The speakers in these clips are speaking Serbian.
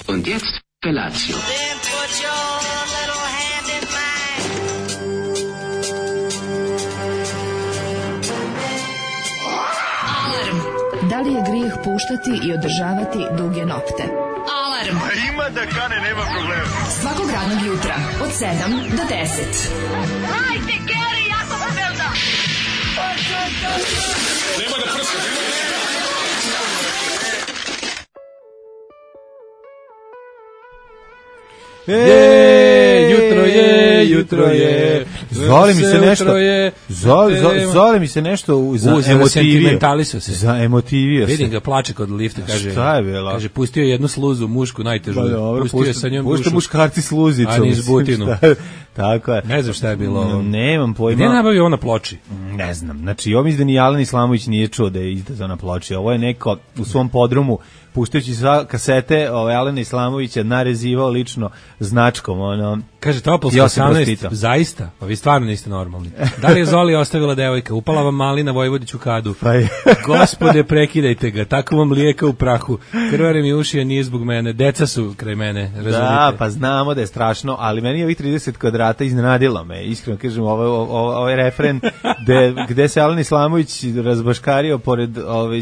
Und jetzt Felatio. Then put your little hand in mine. Alarm. Da li je grijeh puštati i održavati duge nokte? Alarm. Ima da kane, nema problema. Svakog radnog jutra od 7 do 10. Hajde, Geri, jako se velda. Nema da prska, Jutro je. Zoli mi se nešto za emotivio se. Vidim ga, plače kod lifta, kaže. Šta je bilo? Kaže, pustio je jednu sluzu, mušku, najtežu. Pustio je sa njom dušu. Pušte muškarci sluzicu. A niz butinu. Tako je. Ne znam šta je bilo. Nemam pojma. Gde nabavio on na ploči? Ne znam. Znači, ovo mislim da ni Alen Islamović nije čuo da je izdao na ploči. Ovo je neko u svom podrumu, puštajući kasete Alena Islamovića, narezivao lično značkom. Kaže, Topolska 18, zaista? Pa vi stvarno niste normalni. Da li je Zoli ostavila devojka? Upala vam malina Vojvodiću kadu. Pa je. Gospode, prekidajte ga. Tako vam lijeka u prahu. Krvare mi uši, a nije zbog mene. Deca su kraj mene, razumite? Da, pa znamo da je strašno, ali meni je ovih 30 kvadrata iznenadilo me. Iskreno kažem, ovaj refren gde se Alen Islamović razbaškario pored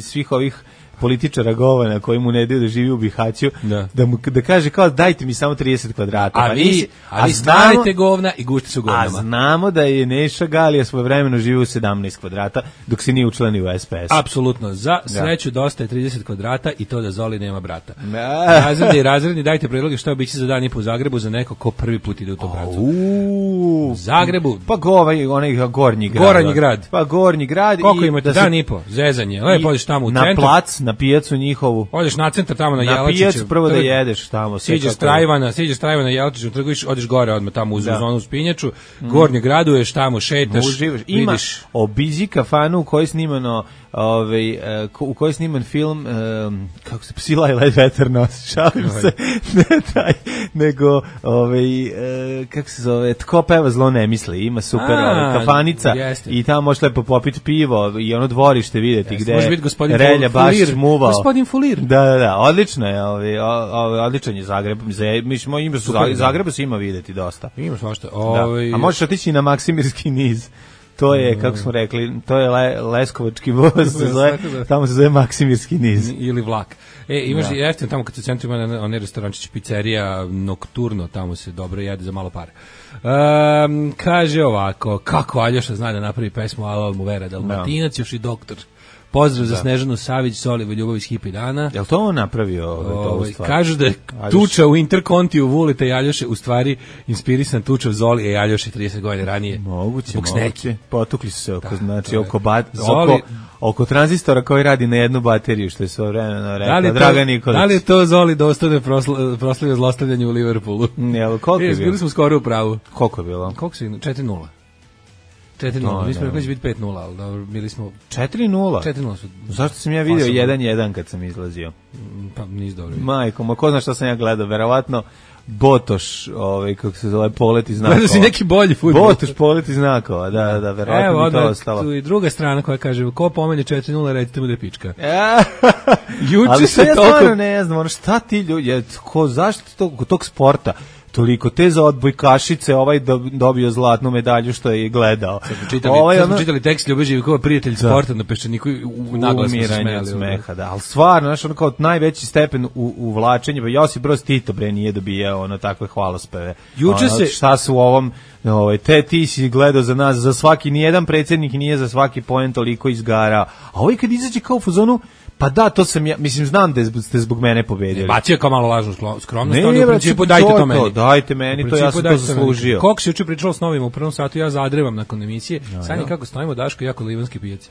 svih ovih političara govana koji mu ne daju da živi u Bihaću, da kaže kao dajte mi samo 30 kvadrata. A vi stavite govna i gušte su govnama. A znamo da je Neša Galija svojevremeno živio u 17 kvadrata dok se nije učlanio u SPS. Apsolutno. Za sreću dosta je 30 kvadrata i to da Zoli nema brata. Razredni, dajte predloge šta biće za dan i po Zagrebu za neko ko prvi put ide u tom pravcu. U Zagrebu. Pa onaj Gornji grad. Goranji grad. Pa Gornji grad. Koliko imate dan i po? Zezanje. Lepo odeš tamo u centru. Na plac, na pijacu njihovu. Odeš na centar tamo na Jelačiću. Na pijacu prvo da jedeš tamo. Siđeš Trajvana na Jelačiću, trgu odeš gore odmah tamo u zonu Spinjaču. Gornji graduješ tamo, šetaš. Ima obiđi kafanu u kojoj je snimano u kojoj je sniman film kako se Psila i led vetar nosi, šalim se, ne taj, nego kako se zove, Tko peva zlo ne misli, ima super kafanica i tamo možeš lepo popiti pivo i ono dvorište vidjeti gde je Relja baš muvao. Gospodin Fulir. Da, odlično je, odličan je Zagreb, Zagrebu se ima videti dosta. Ima svašta. A možeš otići na Maksimirski niz. To je, kako smo rekli, to je Leskovački voz, tamo se zove Maksimirski niz. Ili vlak. Imaš i jeftin tamo kad se u centru ima onaj restorančić, pizzerija, Nocturno, tamo se dobro jede za malo para. Kaže ovako, kako Aljoša zna da napravi pesmu Alo mu vera, Dalmatinac, još i doktor. Pozdrav za Snežanu Savić, Solivu ljubav iz Hipi dana. Jel to on napravio? Kažu da je tuča u Interkontiju Vulita i Aljoše u stvari inspirisan tuča u Zoli i Aljoše 30 godina ranije. Moguće. Potukli su se oko tranzistora koji radi na jednu bateriju, što je sve vremena rekla Dragan Nikolić. Da li je to Zoli dostojno proslavio zlostavljanje u Liverpoolu? Koliko je bilo? Bili smo skoro u pravu. Koliko je bilo? Koliko su 4-0. 4-0, mi smo rekli da će biti 5-0, ali dobro, bili smo... 4-0? 4-0 su... Zašto sam ja vidio 1-1 kad sam izlazio? Pa nis dobro. Majko, ma ko zna šta sam ja gledao, verovatno Botoš, kako se zove, polet iz znakova. Gledao si neki bolji fudbal. Botoš, polet iz znakova, da, verovatno mi to ostalo. Evo, tu i druga strana koja kaže, ko pomene 4-0, recite mu da je pička. Ali sve ja stvarno ne znam, šta ti ljudi, zašto tog sporta? Toliko te za odbojkašice dobio zlatnu medalju što je gledao. Sad čitali tekst Ljube Živkova, prijatelj sporta na Peščaniku, naglas smo se smijali. Smeha, da. Ali stvarno, znaš, ono kao najveći stepen u vlačenju, Josip Broz Tito nije dobijao takve hvalospeve. Šta su u ovom, ti si gledao za nas, za svaki, nijedan predsjednik nije za svaki poen toliko izgarao. A kad izađe kao u fazonu, pa da, to sam ja, mislim, znam da ste zbog mene pobedili. Bacio kao malo lažnu skromnost, ali u principu dajte to meni. Dajte meni, to ja sam to zaslužio. Koliko se juče pričalo s novima u prvom satu, ja zadrevam nakon emisije, Sanja kako stojimo, Daško, jako livanski pijaci.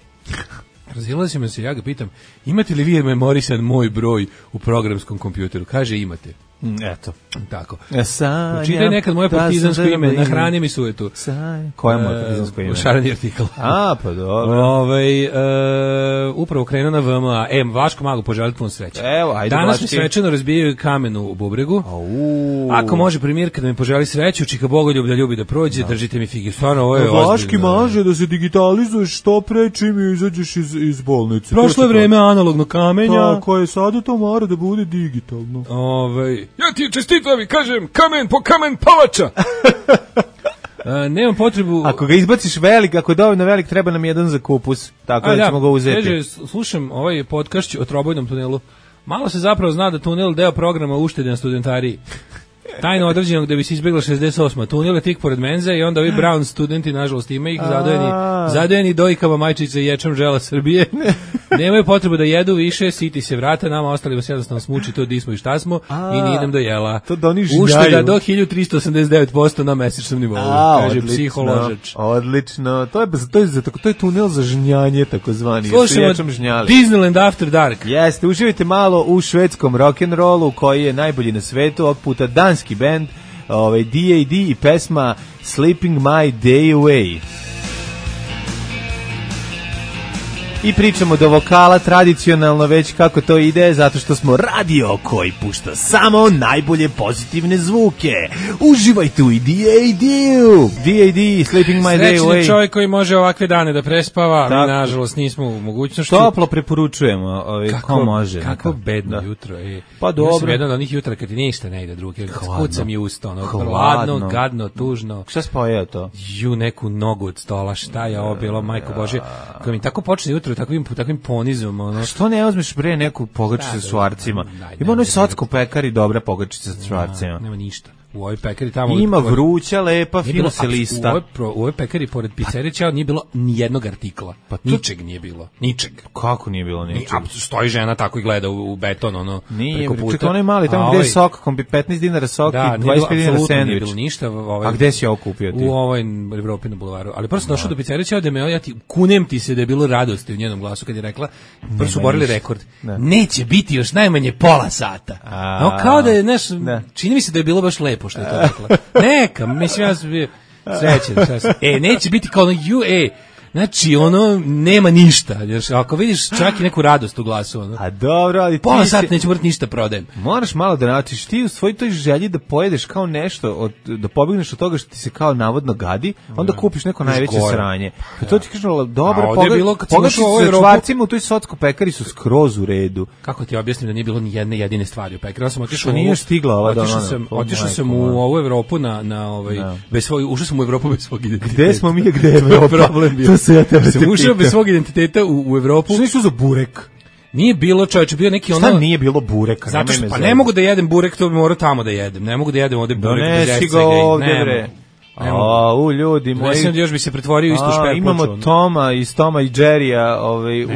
Razilazimo se, ja ga pitam, imate li vi memorisan moj broj u programskom kompjuteru? Kaže, imate. Eto. Tako. Pročitaj nekad moje partizansko ime, nahrani mi sujetu. Koje je moje partizansko ime? Šareni artikl. Pa dobro. Upravo krenuo na VMA. Vaško Mago, poželite puno sreće. Evo, ajde. Danas mi svečano razbijaju kamen u bubregu. Ako može premijerka da mi poželi sreću, čika Bogoljub da ljubi da prođe, držite mi figi. Stvarno, ovo je ozbiljno. Vaški maže da se digitalizuješ što pre čim izađeš iz bolnice. Prošlo je vreme analognog kamenja. Tako je, sada to mora da bude digitalno. ja ti čestitam i kažem kamen po kamen palača. Nemam potrebu... Ako ga izbaciš velik, ako je dovoljno velik, treba nam jedan za kupus, tako da ćemo ga uzeti. Kaže, slušam ovaj podcast o trobojnom tunelu. Malo se zapravo zna da tunel deo programa uštede na studentariji. Tajno određenog da bi se izbjegla 68. Tunel je tik pored menze i onda ovi Brown studenti, nažalost, ima ih zadojeni dojkama majčice i ječam žela Srbije. Nemaju potrebu da jedu više, siti se vrata, nama ostalima se jednostavno smuči to di smo i šta smo i nije nam dojela. To da oni žnjaju. Ušteda do 1389% na mesečnom nivou, kaže psiholožač. Odlično, to je tunel za žnjanje, takozvani. Slušamo Disneyland After Dark. Jeste, uživajte malo u švedskom rock'n'rollu koji je najbolji na svetu, ovog puta danski bend, D.A.D. i pesma Sleeping My Day Away. I pričamo do vokala tradicionalno već kako to ide, zato što smo radio koji pušta samo najbolje pozitivne zvuke. Uživajte u D.A.D.-u. D.A.D. Sleeping My Day Away. Srećni čovjek koji može ovakve dane da prespava, mi nažalost nismo u mogućnosti. Toplo preporučujemo, ko može. Kako bedno jutro. Pa dobro. Ja sam jedan od onih jutra kad ti ništa ne ide druge. Kucam i usta, hladno, gadno, tužno. Šta spojeo to? Neku nogu od stola, šta je ovo bilo, majko Božje. Kad mi tako počne jutro takvim ponizom, ono. Što ne uzmeš bre neku pogačicu sa švarcima? Ima onoj Socko pekari dobra pogačica sa švarcima. Nema ništa. U ovoj pekari tamo... Ima vruća, lepa, fino se lista. U ovoj pekari, pored pizzerića, nije bilo ni jednog artikla. Ničeg nije bilo. Ničeg. Kako nije bilo ničeg? Stoji žena tako i gleda u beton, ono, preko puta. Čekaj, onaj mali, tamo gde je sok, 15 dinara sok i 25 dinara sandvič. Nije bilo ništa. A gde si ovo kupio ti? U ovoj Evropi na bulevaru. Ali prvo sam došao do pizzerića, ja ti kunem ti se da je bilo radosti u njenom glasu kad je rekla, prvo su borili rekord. Neće biti još najmanje pola sata. Kao da je, čini mi se da je bilo baš lepo što je to rekla. Neka, mislim, ja sam bio srećen. Neće biti kao ono, znači, ono, nema ništa. Ako vidiš čak i neku radost u glasu, ono. A dobro, ali ti... Pola sata neće morati ništa prodajem. Moraš malo da načiš ti u svoj toj želji da pojedeš kao nešto, da pobegneš od toga što ti se kao navodno gadi, onda kupiš neko najveće sranje. Pa to ti kažem, dobro, pogačice sa čvarcima u toj Socko pekari su skroz u redu. Kako ti objasnim da nije bilo ni jedne jedine stvari u pekari? Ja sam otišao sam u ovu Evropu ušao sam u Evropu bez svog identiteta. Gde smo mi, gde je Evropa? Problem bio. Sam ušao bez svog identiteta u Evropu. Što nisu za burek? Nije bilo, čovječe, bio neki ono... Šta nije bilo bureka? Zato što, ne mogu da jedem burek, to bi morao tamo da jedem. Ne mogu da jedem ovde burek bez escega. Donesi ga ovde, bre. Ljudi moji. Mislim da još bi se pretvorio isto šperpoču. Imamo Toma iz Toma i Jerrya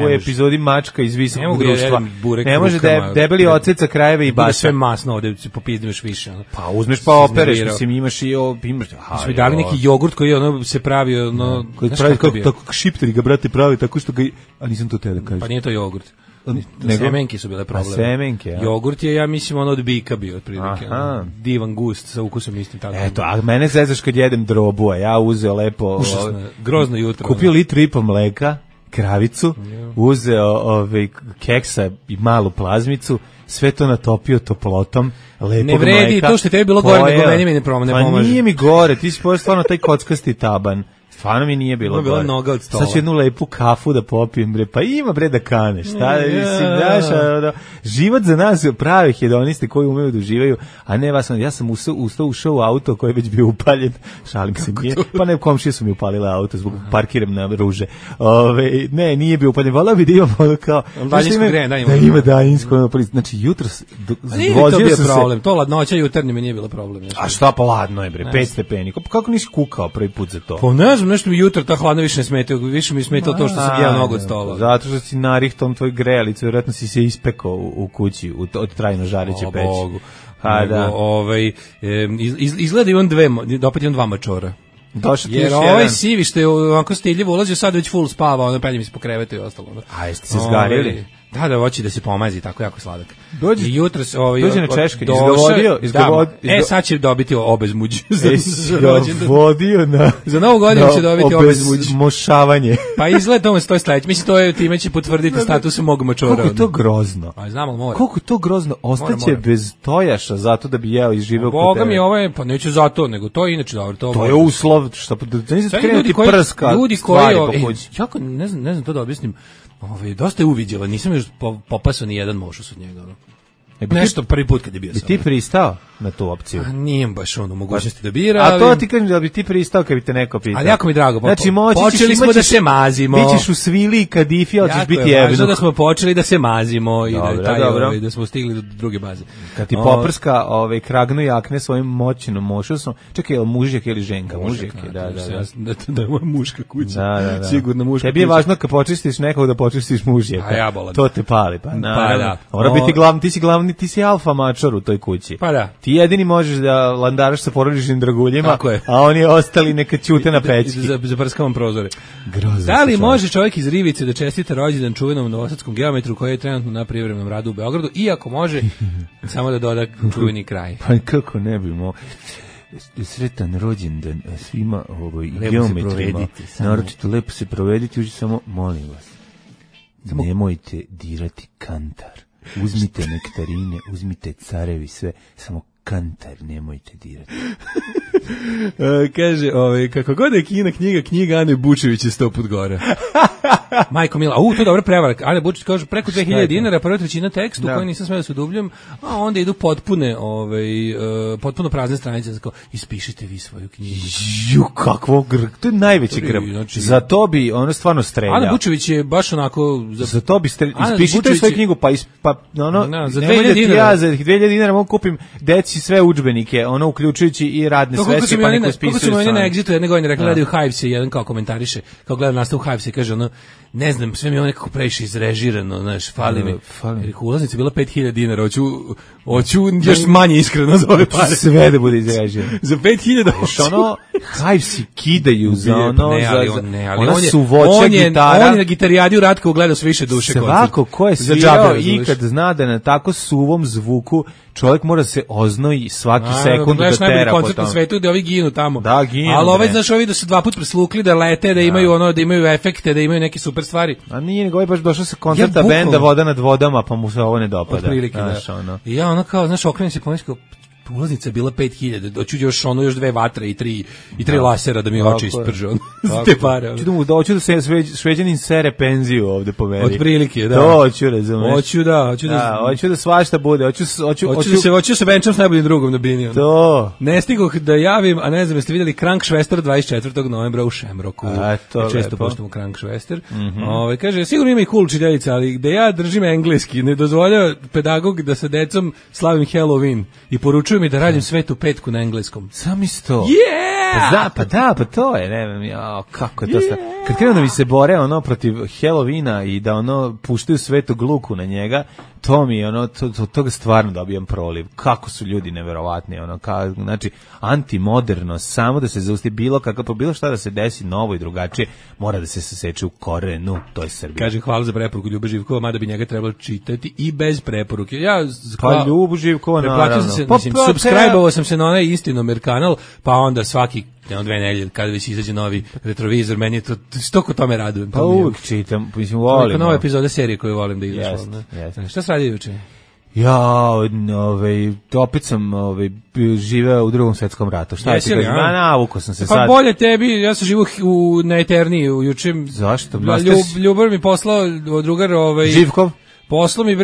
u epizodi Mačka iz visokog društva. Ne može da debeli oceca krajeve i baša. Sve masno ovde popizdim još više. Pa uzmeš pa opereš, mislim imaš i smo dali neki jogurt koji ono se pravi, ono... Koji pravi tako šipteri ga, brate, pravi tako što ga... A nisam to te da kažem. Pa nije to jogurt. Semenke su bile problem. Semenke, ja. Jogurt je, ja mislim, ono od bika bio, otprilike. Divan gust sa ukusom istim tako. Eto, a mene zezaš kad jedem drobu, a ja uzeo lepo... Grozno jutro. Kupio litru i po mleka, kravicu, uzeo keksa i malu plazmicu, sve to natopio toplotom, lepog mleka. Ne vredi, to što je tebi bilo gore, nego meni mi ne pomaže. Pa nije mi gore, ti si pojel stvarno taj kockasti taban. Stvarno mi nije bilo gore. Noga od stola. Sad ću jednu lepu kafu da popijem, bre. Pa ima, bre, da kaneš. Mislim, život za nas prave hedoniste koji umeju da uživaju, a ne vas. Ja sam ušao u auto koji je već bio upaljen. Šalim se, nije. Pa ne, komšije su mi upalile auto zbog parkiram na ruže. Ne, nije bio upaljen. Volao bi da imam ono kao... Daljinsko grejanje. Da ima daljinsko. Znači, jutro vozio sam se... problem. To ladnoća jutarnje mi nije bilo problem. A šta pa ladno je, bre? 5 stepeni. Kako nisi kukao prvi put za to? Pa ne znam, nešto mi jutro ta hladno više ne smetao, više mi smetao to što sam jeo nogu od stola. Zato što si narihtom tvoj grejalicu, vjerojatno si se ispekao u kući od trajno žareće peći. Bogu. Izgleda opet imam dva mačora. Jer ovaj sivi što je onako stiljivo ulazio, sad već full spava, penje mi se po krevetu i ostalo. A jeste se zgarili? Da, hoći da se pomazi, tako jako sladak. Dođi na Češke, izgovodio. Sad će dobiti obezmuđ. Za novu godinu će dobiti obezmuđ. Mošavanje. Pa izgleda tome stoji sledeće. Mislim, to je time će potvrditi status mog mačora. Koliko je to grozno? Znam, ali mora. Koliko je to grozno? Ostaće bez tojaša zato da bi jeo i živeo kod tebe. Boga mi ovo je, pa neće zato, nego to je inače dobro. To je uslov, što da nisi krenuti prska stvari po kući. Jako, ne znam to da objasnim. Dosta je uviđala, nisam još popasao ni jedan mošus od njega. Nešto prvi put kad je bio Bi sa ti mnom. pristao na tu opciju? A nijem baš ono mogućnosti da bira. A to ti kažem da bi ti pristao kad bi te neko pitao. Ali jako mi drago. Znači, počeli smo da se mazimo. Bićeš u svili i kadifi, hoćeš biti Jako je važno jebnuk. da smo počeli da se mazimo i Dobro, da, dobro. da smo stigli do druge baze. Kad ti poprska kragnu jakne svojim moćnom mošusom. Čekaj, je li mužjak ili ženka? Mužjak je, da. Da je moja muška kuća. Da. Sigurno muška kuća. Tebi je važno kad počistiš nekog da počistiš mužjaka. A ja bolam. To te pali, pa naravno. da. Mora biti glavni, ti si alfa mačor u toj kući. Pa da. Ti jedini možeš da landaraš sa porodičnim draguljima, Tako je. a oni ostali neka ćute na pećki. Zaprskavam prozore. Grozno. Da li može čovjek iz Rivice da čestita rođendan čuvenom novosadskom geometru koji je trenutno na privremenom radu u Beogradu, iako može samo da doda čuveni kraj. Pa kako ne bi mo... Sretan rođendan svima geometrima. Naročito lepo se provediti, uđi samo, molim vas, nemojte dirati kantar. Uzmite nektarine, uzmite carevi, sve, samo kantar nemojte dirati. Kaže, kako god je knjiga Ane Bučević je 100 put gore. Majko Mila, to je dobra prevara. Ane Bučević kaže preko 2000 dinara, prva trećina tekstu koji nisam smeo da se udubljam, a onda idu potpuno prazne stranice, znači ispišite vi svoju knjigu. Kakvo to je najveći grb. Znači, za to bi ono stvarno streljao. Ana Bučević je baš onako za to bi ispišite svoju knjigu, pa za 2000 dinara. Ja za 2000 dinara mogu kupim deci sve udžbenike, ono uključujući i radne sveske, pa neko ispisuje. Kako su mi oni na Exitu jedne godine rekli, gledaju Hives i jedan kao komentariše, kao gleda nastavu Hives i kaže ono, ne znam, sve mi je ono nekako previše izrežirano, znaš, fali mi. Ulaznica je bila 5000 dinara, hoću još manje iskreno za ove pare. Sve da bude izrežirano. Za 5000 ono, Hivesi kidaju za ono, ona su voća gitara. On je na gitarijadi u Ratkovu gledao sve više duše koncert. Svako ko je svirao ikad zna da na tako suvom zvuku čovjek mora se oznoji svaki sekund da tera po koncert na svetu gde ovi ginu tamo. Da, ginu. Ali ovaj, znaš, ovi da su dva put preslukli, da lete, da imaju ono, da imaju efekte, da imaju neke super stvari. A nije nego ovaj baš došao sa koncerta benda Voda nad vodama, pa mu se ovo ne dopada. Otprilike, da. I ja ono kao, znaš, okrenem se pomislio, ulaznica je bila 5000, doću još dve vatre i tri lasera da mi oči isprže za te pare. Hoću da se Šveđanin sere penziju ovde po meni. Otprilike, da. To hoću, razumeš. Hoću da svašta bude. Hoću se venčam s najboljim drugom na bini. To. Ne stigoh da javim, a ne znam jeste vidjeli Krankšvester 24. novembra u Šemroku. Često poštujemo Krankšvester. Kaže, sigurno ima i cool čiteljica, ali gde ja držim engleski, ne dozvoljava pedagog da sa decom slavim Halloween i poručuju mi da radim Svetu petku na engleskom. Sam isto. Yeah! Pa to je, ne znam, kako je to sve. Kad krenu da mi se bore ono protiv Halloweena i da ono puštaju Svetu Luku na njega, to mi ono, toga stvarno dobijam proliv. Kako su ljudi neverovatni, ono, znači, antimoderno, samo da se zausti bilo šta da se desi novo i drugačije, mora da se saseče u korenu, to je Srbija. Kaže, hvala za preporuku Ljuba Živkova, mada bi njega trebalo čitati i bez preporuke. Pa Ljubu Živkova, naravno. Subscribe-ovao sam se na onaj Istinomer kanal, pa onda svaki 2 nedelje, kada već izađe novi retrovizor, meni je to, što ko tome radujem. Pa uvijek čitam, mislim, volim. Neka nova epizoda serije koju volim da izašla. Šta se radi juče? Ja, opet sam živeo u Drugom svetskom ratu. Šta je ti kažem? Navuko sam se sad. Pa bolje tebi, ja sam živo na Eterniji juče. Zašto? Ljubav mi poslao drugar Živkov? Poslo mi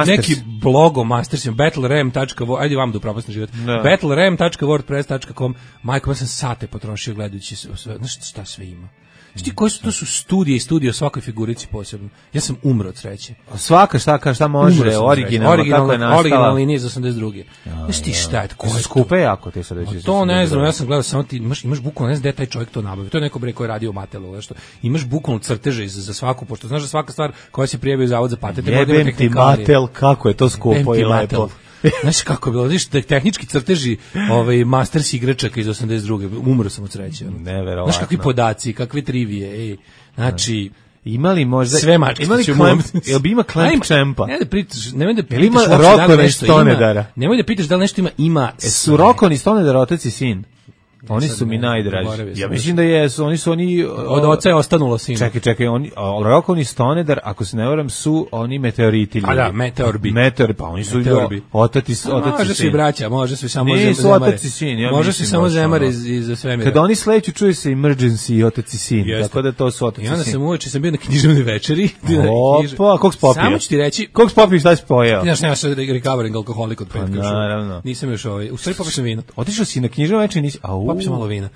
neki blog Mastersim, battleram.com, ajde vam da upropastim život, battleram.wordpress.com, majko, ja sam sate potrošio gledajući sve, znaš šta sve ima. Šti koji su, to su studije i studije o svakoj figurici posebno. Ja sam umro od sreće. Svaka šta može, originalno, kako je nastala. Originalna linija iz 82. Znaš ti šta je, ko je skupe jako te sad reći. To ne znam, ja sam gledao samo ti, imaš bukvalno, ne znam gde taj čovjek to nabavio. To je neko bre koji je radio u Matelu, nešto. Imaš bukvalno crteže za svaku, pošto znaš da svaka stvar koja se prijavio u Zavod za patente, jebem ti Matel, kako je to skupo i lepo. Znaš kako je bilo, vidiš, tehnički crteži Masters igračaka iz 82. Umro sam od sreće. Neverovatno. Znaš kakvi podaci, kakve trivije, znači... Imali možda... Sve mačke. Jel bi ima Clamp Champa? Nemoj da pitaš Rokon iz Stonedara. Nemoj da pitaš da li nešto ima su Rokon iz Stonedara otac i sin? Oni su mi najdraži. Ja mislim da jesu, oni od oca je ostanulo sina. Čekaj, oni Rokovni Stonedar, ako se ne varam, su oni meteoriti. A da, meteorbi. Pa oni su otaci sin. Može svi braća, može svi samo nisu otaci sin. Može svi samo zemare iz svemira. Kad oni sleću, čuje se emergency i otaci sin. Tako da to su otaci sin. I onda sam uveče sam bio na književnoj večeri. Opa, kog spopio? Samo ću ti reći. Kog spopio, šta si pojeo? Znaš, nema se recovering alkoholik od petka. Naravno. Nisam još u stvari popio sam vino. Otišao si na književnoj večeri, nisi? Popio sam malo vina.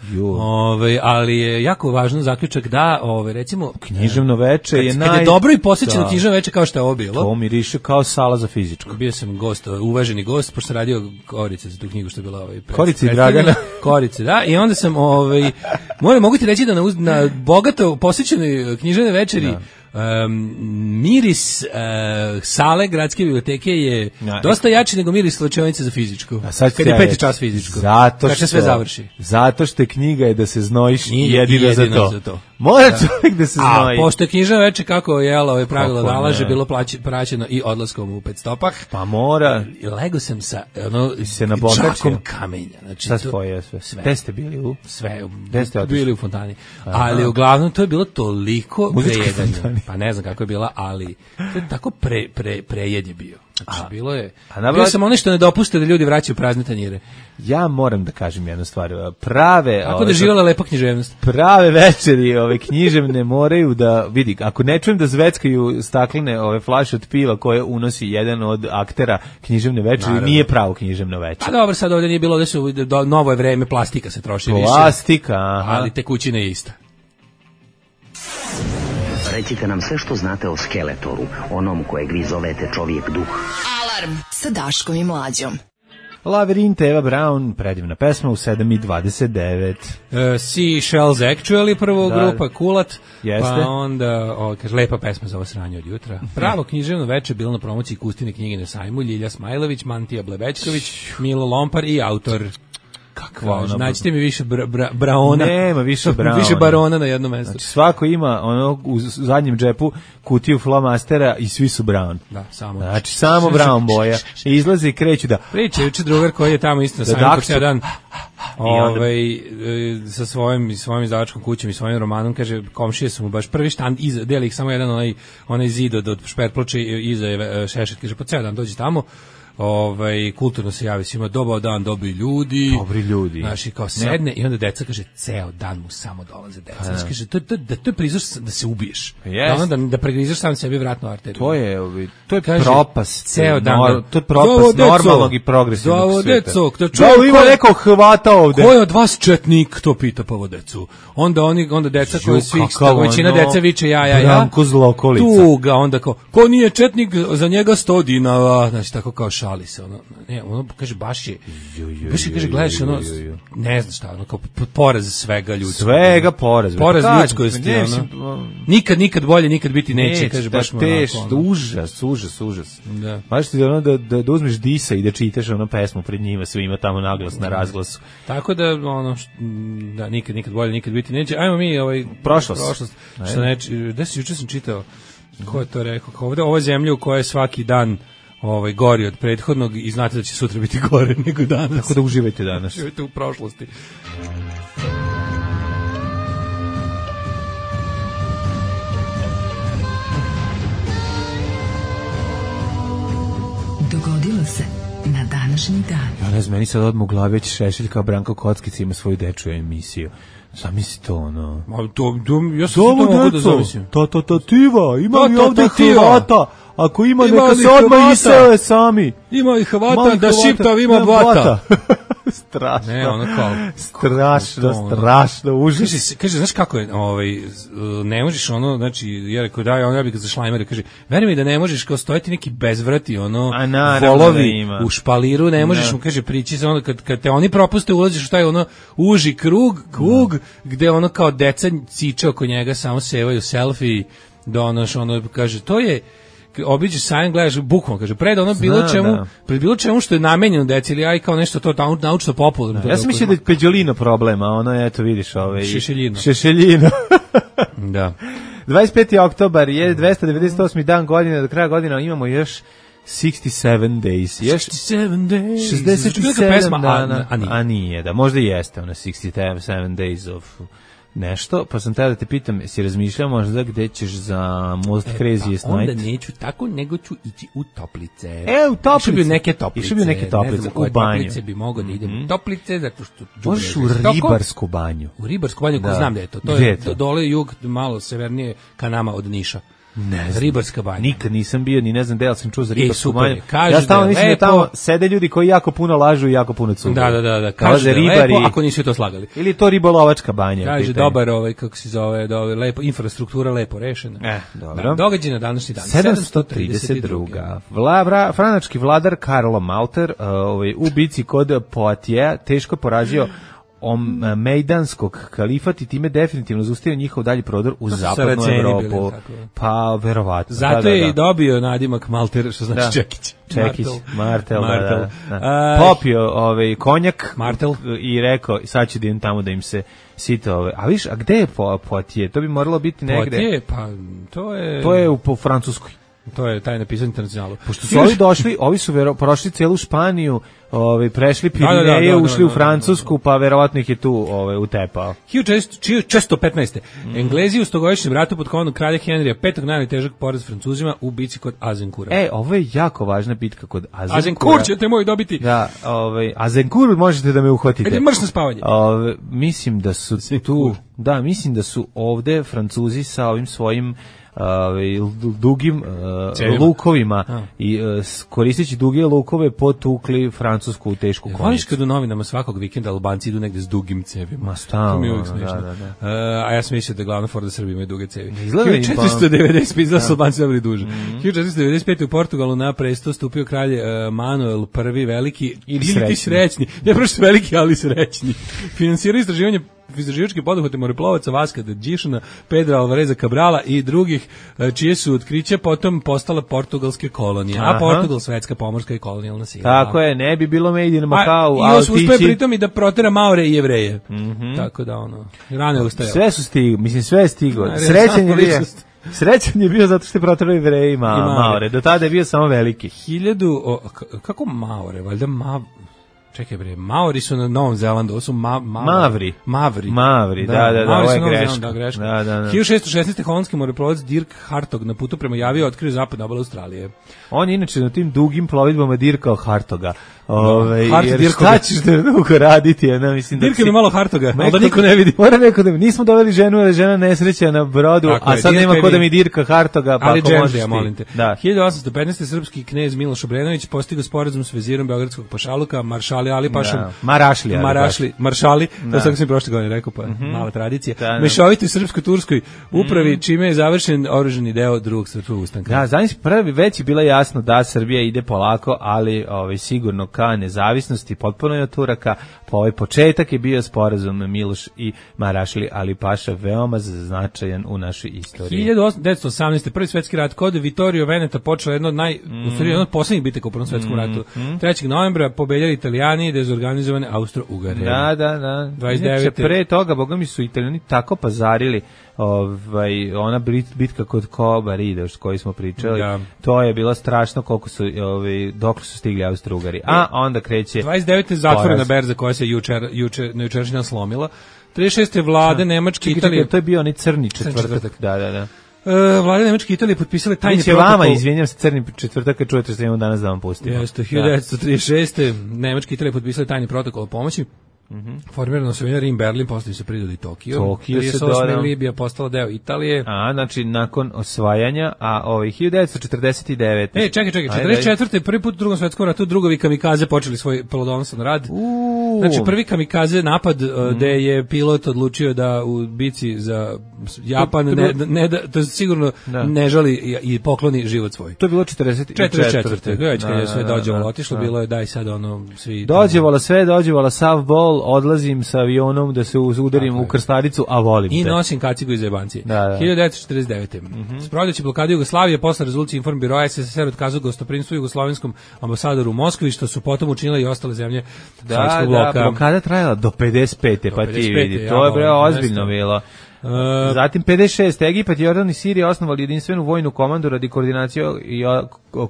Ali je jako važno zaključak da, recimo, književno veče je kad je dobro i posvećeno književno veče kao što je ovo bilo. To miriše kao sala za fizičko. Bio sam gost, uvaženi gost, pošto sam radio Korice za tu knjigu što je bila Korice i Dragana. Korice, da, i onda sam mogu ti reći da na bogato posvećenoj književnoj večeri miris sale gradske biblioteke je dosta jači nego miris slačionice za fizičku. Kad je 5. čas fizičko. Kad se sve završi. Zato što knjiga je da se znojiš jedino za to. Mora čovjek da se znoji. A pošto je književno veče kako je pravilo nalaže bilo praćeno i odlaskom u 5 stopah. Pa mora. Lego sam sa čakom kamenja. Znači, šta spoje sve? Gde ste bili u? Sve. Bili u fontani. Ali uglavnom to je bilo toliko prejedanje. Pa ne znam kako je bila, ali to je tako prejed je bio. Znači, bilo je. Bio sam ono što ne dopuste da ljudi vraćaju prazne tanjire. Ja moram da kažem jednu stvar. Prave... Kako da živjela lepa književnost? Prave večeri književne moraju da... Vidi, ako ne čujem da zveckaju staklene flaše od piva koje unosi jedan od aktera književne večeri, nije pravo književno večer. Pa dobro, sad ovdje nije bilo da su novo je vreme, plastika se troši više. Plastika, aha. Ali tekućina je ista. Recite nam sve što znate o Skeletoru, onom kojeg vi zovete čovjek duh. Alarm sa Daškom i Mlađom. Labirinte, Eva Braun, predivna pesma u 7:29. Seashells Actually, prvo grupa, Kulat. Jeste. Pa onda, kaže, lepa pesma za ovo sranje od jutra. Pravo književno veče bilo na promociji Kustine knjige na sajmu, Ljilja Smajlović, Mantija Blebećković, Milo Lompar i autor. Kakva, nađite mi više Braona. Nema više Braona. Više Barona na jednom mjestu. Znači, svako ima u zadnjem džepu kutiju flomastera i svi su Brown. Da, samo. Znači, samo Brown boja. I izlaze i kreću da... Priča, juče drugar koji je tamo isto na sajmu cijel dan sa svojim izdavačkom kućom i svojim romanom, kaže, komšije su mu baš prvi štand, deli ih samo jedan onaj zid od šperploče iza je Šešet, kaže, po ceo dan dođi tamo, kulturno se javi svima, dobar dan, dobri ljudi. Znači, kao sedne i onda deca, kaže, ceo dan mu samo dolaze deca. Znači, kaže, to je prizor da se ubiješ. Da pregrizaš sam sebi vratnu arteriju. To je propast. Ceo dan. To je propast normalnog i progresivnog sveta. Ovo ima neko hvata ovde. Ko je od vas četnik, to pita Pavo decu. Onda deca koji svih, većina deca viče ja. Branko Zlokolica. Tuga, onda kao, ko nije četnik, za njega 100 dinara. Znači, tako kao šali se, kaže, baš je, kaže, gledaš, ne znaš šta, kao poraz svega ljudskog. Svega poraz. Poraz ljudskosti, nikad bolje, nikad biti neće, kaže, baš mu užas. Baš ti da uzmeš disa i da čitaš pesmu pred njima, svima tamo naglas na razglasu. Tako da, da, nikad bolje, nikad biti neće. Ajmo mi, prošlost. Gde si, juče sam čitao, ko je to rekao, ovo je zemlja u kojoj svaki dan gori od prethodnog i znate da će sutra biti gore nego danas. Tako da uživajte danas. Uživajte u prošlosti. Dogodilo se na današnji dan. Ja ne znam, meni sad odmah u glavi već Šešelj kao Branko Kockica ima svoju dečju emisiju. Zamisli to, ja sam to mogu da zamislim. Tatativa, ima li ovdje Hrvata? Ako ima, neka se odmah isele sami. Ima i Hrvata, da Šiptav ima blata. Strašno. Ne, ono kao... Strašno, užas. Kaže, znaš kako je, ne možeš znači, ja rekao, ja bih ga za šlajmere, kaže, veri mi da ne možeš, kao stojati neki bezvrati, volovi u špaliru, ne možeš, mu kaže, prići se, kad te oni propuste, ulaziš u taj, uži krug, gde kao deca ciče oko njega, samo sevaju selfie, kaže, to je, obiđeš sajam, gledaš bukvalno, kaže, pred bilo čemu što je namenjeno deci, ili aj kao nešto to naučno popularno. Ja sam mislio da je Peđolino problema, eto vidiš, Šešeljino. Da. 25. oktobar je 298. dan godine, do kraja godina imamo još 67 Days. 67 Days. 67 pesma, dana. a nije. A nije, da, možda jeste ona 67 Days of nešto, pa sam tada da te pitam, jesi razmišljao možda gde ćeš za Most Craziest Onda Night? neću tako, nego ću ići u Toplice. U Toplice. Išao bi u neke Toplice. Išao bi u neke Toplice, ne znam u banju. Toplice bi mogao da idem u Toplice, zato što... Možeš u Ribarsku banju. U Ribarsku banju, ko znam da je to. To Gde je je to? dole jug, malo severnije ka nama od Niša. Ne znam. Ribarska banja. Nikad nisam bio, ni ne znam da li sam čuo za Ribarsku super banju. je. Kažu Ja stalno da je mislim da lepo. tamo sede ljudi koji jako puno lažu i jako puno cugaju. Da. Kao Kažu da je ribari. lepo, ako nisu to slagali. Ili je to ribolovačka banja? Kaže, pitanje. dobar kako se zove, lepo, infrastruktura lepo rešena. Dobro. Događaj na današnji dan. 732. Franački vladar Karlo Malter u bici kod Poitiers teško porazio Mejdanskog kalifat i time definitivno zaustavio njihov dalji prodor u zapadnu Evropu. Pa, verovatno. Zato je i dobio nadimak Malter, što znači Čekić. Martel. Popio konjak Martel i rekao, sad ću da idem tamo da im se sita a viš, a gde je Poitiers? To bi moralo biti negde. Poitiers, pa to je u Francuskoj. To je taj napisao Internacionalu. Pošto su ovi došli, ovi su prošli celu Španiju, prešli Pirineje, ušli u Francusku, pa verovatno ih je tu utepao. 1615. Englezi u stogodišnjem ratu pod komandom kralja Henrija V najtežak poraz Francuzima u bici kod Azincoura. Ovo je jako važna bitka kod Azincoura. Azincourt ćete moj dobiti. Da, Azincourt možete da me uhvatite. Ajde, mrš na spavanje. Mislim da su tu, mislim da su ovde Francuzi sa ovim svojim dugim lukovima i koristeći duge lukove potukli Francusku u tešku konicu. Voliš kad u novinama svakog vikenda Albanci idu negde s dugim cevima? Ma stalno, da. A ja sam mislio da glavna fora da Srbi imaju duge cevi. 1495 da su Albanci dobili duže. 1495 u Portugalu na presto stupio kralj Manuel I veliki ili srećni. Ne prosto veliki, ali srećni. Finansirao istraživačke poduhvate moreplovaca Vaska da Đišana, Pedra Alvareza Cabrala i drugih, čije su otkriće potom postala portugalske kolonije. A Portugal svetska pomorska i kolonijalna sila. Tako je, ne bi bilo made in Macau, a uspeo pritom i da protera Maore i Jevreje. Tako da rano je ustajao. Sve su stigli, mislim sve je stiglo. Srećan je bio zato što je proterao Jevreje i Maore. Do tada je bio samo veliki. Kako Maore? Valjda Čekaj bre, Maori su na Novom Zelandu, ovo su Mavri, da, ovo je greška. 1616. holandski moreplovac Dirk Hartog na putu prema Javiji otkrio zapadnu obalu Australije. On je inače na tim dugim plovidbama dirkao Hartoga. Jer šta ćeš da dugo raditi? Dirka mi malo Hartoga, ali da niko ne vidi. Moram neko da nismo doveli ženu, jer je žena nesreća na brodu, a sad nema ko da mi dirka Hartoga, pa ako možeš ti. Molim te. 1815. srpski knez Miloš Obrenović postigao sporazum s vezirom beogradskog pašaluka, maršali Ali Pašom. Maršali, to sam mi prošle godine rekao, pa mala tradicija. Mešovitoj srpsko-turskoj upravi, čime je završen oružani deo drugog srpskog ustanka. Da, znači prvi već je bilo jasno da Srbija ide polako, ali sigurno ka nezavisnosti, potpuno je od Turaka, pa ovaj početak je bio sporazum Miloš i Marašli Ali Paša, veoma značajan u našoj istoriji. 1918. prvi svetski rat kod Vittorio Veneta počela jedna od poslednjih bitaka u Prvom svetskom ratu. 3. novembra pobeljali Italijani, dezorganizovane Austro-Ugare. Da. 29. Pre toga, boga mi su Italijani tako pazarili ona bitka kod Kobarida, s kojoj smo pričali, to je bilo strašno koliko su, dok su stigli Austro-Ugari. A onda kreće 29. zatvorena berza koja se na jučerašnji dan slomila. 36. vlade Nemačke Italije. To je bio onaj crni četvrtak. Da. Vlade Nemačke Italije potpisale tajni protokol. protokol. Izvinjam se, crni četvrtak, čujete što imamo danas da vam pustimo. Jeste, 1936. Nemačke Italije potpisale tajni protokol o pomoći. Formirano se Rim, Berlin, poslije se pridali Tokio. 38. Libija postala deo Italije. Znači nakon osvajanja, a 1949. Čekaj, 44. prvi put u Drugom svetskom ratu drugovi kamikaze počeli svoj plodonosan rad. Znači prvi kamikaze napad gde je pilot odlučio da u bici za Japan to sigurno ne žali i pokloni život svoj. To je bilo 44. Već kad je sve dođevalo otišlo, bilo je daj sad svi... Dođevala sav bol, odlazim sa avionom da se udarim u krstaricu, a volim te. I nosim kacigu iz jebancije. 1949. Sprovodeći blokadu Jugoslavije posle rezolucije Informbiroa SSSR otkazao gostoprinstvo jugoslovenskom ambasadoru u Moskvi, što su potom učinile i ostale zemlje Sovjetskog bloka. Blokada trajala do 55. pa ti vidi. To je ozbiljno bilo. Zatim 56. Egipat, Jordan i Sirija osnovali jedinstvenu vojnu komandu radi koordinacije i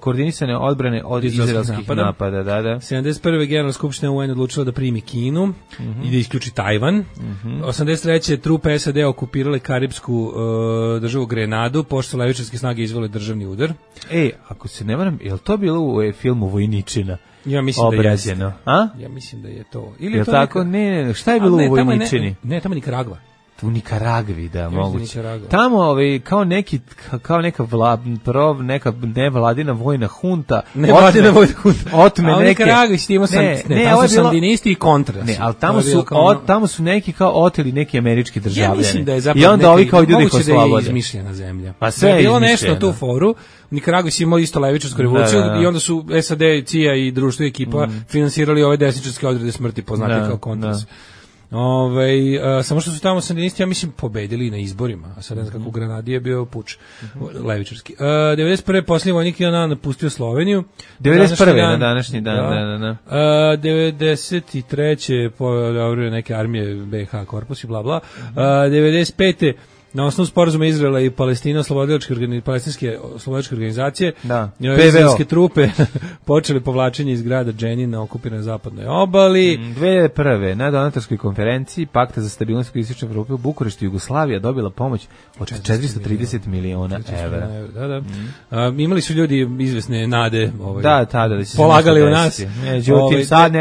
koordinisane odbrane od izraelskih napada. Da. 71. Generalna skupština UN odlučila da primi Kinu i da isključi Tajvan. 83. trupe SAD okupirale karipsku državu Grenadu, pošto su levičarske snage izvele državni udar. Ako se ne varam, je li to bilo u filmu Vojničina? Ja mislim obrađeno. Da jeste. Ja mislim da je to. Ili je to tako? Ne, šta je bilo u Vojničini? Ne, tamo Nikaragva. U Nikaragvi, da, moguće. Tamo kao neka nevladina vojna hunta. Nevladina vojna hunta. Otme neke. A u Nikaragvi tamo su sandinisti i kontra. Ne, ali tamo su neki kao oteli neki američki državljani. Ja mislim da je zapravo i onda ovi kao ljudi koji slobode. Da je izmišljena zemlja. Pa sve je bilo nešto na tu foru. U Nikaragvi su imali isto levičarsku revoluciju i onda su SAD, CIA i društvo i ekipa finansirali ove desničarske odrede smrti poznate kao kontras. Samo što su tamo sandinisti, ja mislim, pobedili na izborima, a sad ne znam kako u Granadi je bio puč levičarski. 91. posljednji vojnik je napustio Sloveniju. 91. na današnji dan. 93. pojavljaju neke armije BiH korpus i bla bla. 95. na osnovu sporazuma Izraela i Palestina palestinske oslobodilačke organizacije, izraelske trupe počeli povlačenje iz grada Dženin na okupiranoj zapadnoj obali. 2001. na donatorskoj konferenciji Pakta za stabilnost i istočne Evrope u Bukureštu Jugoslavija dobila pomoć od 430 miliona evra. Imali su ljudi izvesne nade, tada da će polagali u nas. Međutim, sad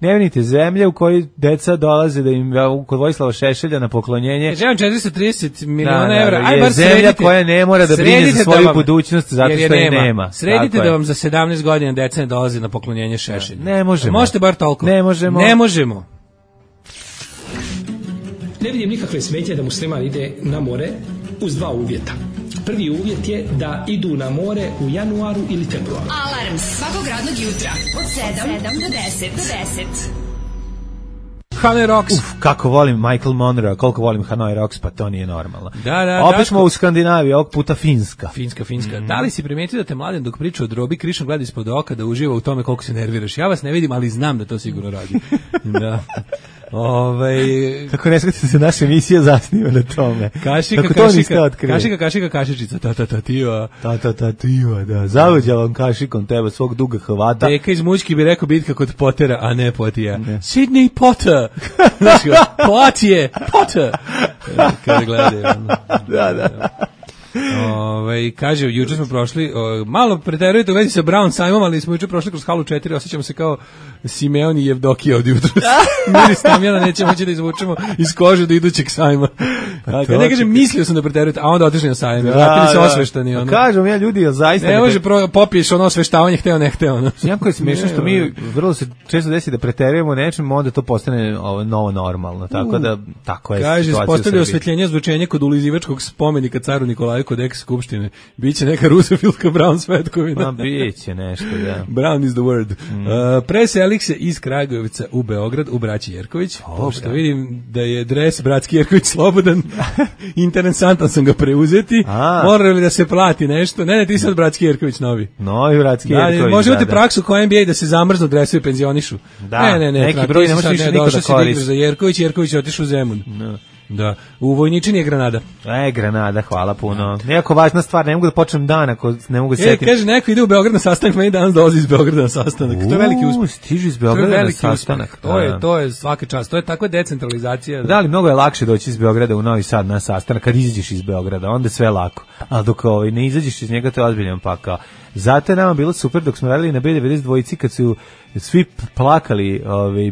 ne vidite zemlje u kojoj deca dolaze da im kod Vojislava Šešelja na poklonjenje. 430 miliona evra. Aj bar zemlja koja ne mora da brine za svoju budućnost zato što je nema. Sredite da vam za 17 godina deca ne dolaze na poklonjenje Šešelju. Ne možemo. Možete bar toliko. Ne možemo. Ne vidim nikakve smetnje da musliman ide na more uz dva uvjeta. Prvi uvjet je da idu na more u januaru ili februaru. Alarm svakog radnog jutra od 7 do 10. Hanoi Rocks. Kako volim Michael Monroe, koliko volim Hanoi Rocks, pa to nije normalno. Da. Opet smo u Skandinaviji, ovog puta Finska. Finska. Da li si primetio da te mladen dok priča o drobi krišom gleda ispod oka da uživa u tome koliko se nerviraš? Ja vas ne vidim, ali znam da to sigurno radi. Da. Kako ne shvatite se naša emisija zasniva na tome. Kašičica, ta-ta-ta-tiva, da. Zaluđa vam kašikom teba svog duga Hrvata. Deka iz Mućki bi rekao bitka kod Pottera, a ne Potija. Sidney Potter. Potter. Kada gledaju. Da. Kaže, juče smo prošli, malo preterujete u vezi sa Brown sajmom, ali smo juče prošli kroz halu 4, osjećamo se kao Simeon i Jevdokija od jutra. Miris Tamjana nećemo moći da izvučemo iz kože do idućeg sajma. Ne kažem, mislio sam da preterujete, a onda otišli na sajam, vratili se osveštani. Kažem ja ljudi, zaista... Ne može popiješ ono osveštavanje, hteo, ne hteo. Jako je smiješno što mi vrlo se često desi da preterujemo nečem, onda to postane novo normalno, tako da, tako je. Kaže, postavlja osvetljenje zvučenje kod ulizivačkog spomenika caru Nikolaju kod eks-skupštine. Biće neka rusofilska Brown svetkovina. Biće nešto, da. Brown is the word. Preselih se iz Kragujevca u Beograd u braći Jerković. Pošto vidim da je dres bratski Jerković slobodan, interesantan sam ga preuzeti. Mora li da se plati nešto? Ne, ti sad bratski Jerković novi. Novi bratski Jerković. Može imati praksu koja NBA da se zamrznu dresovi penzionišu. Ne. Neki broj ne može više niko da koristi. Za Jerković je otišao u Zemun. Da, u Vojničini je Granada. Granada, hvala puno. Nekako važna stvar, ne mogu da počnem dan ako ne mogu setiti. Kaže, neko ide u Beograd na sastanak, meni danas dolazi iz Beograda na sastanak. To je veliki uspeh. Stižu iz Beograda na sastanak. To je svaka čast, to je takva decentralizacija. Da, ali mnogo je lakše doći iz Beograda u Novi Sad na sastanak kad izađeš iz Beograda, onda sve lako. Ali dok ne izađeš iz njega, to je ozbiljan pakao. Zato je nama bilo super dok smo radili na B92 dvojici kad su svi plakali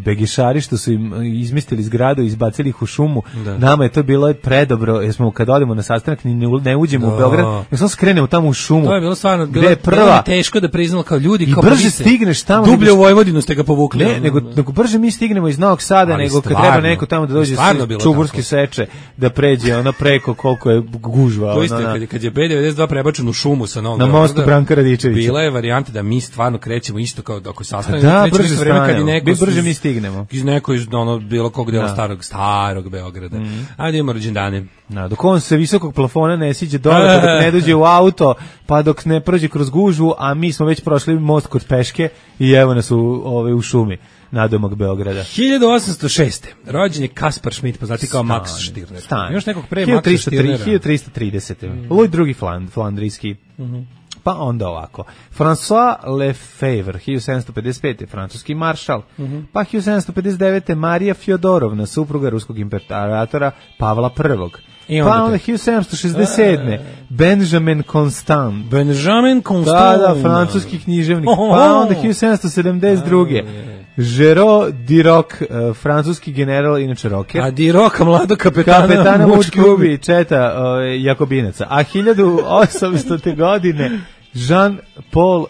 begišari što su im izmestili zgradu i izbacili ih u šumu. Da. Nama je to bilo predobro jer smo kad odemo na sastanak ne uđemo u Beograd, jer samo skrenemo tamo u šumu. To je bilo stvarno bilo teško da priznamo kao ljudi. I brže stigneš tamo. Dublje u Vojvodinu ste ga povukli. Ne, nego brže mi stignemo iz Novog Sada nego kad treba neko tamo da dođe iz Čuburske seče da pređe preko koliko je gužva. To isto kad je B92 prebačen u šumu sa Novog na mostu Branka Miličevića. Bila je varijanta da mi stvarno krećemo isto kao ako sastanemo. Da, brže stanemo. Brže mi stignemo. Iz neko iz bilo kog dela starog Beograda. Ajde imamo rođendane. Dok on se visokog plafona ne siđe dole, pa dok ne dođe u auto, pa dok ne prođe kroz gužvu, a mi smo već prošli most kod Peške i evo nas u šumi nadomak Beograda. 1806. Rođen je Kaspar Schmidt, poznati kao Max Stirner. Još nekog pre Maxa Stirnera. 1330. Louis II Flandrijski. Pa onda ovako. François Lefebvre, 1755. francuski maršal. Pa 1759. Marija Fjodorovna, supruga ruskog imperatora Pavla I. Pa onda 1767. Benjamin Constant. Da, francuski književnik. Pa onda 1772. Žero Diroc, francuski general, inače rocker. A Diroc, mlado kapetana mučki ubi, četa Jakobinaca. A 1800. godine Jean-Paul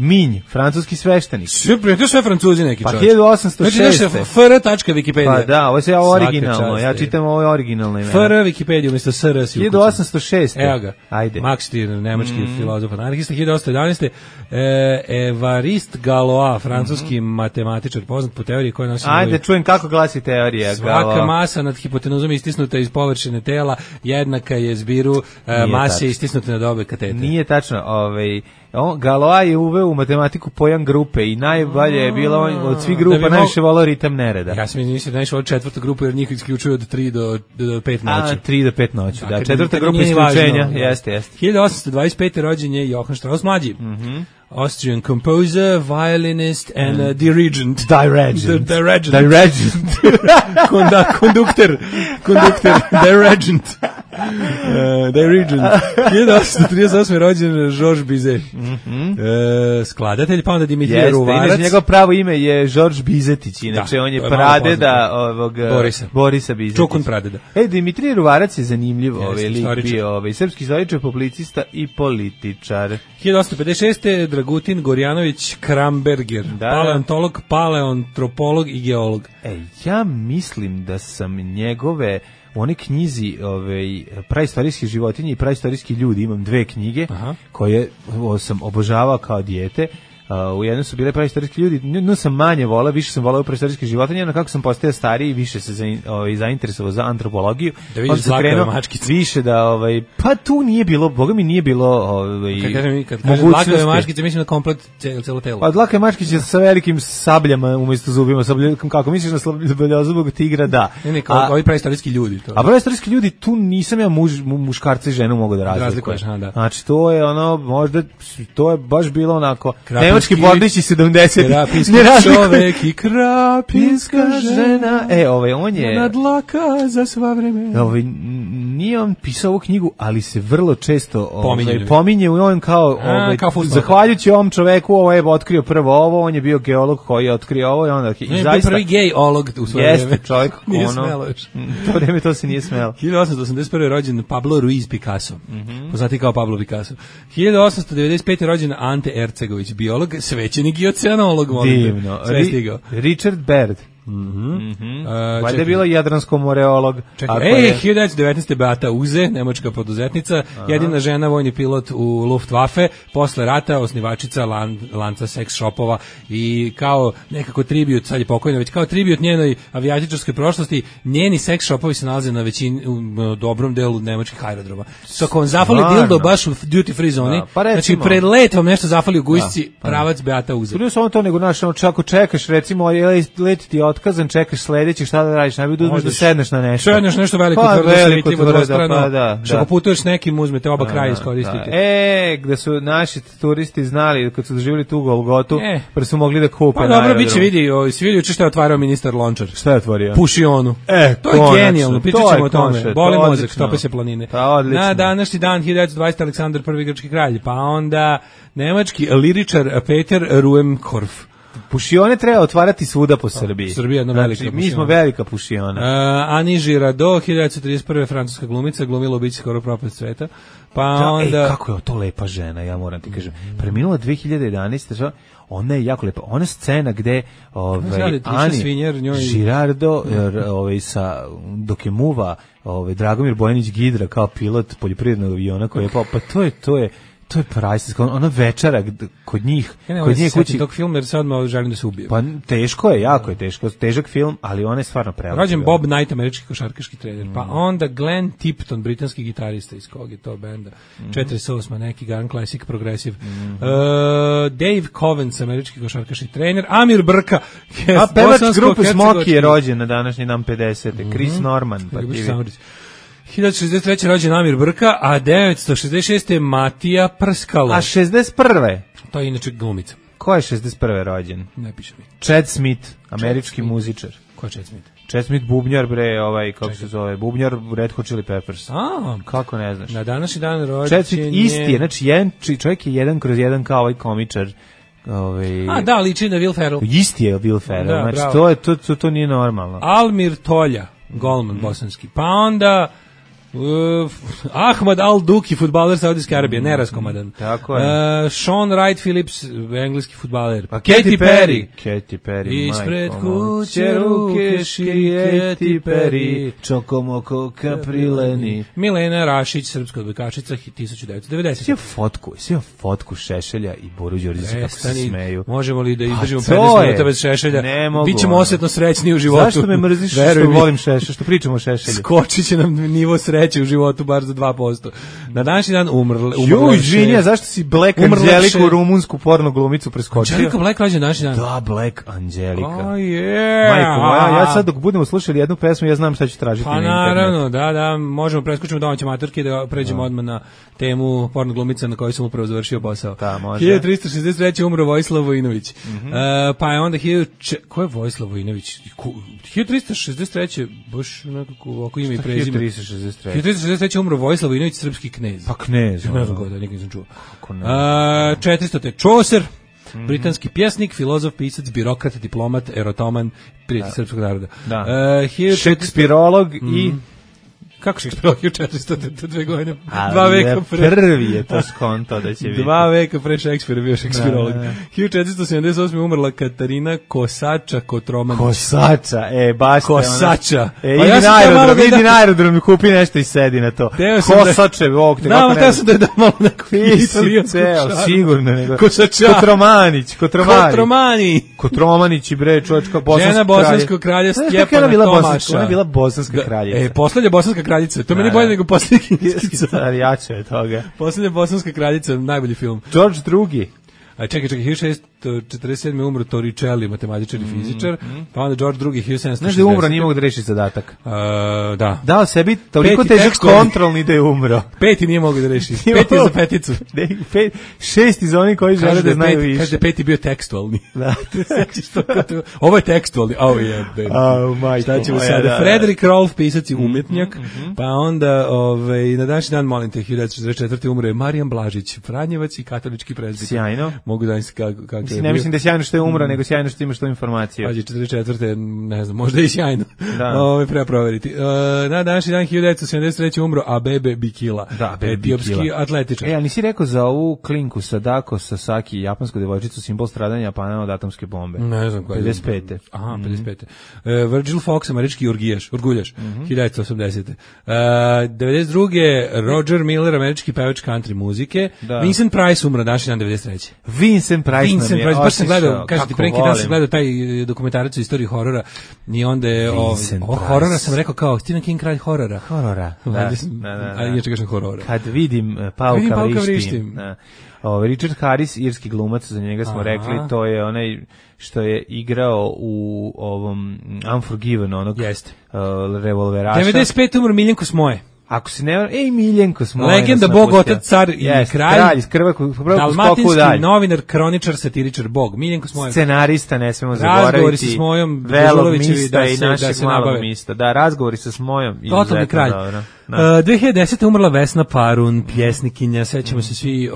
Minj, francuski sveštenik. Super, to sve Francuzi neki čovjek. Pa 1806. fr.wikipedia. Pa da, ovo je originalno, ja čitam ovo originalno ime. Fr. Wikipedia, umjesto SR si ukućen. 1806. Evo ga, ajde. Max Stirner, nemački filozof, anarhista, 1811. Evariste Galois, francuski matematičar, poznat po teoriji koja nosi... Ajde, čujem kako glasi teorija. Svaka masa nad hipotenuzom istisnuta iz površine tela jednaka je zbiru mase istisnute nad obe katete. Nije tačno, Galois je uveo u matematiku pojam grupe i najbolje je bilo od svih grupa najviše volao ritam nereda. Ja sam mislio da najviše volao četvrtu grupu jer njih isključuju od 3 do 5 noći. 3 do 5 noći, da. Četvrta grupa isključenja, jeste. 1825. rođen je Johann Strauss mlađi. Austrian composer, violinist and dirigent. Dirigent. Konduktor. Dirigent. 1838. rođen Georges Bizet. Skladatelj, pa onda Dimitrije Ruvarac. Inače, njegov pravo ime je Georges Bizetić, inače on je pradeda Borisa Bizetić. Čukun pradeda. Dimitrije Ruvarac je zanimljiv, lik bio srpski istoričar, publicista i političar. 1856. Dragutin Gorjanović Kramberger, paleontolog, paleoantropolog i geolog. Ja mislim da sam njegove u onoj knjizi praistorijske životinje i praistorijski ljudi, imam 2 knjige koje sam obožavao kao dijete. U jednom su bile praistorijski ljudi, no sam manje volao, više sam volao praistorijske životinje, no kako sam postao stariji, više se zainteresovao za antropologiju. Da vidiš dlakave mačkice. Više da, pa tu nije bilo, boga mi nije bilo kad kažem dlakave mačkice, mislim na komplet celo telo. Pa dlakave mačkice sa velikim sabljama umjesto zubima, kako misliš na sabljozzubog tigra, da. Ne, kao ovi praistorijski ljudi. A praistorijski ljudi, tu nisam ja muškarca i ženu mogu da razlikujem. Znači, to je možda, to je baš bilo onako, nemački bordići 70. Krapinski čovek i krapinska žena. On je na dlaka za sva vremena. Nije on pisao ovu knjigu, ali se vrlo često pominje u on kao zahvaljujući ovom čoveku, ovo je otkrio prvo ovo, on je bio geolog koji je otkrio ovo i onda zaista prvi gejolog u svoje vreme. Jeste čovjek, nije smelo još. To vreme to se nije smelo. 1881. rođen Pablo Ruiz Picasso, poznati kao Pablo Picasso. 1895. rođen Ante Ercegović, biolog, svećenik i oceanolog. Divno. Richard Baird. Valjda je bilo jadransko-moreolog. 1919. Beata Uze, nemačka poduzetnica, jedina žena vojni pilot u Luftwaffe, posle rata osnivačica lanca seks shopova i kao nekako tribut, sad je pokojna, već kao tribut njenoj avijatičarskoj prošlosti, njeni seks shopovi se nalaze na većini, u dobrom delu nemačkih aerodroma. Ako vam zafali dildo baš u duty free zoni, znači pred let vam nešto zafali u gujsci, pravac Beata Uze. Nije samo to, nego ako čekaš, recimo, let ti otkazan, čekaš sledeći, šta da radiš, najbolje da uzmeš da sedneš na nešto. Sedneš nešto veliko, tvrdo, slitljivo, dvostrano, što putuješ s nekim, uzmete oba kraja, iskoristite. Gde su naši turisti znali, kad su doživjeli tu Golgotu, pa su mogli da kupe. Pa dobro, bit će vidi, svi što je otvarao ministar Lončar. Šta je otvorio? Pušionu. To je genijalno, pričat ćemo o tome. Boli mozak, stope se planine. Na današnji dan, 1920. Aleksandar I. grčki kralj, pa onda nemački liričar Peter Ruhmkorff. Pušione treba otvarati svuda po Srbiji. Srbija je jedna velika pušiona. Mi smo velika pušiona. Ani Girardot, 1931. francuska glumica, glumila u bići skoro propast sveta. Pa onda... kako je to lepa žena, ja moram ti kažem. Preminula 2011. Ona je jako lepa. Ona scena gde Ani Girardot dok je muva Dragomir Bojanić Gidra kao pilot poljoprivrednog aviona koji je pao, pa to je To je priceless, ona večera kod njih, kod njih kući. Tog filma jer sad odmah želim da se ubije. Pa teško je, jako je teško, težak film, ali on je stvarno prelepo. Rođen Bob Knight, američki košarkaški trener. Pa onda Glenn Tipton, britanski gitarista, iz kog je to benda. 48, neki Gun Classic Progressive. Dave Covens, američki košarkaški trener. Amir Brka, a pevač grupe Smoky je rođen na današnji dan 50. Chris Norman, pa ti 1963. rođen Amir Brka, a 1966. je Matija Prskalo. A 61. To je inače glumica. Ko je 61. rođen? Ne piše mi. Chad Smith, američki muzičar. Ko je Chad Smith? Chad Smith, bubnjar, bre, kako se zove, bubnjar Red Hot Chili Peppers. A, kako ne znaš? Na današnji dan rođen Chad Smith isti je, znači čovjek je jedan kroz jedan kao ovaj komičar. A da, liči na Will Ferrell. Isti je Will Ferrell, da, znači to nije normalno. Almir Tolja, golman bosanski. Pa onda Ahmad Al-Duki, fudbaler Saudijske Arabije, neraskomadan. Tako je. Sean Wright Phillips, engleski fudbaler. Pa Katy Perry. Ispred kuće ruke širije Katy Perry. Čokomoko kaprileni. Milena Rašić, srpska odbojkašica, 1990. Sve fotku Šešelja i Boru Đorđevića kako se smeju. Možemo li da izdržimo 15 minuta bez Šešelja? Bićemo osetno srećni u životu. Zašto me mrziš što volim Šešelja, što pričamo o Šešelju? Skočit će nam nivo sreće u životu bar za 2%. Na današnji dan umrla. Žinja, zašto si Black Angelica, rumunsku porno glumicu preskočio? Angelica Black rođen današnji dan. Da, Black Angelica. Majko moja, ja sad dok budemo slušali jednu pesmu, ja znam šta ću tražiti na internetu. Pa naravno, da, možemo preskočiti domaće maturke da pređemo odmah na temu porno glumica na kojoj sam upravo završio posao. Da, može. 1363. umro Vojislav Vojinović. Pa je onda ko je Vojislav Vojinović? 1363. baš nekako oko ime i prezime. 1363. umro Vojislav Vojinović, srpski knez. Pa knez. Ne znam kako da, nikad nisam čuo. 400. Čoser, britanski pjesnik, filozof, pisac, birokrat, diplomat, erotoman, prijatelj srpskog naroda. Da. Šekspirolog i... Kako Šekspirolog je 402 godine? 2 veka pre... Prvi je to skonto da će biti. 2 veka pre Šekspira bio Šekspirolog. 1478. umrla Katarina Kosača Kotromančić. Kosača, baš te ona. Kosača. Idi na aerodrom i kupi nešto i sedi na to. Kosače, bog te kako ne. Teo sam da je dao malo neku italijansku šaru. Sigurno nego. Kosača. Kotromanić i bre, čovječka bosanska žena bosanskog kralja Stjepana Tomaša. Ona je bila bosanska kraljica. Poslednja bosanska kraljica. To meni bolje nego posljednji kinskica. Jače je toga. Posljednja bosanska kraljica, najbolji film. George II. Čekaj, 1647. umro Torricelli, matematičar i fizičar, pa onda George II. 1760. Znaš da je umro, nije mogu da reši zadatak. Da. Dao sebi toliko težak kontrolni da je umro. 5. nije mogu da reši. 5. je za peticu. 6 iz onih koji žele da znaju više. Kaže da 5. bio tekstualni. Da. Ovo je tekstualni. Šta ćemo sada? Frederick Rolfe, pisac i umjetnjak, pa onda na današnji dan, molim te, 1944. umro je Marijan Blažić, Franjevac i katolički prezbiter. Sjajno. Mogu da kako je. Ne mislim da je sjajno što je umro, nego sjajno što imaš tu informaciju. Pađe, 44. ne znam, možda i sjajno. Da. Treba proveriti. Na današnji dan 1973. umro Abebe Bikila. Da, etiopski atletičar. Ali nisi rekao za ovu klinku Sadako Sasaki, japansku devojčicu, simbol stradanja Japana od atomske bombe? Ne znam koja je. 55. Aha, 55. Virgil Fox, američki urguljaš, 1980. 92. Roger Miller, američki pevač country muzike. Vincent Price umro današnji dan 93. Vincent Price nam je baš sam gledao, kažem ti, pre neki dan sam gledao taj dokumentarac o istoriji horora i onda je horora sam rekao kao Stephen King kralj horora. Da. Ali inače kažem horora. Kad vidim Pauka vrištim. Richard Harris, irski glumac, za njega smo rekli, to je onaj što je igrao u ovom Unforgiven, onog revolveraša. 95. umro Miljenko Smoje. Ako se ne... Miljenko Smoje. Legenda, bog, otac, car i kralj. Dalmatinski novinar, kroničar, satiričar, bog. Miljenko Smoje. Scenarista, ne smemo zaboraviti. Razgovori sa Smojom, Velog mista i našeg malog mista. Da, razgovori sa Smojom. Totalni kralj. 2010. umrla Vesna Parun, pjesnikinja, sećamo se svi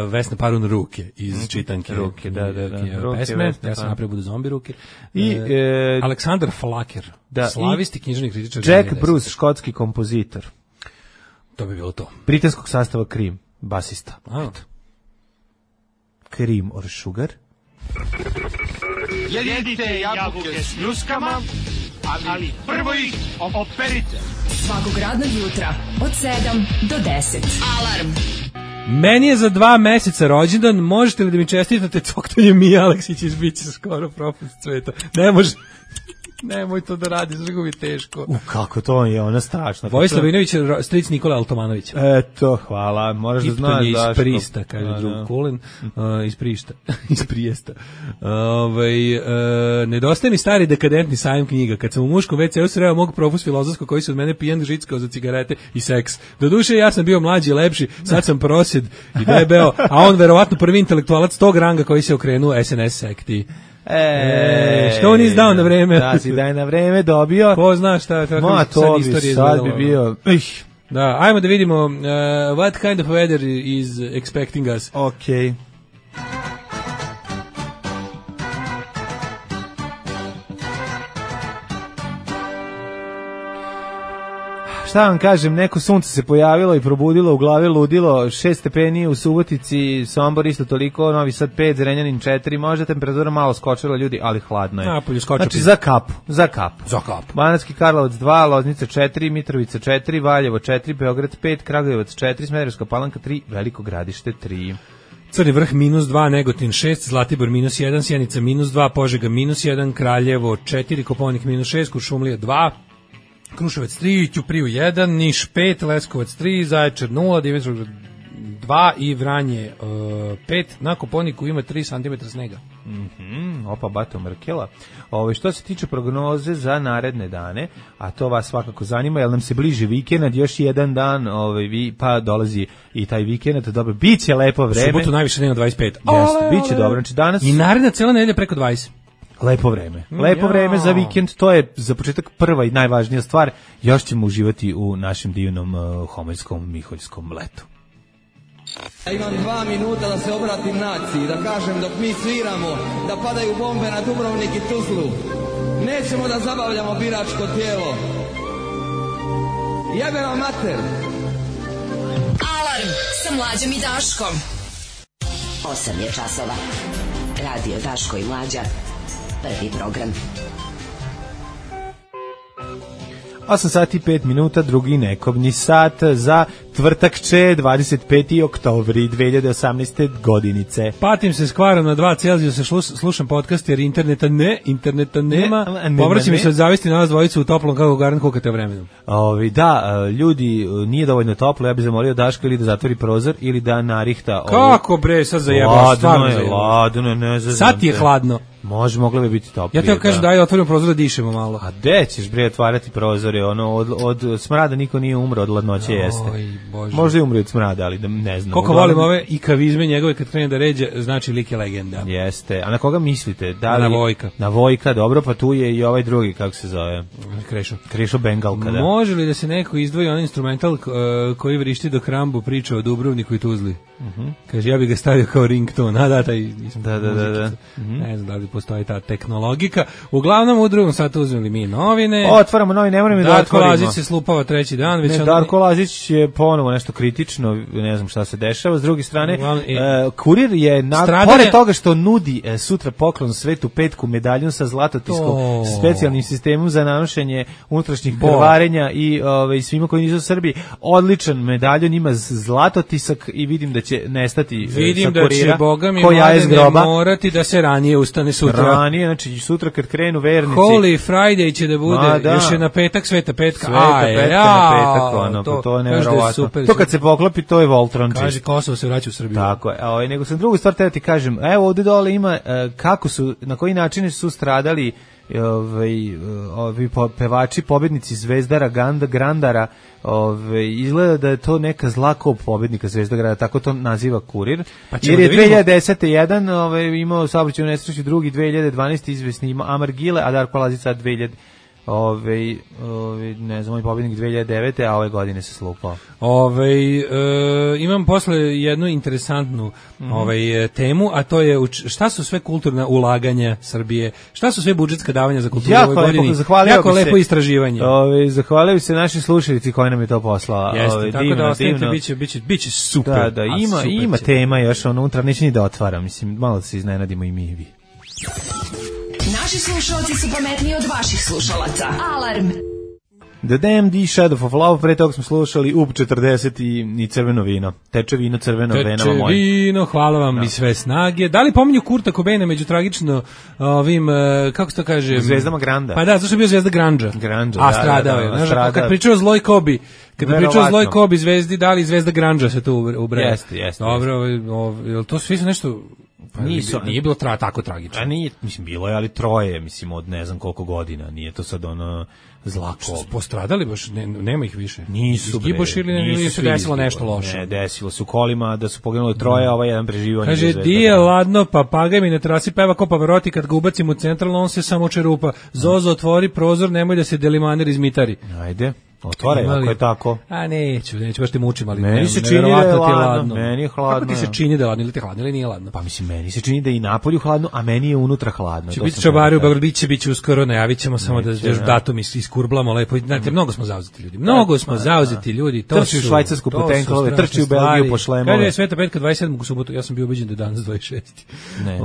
Vesna Parun Ruke iz čitanke. Ruke, da. Pesme, ja sam napravio budu zombi ruke. I Aleksandar Flaker, slavisti književni kritičar. Jack Bruce, škotski kompozitor. To bi bilo to. Britanskog sastava Cream, basista. Cream or Sugar. Jedite jabuke s pljuskama, ali prvo ih operite. Svakog radnog jutra od 7 do 10. Alarm Meni je za 2 meseca rođendan, možete li da mi čestitate coktanje Mija Aleksić iz Biće skoro propust sveta? Ne može. Nemoj to da radi, zrgo mi teško. Kako to je, ona strašna. Vojislav Vinović, stric Nikola Altomanović. Eto, hvala. Moraš da znaš iz Daško. Prista, kaže drug Kulin. Iz Prišta. iz Prijesta. Nedostaje mi stari dekadentni sajam knjiga. Kad sam u muškom WC-u sreo mog profus filozofskog koji se od mene pijan žickao za cigarete i seks. Doduše, ja sam bio mlađi i lepši, sad sam prosjed i debeo, a on verovatno prvi intelektualac tog ranga koji se okrenuo SNS sekti. Što on izdao na vreme? Da, si da je na vreme dobio. Ko zna šta, kako sad istorija izgledala. Sad bi bio... Da, ajmo da vidimo what kind of weather is expecting us. Okay. Šta vam kažem, neko sunce se pojavilo i probudilo u glavi ludilo, 6 stepeni u Subotici, Sombor isto toliko, Novi Sad 5, Zrenjanin 4, možda temperatura malo skočila ljudi, ali hladno je. Napolju skočila. Znači za kapu. Za kapu. Banatski Karlovac 2, Loznica 4, Mitrovica 4, Valjevo 4, Beograd 5, Kragujevac 4, Smederevska Palanka 3, Veliko Gradište 3. Crni vrh -2, Negotin 6, Zlatibor -1, Sjenica -2, Požega -1, Kraljevo 4, Koponik -6, Kuršumlija 2, Kruševac 3, Ćupriju 1, Niš 5, Leskovac 3, Zaječar 0, Dimitrovgrad 2 i Vranje 5. Na Koponiku ima 3 cm snega. Opa, bato Mrkela. Što se tiče prognoze za naredne dane, a to vas svakako zanima, jer nam se bliži vikend, još jedan dan, pa dolazi i taj vikend, dobro, bit će lepo vreme. Subotu najviše dnevno 25. Jeste, bit će dobro. Znači danas... I naredna cela nedelja preko 20. Lepo vreme. Lepo vreme za vikend, to je za početak prva i najvažnija stvar. Još ćemo uživati u našem divnom homoljskom, miholjskom letu. Imam 2 minuta da se obratim naciji, da kažem dok mi sviramo, da padaju bombe na Dubrovnik i Tuzlu. Nećemo da zabavljamo biračko tijelo. Jebe vam mater! Alarm sa Mlađom i Daškom. 8 je časova. Radio Daško i Mlađa. Prvi program. 8 sati 5 minuta, drugi nekobni sat za tvrtakče 25. oktobri 2018. godinice. Patim se s kvarom na 2 Celzijusa, slušam podcast jer interneta nema. Povraćam mi se od zavisti na nas dvojicu u toplom kako garant kukate vremenom. Da, ljudi, nije dovoljno toplo, ja bih zamolio Daška ili da zatvori prozor ili da narihta. Kako bre, sad zajebaš, stvarno zajebaš. Ladno, ne znam. Sad ti je hladno. Moglo bi biti toplije. Ja te kažem daj otvorimo prozor da dišemo malo. A gde ćeš bre otvarati prozore, od smrada niko nije umro, od ladnoće jeste. Bože. Možda je umro od smrada, ali ne znam. Koliko volim ove ikavizme njegove kad krene da ređe, znači lik je legenda. Jeste. A na koga mislite? Na Vojka. Na Vojka, dobro, pa tu je i ovaj drugi, kako se zove? Krešo Bengalka, da. Može li da se neko izdvoji on instrumental koji vrišti dok Rambo priča o Dubrovniku i Tuzli? Kaže, ja bih ga stavio kao ringtone. Da. Ne znam da li postoji ta tehnologika. Uglavnom, u drugom satu uzmeli mi novine. Otvaramo novine, ne moramo da otvorimo. Darko Lazić se slupava 3. dan. Već Darko Lazić je ponovo nešto kritično, ne znam šta se dešava. S druge strane, Kurir je, pored toga što nudi sutra poklon svetu petku medaljun sa zlatotiskom, specijalnim sistemom za nanošenje unutrašnjih krvarenja i svima koji nisu u Srbiji, odličan medaljun, ima zlatotisak i vidim da će nestati sa Kurira. Vidim da će, Boga mi morati da se ranije ustane sutra. Znači sutra kad krenu vernici. Holy Friday će da bude, još je na petak, sveta petka. Na petak, to je nevjerovatno. To kad se poklopi, to je Voltron. Kaže, Kosovo se vraća u Srbiju. Tako je, nego sam drugu stvar teo ti kažem, evo ovde dole ima kako su, na koji način su stradali ovi pevači, pobednici Zvezdara, Grandara, izgleda da je to neka zla kop pobednika Zvezdara, tako to naziva Kurir. Jer je 2010. jedan imao saobraćajnu nesreću, drugi 2012. izvesni Amar Gile, a Darko Lazić sad 2000 ne znam, pobednik 2009. a ove godine se slupao. Imam posle jednu interesantnu temu, a to je šta su sve kulturna ulaganja Srbije, šta su sve budžetska davanja za kulturu u ovoj godini. Jako lepo istraživanje. Zahvalio bi se našim slušalici koji nam je to poslala. Jeste, tako da ostavite, biće super. Da, ima tema još unutra, neće ni da otvara, mislim, malo se iznenadimo i mi i vi. Naši slušalci su pametniji od vaših slušalaca. Alarm! The Damned, Shadow of Love, pre toga smo slušali UB 40 i crveno vino. Teče vino crveno venama moje. Teče vino, hvala vam i sve snage. Da li pominju Kurta Cobaina među tragično ovim, kako se to kaže? Zvezdama Granda. Pa da, zašto je bio zvezda Grandža. A stradao je. Znaš, kad pričao o Zloj Kobi, zvezdi, da li zvezda Grandža se tu ubraja? Jeste. Dobro, jel to svi su nešto... Pa nije bilo tako tragično. A nije, mislim, bilo je, ali troje, mislim, od ne znam koliko godina, nije to sad ono zlako. Što su postradali baš, nema ih više. Nisu, bre. Izgiboš ili se desilo nešto loše? Ne, desilo se u kolima da su poginuli troje, ovaj jedan preživio. Kaže, di je ladno, papagaj mi na terasi peva ko Pavarotti, kad ga ubacim u centralno, on se samo čerupa. Zozo, otvori prozor, nemoj da se delimaner izmitari. Ajde. Otvaraj, ako je tako. A neću, baš te mučim, ali meni se čini da je ladno. Meni je hladno. Kako ti se čini da je ladno, ili ti hladno, ili nije ladno? Pa mislim, meni se čini da je i napolju hladno, a meni je unutra hladno. Će biti čobari u Beogradu, biće uskoro, najavit ćemo samo da još datum iskurblamo lepo. Znate, mnogo smo zauzeti ljudi. Trči u Švajcarsku po tenklove, trči u Belgiju po šlemove. Kada je Sveta petka 27. u subotu, ja sam bio ubeđen da je danas 26. Ne.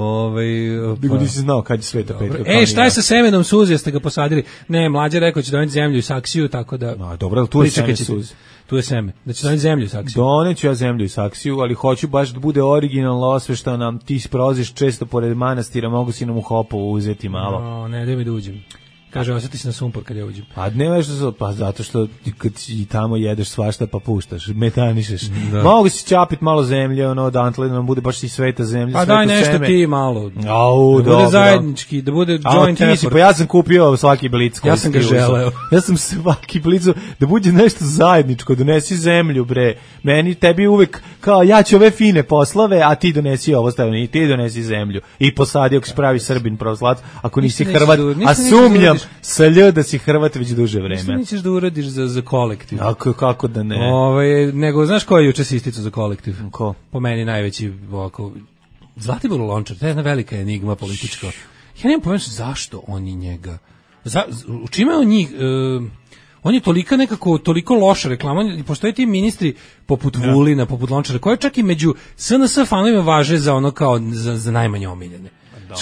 Nisi znao kad je Sveta petka. Šta je sa semenom suze, jeste ga posadili? Ne, Mlađa rekao će doneti zemlju i saksiju, tako da... Dobro, tu je seme suze. Tu je seme. Da će doneti zemlju i saksiju. Doneću ja zemlju i saksiju, ali hoću baš da bude originalno osveštano. Ti prolaziš često pored manastira, mogu si nam u Hopovu uzeti malo. Ne, da mi da uđem. Kaže, osjeti se na sumpor kad ja uđem. A ne pa zato što kad i tamo jedeš svašta pa puštaš, metanišeš. Mogu si čapit malo zemlje, odantle da nam bude baš i sveta zemlja. Pa daj nešto seme. Ti malo. Da bude zajednički, da bude joint effort. Pa ja sam kupio svaki blic. Ja sam ga želeo. Ja sam svaki blic, da bude nešto zajedničko, donesi zemlju, bre. Meni, tebi uvek, kao ja ću ove fine poslove, a ti donesi ovo stavljeno, i ti donesi zemlju. I posadi ako si pravi Srbin pravoslat, ako nisi Hrvat, a sumnjam sa da si Hrvat već duže vreme. Što nećeš da uradiš za kolektiv? Kako da ne? Nego, znaš ko je juče se isticao za kolektiv? Ko? Po meni najveći ovako... Zlatibor Lončar, to je jedna velika enigma politička. Ja nemam pojma zašto oni njega... U čime on njih... on je toliko loša reklama, postoje ti ministri poput Vulina, poput Lončara, koje čak i među SNS fanovima važe za ono kao za najmanje omiljene.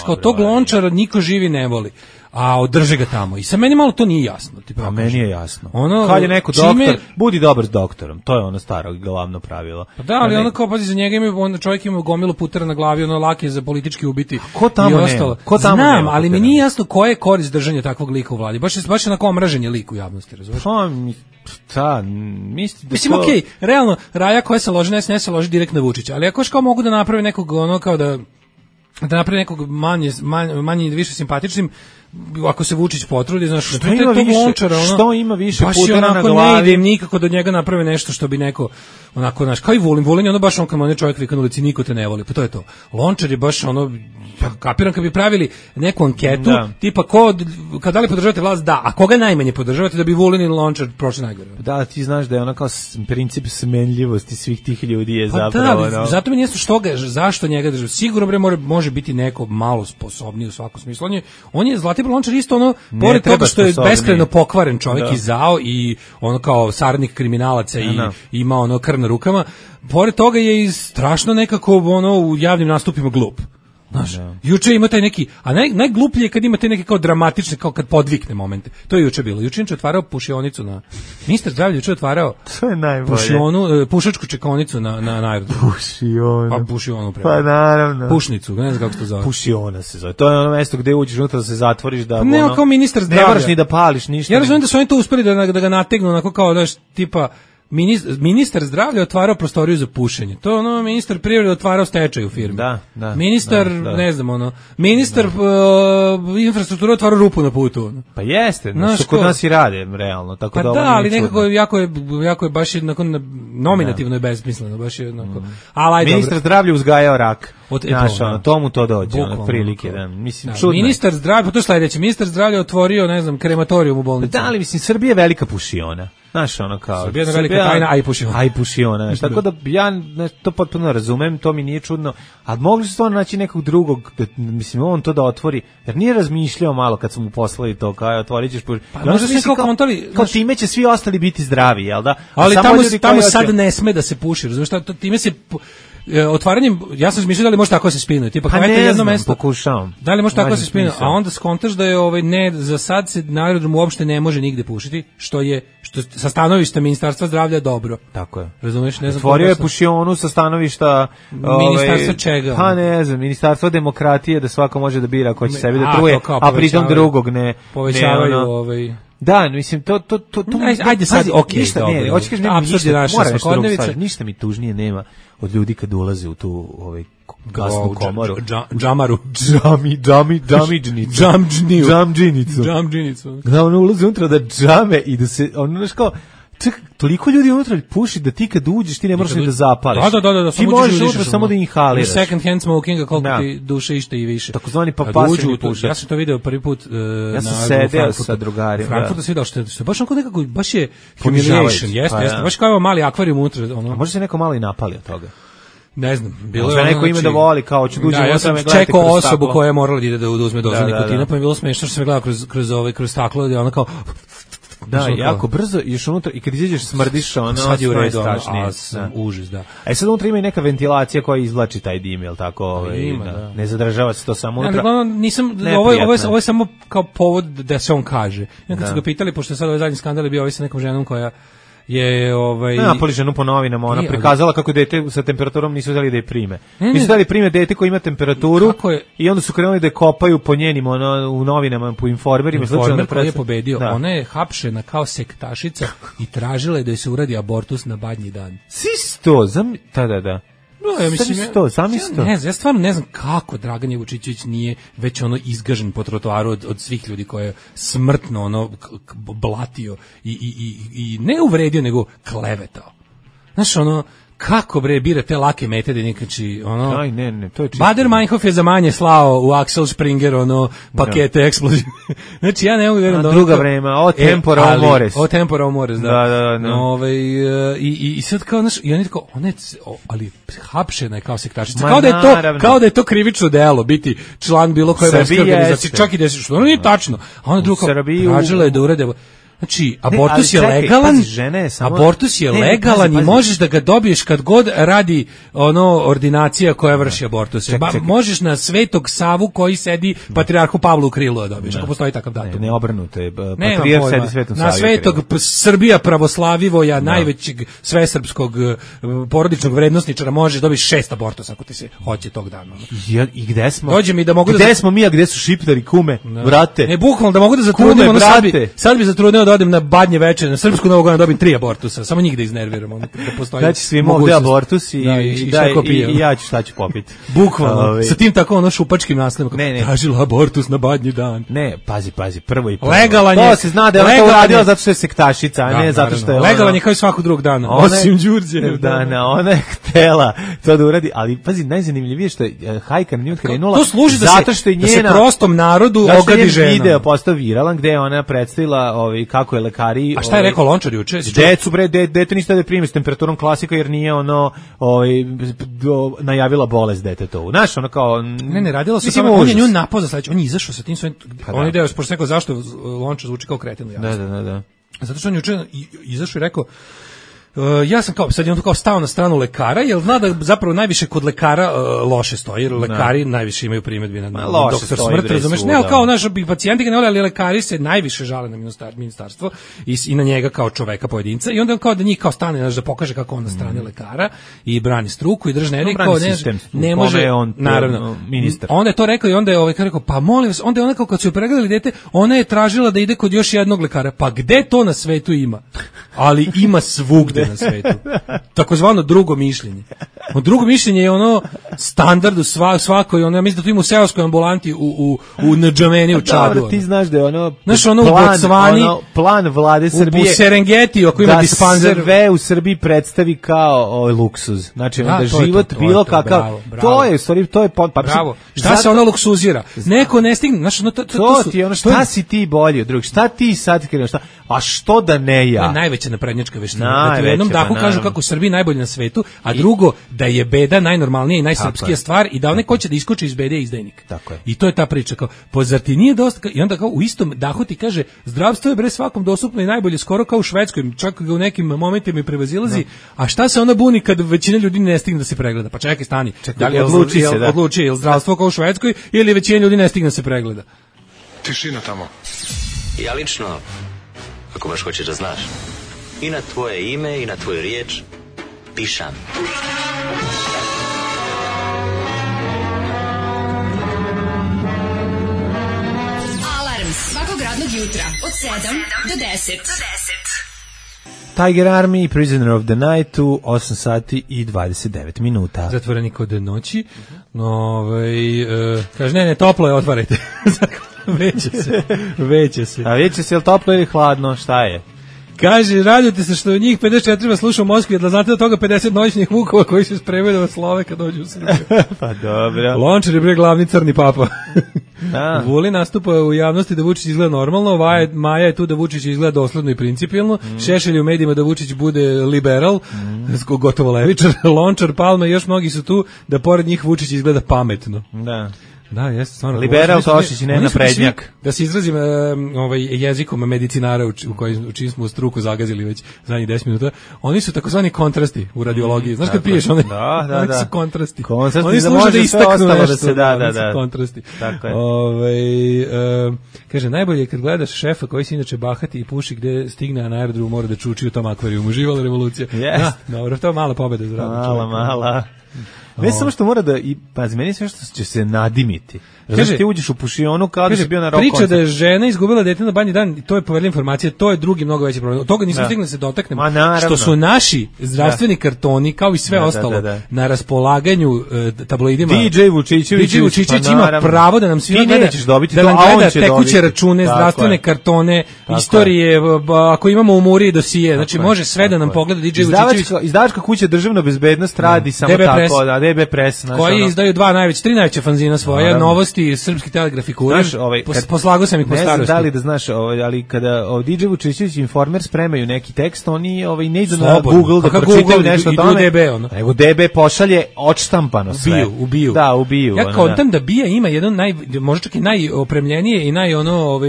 Kao tog Lončara niko živi ne voli, a održe ga tamo. I sa meni malo to nije jasno. A meni je jasno. Kad je neko doktor, budi dobar s doktorom. To je ono staro glavno pravilo. Pa da, ali ono kao, pazi, za njega čovjek ima gomilu putera na glavi, ono lak je za politički ubiti. Ko tamo nema? Znam, ali mi nije jasno koja je korist držanja takvog lika u vladi. Baš je onako omražen lik u javnosti, razumiješ? Mislim, okej, realno, Raja koja se loži, ne se loži direkt na Vučića, ali ako kao mogu da naprave nekog, ono kao da napravi nekog manje ili više simpatičnim, ako se Vučić potrudi, znaš, što ima više putera na glavi. Ne ide im nikako da njega naprave nešto što bi neko, onako, znaš, kao i Vulin je ono baš on kad on čovjek vika na ulici, niko te ne voli, pa to je to. Lončar je baš ono, kapiram kad bi pravili neku anketu, tipa kad da li podržavate vlast, da, a koga najmanje podržavate da bi Vulin i Lončar prošli najgore. Da, ti znaš da je ono kao princip smenljivosti svih tih ljudi je zapravo. Da, zato mi nije zašto njega država. Sigurno bre može biti neko malo sposobniji u svakom smislu. On je Zlatibor Lončar isto ono, pored toga što je beskrajno pokvaren čovjek i zao i ono kao saradnik kriminalaca i ima ono krv na rukama, pored toga je i strašno nekako ono u javnim nastupima glup. Znaš, juče ima taj neki, a najgluplje je kad ima te neke kao dramatične, kao kad podvikne momente. To je juče bilo. Juče je otvarao pušionicu na... Ministar zdravlja juče otvarao pušačku čekonicu na aerodromu. Pušionu. Pa pušionu prema. Pa naravno. Pušnicu, ne znam kako se to zove. Pušiona se zove. To je ono mesto gde uđeš unutra da se zatvoriš da... Ne, kao ministar zdravlja. Ne moraš ni da pališ ništa. Ja razumijem da su oni to uspeli da ga nategnu, onako kao, daš, tipa... Ministar zdravlja otvarao prostoriju za pušenje. To ono ministar privrede otvarao stečaj u firmi. Da. Ministar, ne znam, ono, ministar infrastrukture otvarao rupu na putu. Pa jeste, što kod nas i rade, realno. Tako pa da, ali nekako jako je baš jednako nominativno i besmisleno. Baš je jednako. Ministar zdravlja uzgajao rak. Tomu to dođe, ono, prilike. Mislim, čudno. Ministar zdravlja, to je sledeće, ministar zdravlja otvorio, ne znam, krematorijum u bolnici. Da, ali mislim, Srbija je velika pušiona. Znaš, ono kao... Srbija je velika tajna, a i pušiona. Tako da ja to potpuno razumem, to mi nije čudno, ali mogli su stvarno naći nekog drugog, mislim, on to da otvori, jer nije razmišljao malo kad su mu poslali to, kao otvorit ćeš pušiona. Pa možda se kao time će svi ostali biti zdravi, jel da? Ali tamo sad ne sme da se puši, razumiješ, time se... otvaranjem, ja sam mislio da li može tako se spinuje, tipa kao jedno mesto. Pokušavam. Da li može tako se spinuje, a onda skontaš da je ne, za sad se na aerodromu uopšte ne može nigde pušiti, što sa stanovišta Ministarstva zdravlja dobro. Tako je. Razumeš, ne znam. Otvorio je pušionu sa stanovišta Ministarstva čega? Pa ne znam, Ministarstvo demokratije, da svako može da bira ko će sebi da truje, a pritom drugog ne povećavaju Da, mislim to ajde sad, okej, ništa, dobro. Ne, hoćeš kažem, ništa mi tužnije nema od ljudi kad ulaze u tu gasnu komoru. Džamaru. Džamdžinicu. Da ono ulaze unutra da džame i da se, znaš kao, toliko ljudi unutra puši da ti kad uđeš ti ne možeš ni da zapališ. Da, ti možeš unutra samo da inhaliraš. Second hand smokinga koliko ti duše ište i više. Takozvani pasivni pušač. Ja sam to video prvi put ja sam sedeo sa drugarima. Frankfurtu se video što baš onako nekako, baš je humiliation, jeste, baš kao mali akvarijum unutra. A može se neko malo i napali od toga? Ne znam, bilo je neko ime da voli kao hoće uđe ja sam čekao osobu koja je morala da ide da uzme dozu nikotina, pa mi je bilo smešno što sam gledao kroz staklo da ona kao da, jako brzo još unutra i kad izađeš smrdiš sad je u redu, užas, da. A sad unutra ima i neka ventilacija koja izvlači taj dim, jel tako? Ne zadržava se to samo unutra. Nisam, ovo je samo kao povod da se on kaže. Kad su ga pitali, pošto je sad ovaj zadnji skandal bio sa nekom ženom koja je napali ženu po novinama, ona prikazala kako dete sa temperaturom nisu dali da je prime. Nisu dali prime dete koji ima temperaturu i onda su krenuli da je kopaju po njenim u novinama, po informerima. Informer koji je pobedio, ona je hapšena kao sektašica i tražila je da joj se uradi abortus na badnji dan. Sisto, da. No, ja mislim, zamisto. Ja stvarno ne znam kako Dragan Vučićević nije već izgažen po trotoaru od svih ljudi koje je smrtno blatio i ne uvredio, nego klevetao. Znaš, kako bira te lake mete da nikači, ne, to je čisto. Bader Meinhof je za manje slao u Axel Springer, pakete eksplozije. Znači, ja ne mogu vjerujem da druga vrema, o tempora o mores, da. I sad kao, znaš, i on je tako, ali hapšena je kao sektašica. Kao da je to krivično delo, biti član bilo koje verske organizacije, čak i da se, što nije tačno. A ona druga tražila je da urede. Znači, abortus je legalan, abortus je legalan i možeš da ga dobiješ kad god radi ordinacija koja vrši abortus. Možeš na Svetog Savu koji sedi patrijarhu Pavlu u krilu da dobiješ, ako postoji takav datum. Ne obrnuto je, patrijarh sedi Svetom Savu. Na Svetog Srbija Pravoslavivoja, najvećeg svesrpskog porodičnog vrednosničara, možeš dobiti 6 abortusa ako ti se hoće tog dana. I gde smo? Dođe mi da mogu gde smo mi, a gde su šiptari, kume, brate? Ne, bukvalno da mogu da zatrudim, sad bi zatrudio da odem na badnje večer, na srpsku Novu Godinu dobim 3 abortusa, samo njih da iznerviramo. Da postoji. Znači svi mogu da abortus i ja ću šta ću popiti. Bukvalno, sa tim tako šupačkim naslovom. Tražila abortus na badnji dan. Ne, pazi, prvo i prvo. Legalan je. To se zna da je to uradila zato što je sektašica, a ne zato što je legalan je kao i svakog drugog dana, osim Đurđe. Da, ona je htela to da uradi, ali pazi, najzanimljivije što je hajka na nju krenula. To služi zato što je njena, da se prostom narodu ogadi žena. Video postao viralan gde je ona predstavila kako je lekari. A šta je rekao Lončar juče? Decu dete niste da primi s temperaturom klasika jer nije najavila bolest detetovu. Znaš, kao ne radilo se samo, on je nju napao za sledeće, on je izašao sa tim svojim, on je deo, pošto rekao zašto Lončar zvuči kao kreten u javnosti. Da. Zato što on juče izašao i rekao, ja sam sad je on kao stao na stranu lekara, jer zna da zapravo najviše kod lekara loše stoji, jer lekari najviše imaju primedbi na doktor smrt, razumeš? Ne, kao naši pacijenti ga ne vole, ali lekari se najviše žale na ministarstvo i na njega kao čoveka pojedinca, i onda on kao da njih kao stane, da pokaže kako on na strane lekara i brani struku i držne kao ne može, naravno, ministar. Onda je to rekao i onda je rekao, pa molim vas, onda je ona kao kad su joj pregledali dete, ona je tražila da ide kod još jednog lekara, pa gde to na svetu ima? Ali ima svugde na svetu. Takozvano drugo mišljenje. Drugo mišljenje je standard u svakoj, ja mislim da to ima u seoskoj ambulanti u Ndžameni u Čadu. Dobro, ti znaš da je u Bocvani, plan vlade Srbije u Serengeti, ako ima dispanzer, da sve u Srbiji predstavi kao luksuz. Znači, da život bilo kakav. To je, stvari, to je bravo. Šta se ona luksuzira? Neko ne stigne, znači šta si ti bolji od drugih? Šta ti sad kreneš? A što da ne ja? To je najveća naprednjačka veština. Da u jednom dahu kažu kako u Srbiji najbolje na svetu, a drugo da je beda najnormalnija i najsrpskija stvar i da onaj ko će da iskoči iz bede je izdajnik. Tako je. I to je ta priča. Kao, zar ti nije dosta? I onda kao u istom dahu ti kaže zdravstvo je bre svakom dostupno i najbolje, skoro kao u Švedskoj, čak ga u nekim momentima i prevazilazi. A šta se onda buni kad većina ljudi ne stigne da se pregleda? Pa čekaj, stani. Da li odluči je zdravstvo kao u Švedskoj ili većina ljudi ne stigne da se pregleda? Tišina tamo. Ja lično, ako baš hoćeš da znaš, i na tvoje ime i na tvoju riječ pišam. Alarm svakog radnog jutra od 7 do 10. Tiger Army, Prisoner of the Night u 8 sati i 29 minuta. Zatvoreni kod noći. Kaže, ne, toplo je, otvarajte. Veće se. A veće se, je li toplo ili hladno, šta je? Kaže, radujte se što njih 54 sluša u Moskvi, da znate od toga 50 noćnih vukova koji se spremaju da vas slove kad dođu u Srbiju. Pa dobro. Lončar je bre glavni crni papa. Vulin nastupa u javnosti da Vučić izgleda normalno, Maja je tu da Vučić izgleda dosledno i principijelno, Šešelj u medijima da Vučić bude liberal, gotovo levičar, Lončar, Palma i još mnogi su tu da pored njih Vučić izgleda pametno. Da, jeste stvarno. Liberal Tošić i ne naprednjak. Da se izrazim jezikom medicinara u čim smo struku zagazili već zadnjih 10 minuta. Oni su takozvani kontrasti u radiologiji. Znaš kad piješ one? Da. Oni su kontrasti. Oni služe da istaknu nešto. Da se da. Kontrasti. Tako je. Kaže, najbolje je kad gledaš šefa koji se inače bahati i puši gde stigne, a na aerodromu mora da čuči u tom akvarijumu. Uživala revolucija. Dobro, to je mala pobeda za radnog čovjeka. Mala. Ne samo što mora da, pazi, meni sve što će se nadimiti. Kaže, ti uđeš u pušionu kao da si bio na rock koncertu. Priča da je žena izgubila dete na banji dan, to je poverljiva informacija, to je drugi mnogo veći problem. Od toga nismo stigli da se dotaknemo. Što su naši zdravstveni kartoni, kao i sve ostalo, na raspolaganju tabloidima. DJ Vučićević ima pravo da nam svima gleda, da nam gleda tekuće račune, zdravstvene kartone, istorije, ako imamo u Muri dosije, znači može sve da nam pogleda DJ Vučićević. Izdavačka kuća Državna bezbednost radi samo tako, da DB Press. Koji izdaju tri najveća fanzina svoja, Novosti, Srpski telegraf i Kurir. Poslagao sam ih po starosti. Ne znam da li da znaš, ali kada DJ Vučićević i Informer spremaju neki tekst, oni ne idu na Google da pročitaju nešto o tome, nego DB pošalje odštampano sve. Ubiju. Da, ubiju. Ja kontam da BIA ima jedan možda čak i najopremljenije i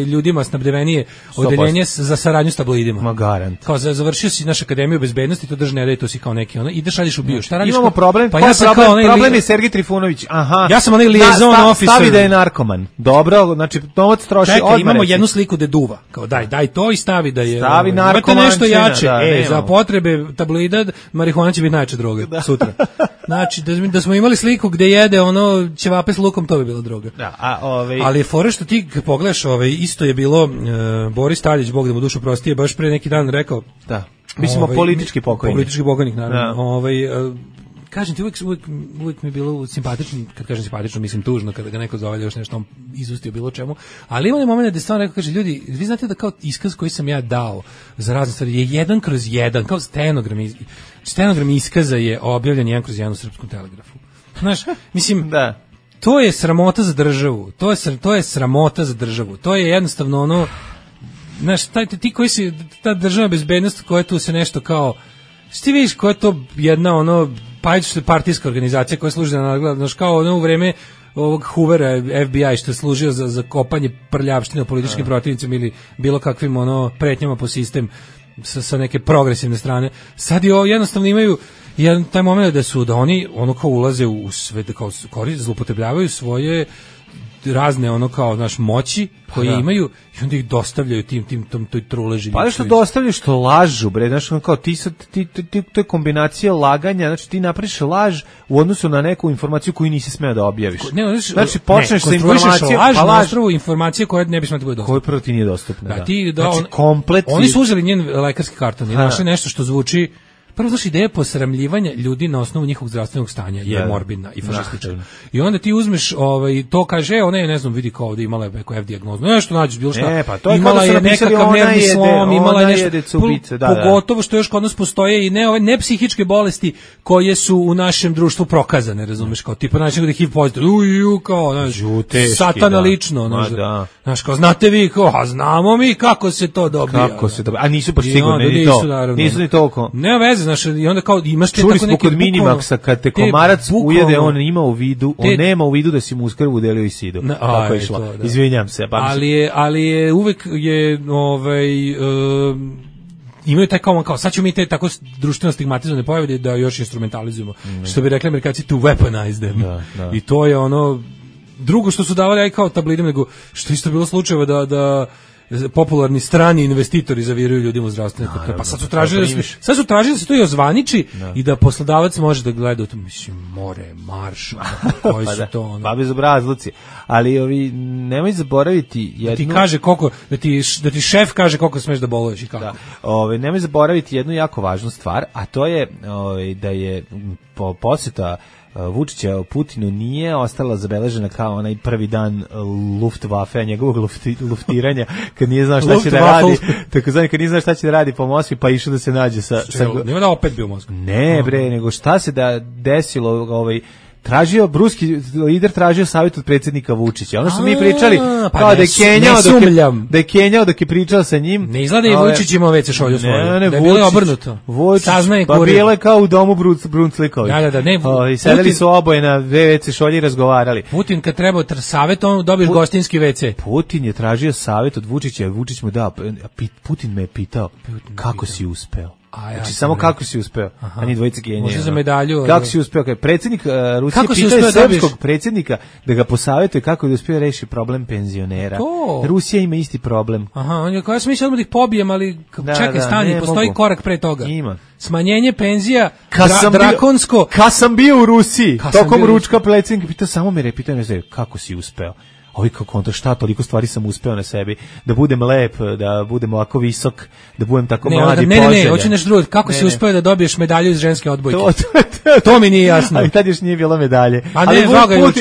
ljudima snabdevenije odeljenje za saradnju s tabloidima. Ma garant. Kao završio si našu akademiju bezbednosti, to drži ne radi, to si kao neki ideš šalješ u BIA. Šta radiš? Imamo problem. Pa ja sam problem je Sergej Trifunović. Aha. Ja sam onaj liaison officer. Stavi da je narkoman. Dobro, znači novac troši odmah. Čekaj, imamo jednu sliku da duva. Kao daj to i stavi da je. Stavi narkoman. Nešto jače. Za potrebe tabloida marihuana će biti najjača droga sutra. Znači da smo imali sliku gde jede ćevape s lukom, to bi bila droga. Ali je fora što ti pogledaš, isto je bilo Boris Tadić, Bog da mu dušu prostije, baš pre neki dan rekao. Da. Mi smo politički pokojni. Politički pokojnik, naravno. Kažem ti, uvijek mi je bilo simpatično, kad kažem simpatično, mislim tužno, kada ga neko zove još nešto, on izustio bilo čemu, ali ima moment da je stvarno rekao, kaže, ljudi, vi znate da kao iskaz koji sam ja dao za razne stvari je 1/1, kao stenogram iskaza je objavljen 1/1 u Srpskom telegrafu. Znaš, mislim, da. To je sramota za državu, to je sramota za državu, to je jednostavno znaš, ti koji si, ta državna bezbednost koja tu se nešto kao, ti vidiš koja je to jedna partijska organizacija koja služi na nadgled, znaš, kao u vreme ovog Hoovera FBI što je služio za kopanje prljavštine o političkim protivnicima ili bilo kakvim pretnjama po sistem sa neke progresivne strane. Sad jednostavno imaju taj moment da oni kao ulaze u sve, da kao zloupotrebljavaju svoje razne moći koje imaju i onda ih dostavljaju toj truleži. Pa što dostavljaju, što lažu, bre, znaš, kao to je kombinacija laganja, znači ti napraviš laž u odnosu na neku informaciju koju nisi smeo da objaviš. Znači počneš sa informacijom, laž na osnovu informacije koja ne bi smela da bude dostupna. Koja prvo ti nije dostupna, znači komplet. Oni su uzeli njen lekarski karton i našli nešto što zvuči prvo znaš ideja posramljivanja ljudi na osnovu njihovog zdravstvenog stanja je morbidna i fašistička. I onda ti uzmeš to kaže ona je ne znam vidi kao ovde imala je neku F dijagnozu. Nešto nađeš bilo šta. Pa to je imala je nekakav nervni slom, imala je nešto pogotovo što još kod nas postoje i ne psihičke bolesti koje su u našem društvu prokazane, razumeš, kao tipa način da HIV pozitiv. Kao, satana lično, znaš, kao znate vi, kao, znamo mi kako se to dobija. Kako se dobija, a nisu baš sigurno ni to. Nisu ni toliko. Nema veze, znaš, i onda kao imaš te tako neki kod Minimaxa, kad te komarac ujede, on ima u vidu, on nema u vidu da si mu uz krv udelio i sidu. Tako je išlo. Izvinjam se. Ali je uvek je, imaju taj kao sad ćemo mi te tako društveno stigmatizovane pojave da još instrumentalizujemo. Što bi rekli Amerikanci, to weaponize them. I to je ono drugo što su davali aj kao tablidima, nego što isto bilo slučajeva da popularni strani investitori zaviraju ljudima u zdravstvene kutije. Pa sad su tražili da se to i ozvaniči i da poslodavac može da gleda u to, mislim, more, marš, koji su to ono. Pa bezobrazluci. Ali nemoj zaboraviti jednu... Da ti kaže koliko, da ti šef kaže koliko smeš da boluješ i kako. Nemoj zaboraviti jednu jako važnu stvar, a to je da je posjeta Vučića Putinu nije ostala zabeležena kao onaj prvi dan Luftwaffe, njegovog luftiranja, kad nije znao šta će da radi, takozvani kad nije znao šta će da radi po Moskvi, pa išao da se nađe sa... Nema da opet bio u Moskvi. Ne bre, nego šta se desilo, tražio, ruski lider tražio savjet od predsjednika Vučića. Ono što mi pričali, kao da je Kenjao dok je pričao sa njim. Ne izgleda i Vučić imao WC šolju svoju. Da je bilo obrnuto. Saznaje pa bilo je kao u domu Brunclikovi. Da, sedeli su oboje na WC šolji i razgovarali. Putin kad treba savjet, on dobiješ gostinski WC. Putin je tražio savjet od Vučića, Vučić mu dao. Putin me je pitao, kako si uspeo? Znači samo kako si uspeo, a ni dvojica genija. Može za medalju. Kako si uspeo? Predsjednik Rusije pitao srpskog predsjednika da ga posavetuje kako da uspije reši problem penzionera. Rusija ima isti problem. On je kao, ja sam mislio da ih pobijem, ali čekaj, stani, postoji korak pre toga. Ima. Smanjenje penzija, drakonsko. Kad sam bio u Rusiji, tokom ručka predsjednik pitao, samo me repitao, ne znam, kako si uspeo? Ovi kao kontra, šta, toliko stvari sam uspeo na sebi, da budem lep, da budem ovako visok, da budem tako mladi, poželjan. Ne, hoću nešto drugo, kako si uspeo da dobiješ medalju iz ženske odbojke? To mi nije jasno. Ali tad još nije bilo medalje.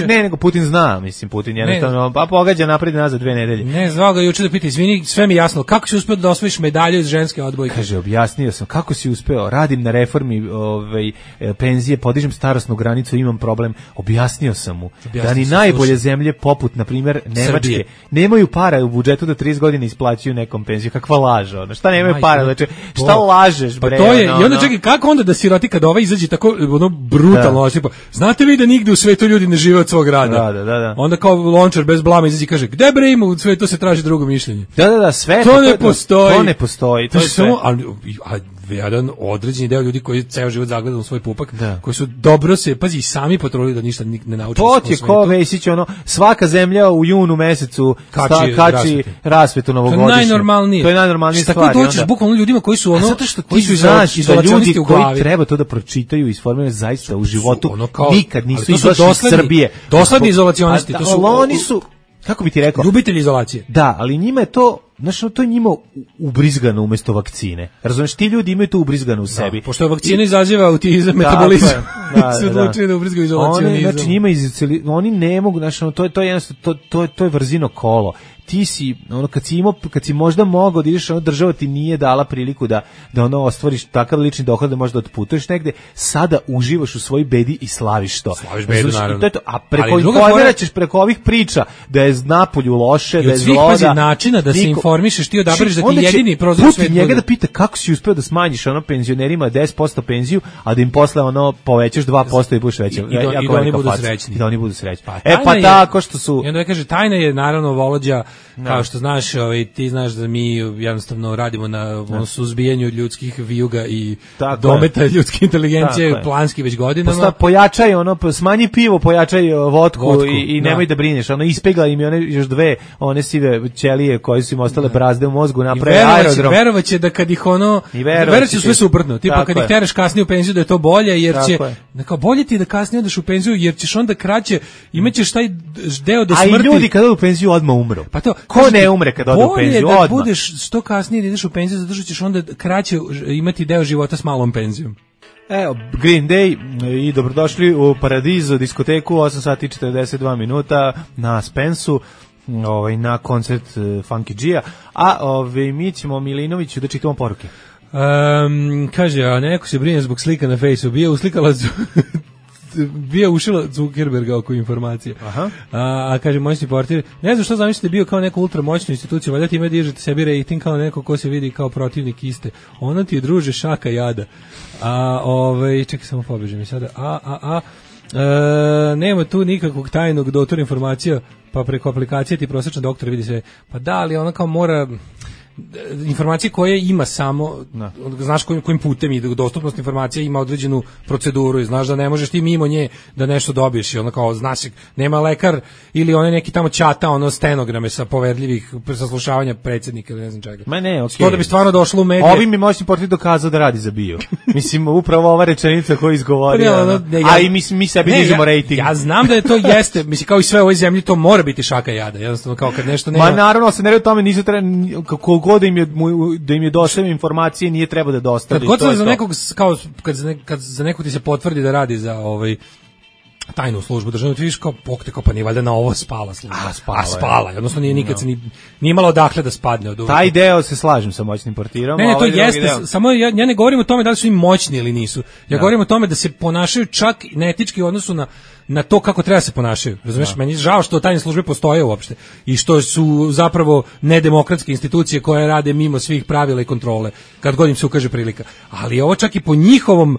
Nego Putin zna, mislim, Putin jednostavno, pa pogađa napred i nazad 2 nedelje. Ne, zvao ga juče da pita, izvini, sve mi jasno, kako si uspeo da osvojiš medalju iz ženske odbojke? Kaže, objasnio sam, kako si uspeo, radim na reformi penzije, podižem starosnu granicu, imam problem, objasnio sam mu, da ni najbolje zemlje poput, na primjer, Nemačke, nemaju para u budžetu da 30 godina isplaćuju nekom penziju. Kakva laž, ona. Šta nemaju para? Znači, šta lažeš, bre? Pa to je, i onda čekaj, kako onda da siroti kada izađe tako brutalno osipa? Znate vi da nigde u svetu ljudi ne žive od svog rada? Da. Onda kao Lončar bez blama izađe i kaže, gde bre ima u svetu se traži drugo mišljenje? Da, sve. To ne postoji. To ne postoji. To je samo, jedan određeni deo ljudi koji ceo život zagledaju u svoj pupak, koji su dobro se, pazi, sami potrudili da ništa ne nauče. To ti je ko Vesić, svaka zemlja u junu mesecu kači rasvetu novogodišnju. To je najnormalnije. To je najnormalnija stvar. Tako dođeš bukvalno ljudima koji su zato što koji su izolacionisti u glavi. Koji treba to da pročitaju i isformiraju zaista u životu. Nikad nisu izašli iz Srbije. Dosledni izolacionisti. To su oni su, kako bi ti rekao, ljubitelji izolacije. Da, ali njima je to, znači, to je njima ubrizgano umjesto vakcine. Razumeš, ti ljudi imaju to ubrizgano u sebi. Pošto vakcina izaziva autizam, metabolizam. Su odlučili da ubrizgaju izolacionizam. Znači, njima oni ne mogu, znači, to je vrzino kolo. Ti si, kad si možda mogao da ideš, država ti nije dala priliku da ostvariš takav lični dohod da možda otputuješ negde, sada uživaš u svojoj bedi i slaviš to. Slaviš bedu, naravno. A preko ovih priča da je napolju loše, da je zlo, pazi, načina da se informišeš, ti odabereš da ti jedini prozor u svetu. Putin njega da pita kako si uspeo da smanjiš penzionerima 10% penziju, a da im posle povećaš 2% i budeš veći. I da oni budu srećni. I da oni budu srećni. Pa tako što su... I onda kaže, tajna je naravno Volođa, kao što znaš, ti znaš da mi jednostavno radimo na suzbijanju ljudskih vijuga i dometa ljudske inteligencije planski već godinama. Pojačaj smanji pivo, pojačaj vodku i nemoj da brineš. Ispegla im još 2 one sive ćelije koje su im ostale brazde u mozgu, naprave aerodrom. Verovaće da kad ih verovaće sve suprotno. Tipa kad ih teraš kasnije u penziju da je to bolje, jer će bolje ti da kasnije odeš u penziju, jer ćeš onda kraće, imaćeš taj deo do smrti. A i ljudi kad odu u penziju odmah umru. Pa to... Ko ne umre kad ode u penziju? Bolje da Odmah. budeš što kasnije da ideš u penziju, zato što ćeš onda kraće imati deo života s malom penzijom. Evo, Green Day i dobrodošli u Paradiso diskoteku, 8 sati i 42 minuta na Spensu, na koncert Funky G-a, a mi ćemo Milinoviću da čitamo poruke. Kaže, a neko se brine zbog slika na Fejsu, bio ušila Zuckerberga oko informacije. Aha. A kaže, moćni portir, ne znam što zamislite bio kao neku ultramoćnu instituciju, valjda time dižete sebi rating kao neko ko se vidi kao protivnik iste. Ono ti je, druže, šaka jada. Čekaj, samo pobežem i sada. Nema tu nikakvog tajnog dotora informacija, pa preko aplikacije ti prosječan doktor vidi sve. Pa da, ali ona kao mora... informacije koje ima samo, znaš kojim putem ide, dostupnost informacija ima određenu proceduru i znaš da ne možeš ti mimo nje da nešto dobiješ i ono kao, znaš, nema lekar ili onaj neki tamo čata, stenograme sa poverljivih saslušavanja predsjednika ili ne znam čega. Ma ne, okej. To da bi stvarno došlo u medije. Ovi mi moćni portir dokazao da radi za bio. Mislim, upravo ova rečenica koju izgovorio. A i mi sebi dižemo rating. Ja znam da je to jeste, mislim, kao i sve u ovoj zemlji, to mora biti šaka jada. Jednostavno, kao kad nešto nema... Ma naravno, se ne radi o tome, nisu da im je dostavio informacije, nije treba da dostavi. Kad god se za nekog, kao kad za nekog ti se potvrdi da radi za tajnu službu državnu, ti vidiš kao pokte, kao pa nije valjda na ovo spala služba. Spala. Odnosno nije nikad se nije imala odakle da spadne od uvijek. Taj deo se slažem sa moćnim portirom. Ne, to jeste, samo ja ne govorim o tome da li su im moćni ili nisu. Ja govorim o tome da se ponašaju čak neetički u odnosu na to kako treba se ponašaju. Razumeš, meni je žao što tajne službe postoje uopšte i što su zapravo nedemokratske institucije koje rade mimo svih pravila i kontrole, kad god im se ukaže prilika. Ali ovo čak i po njihovom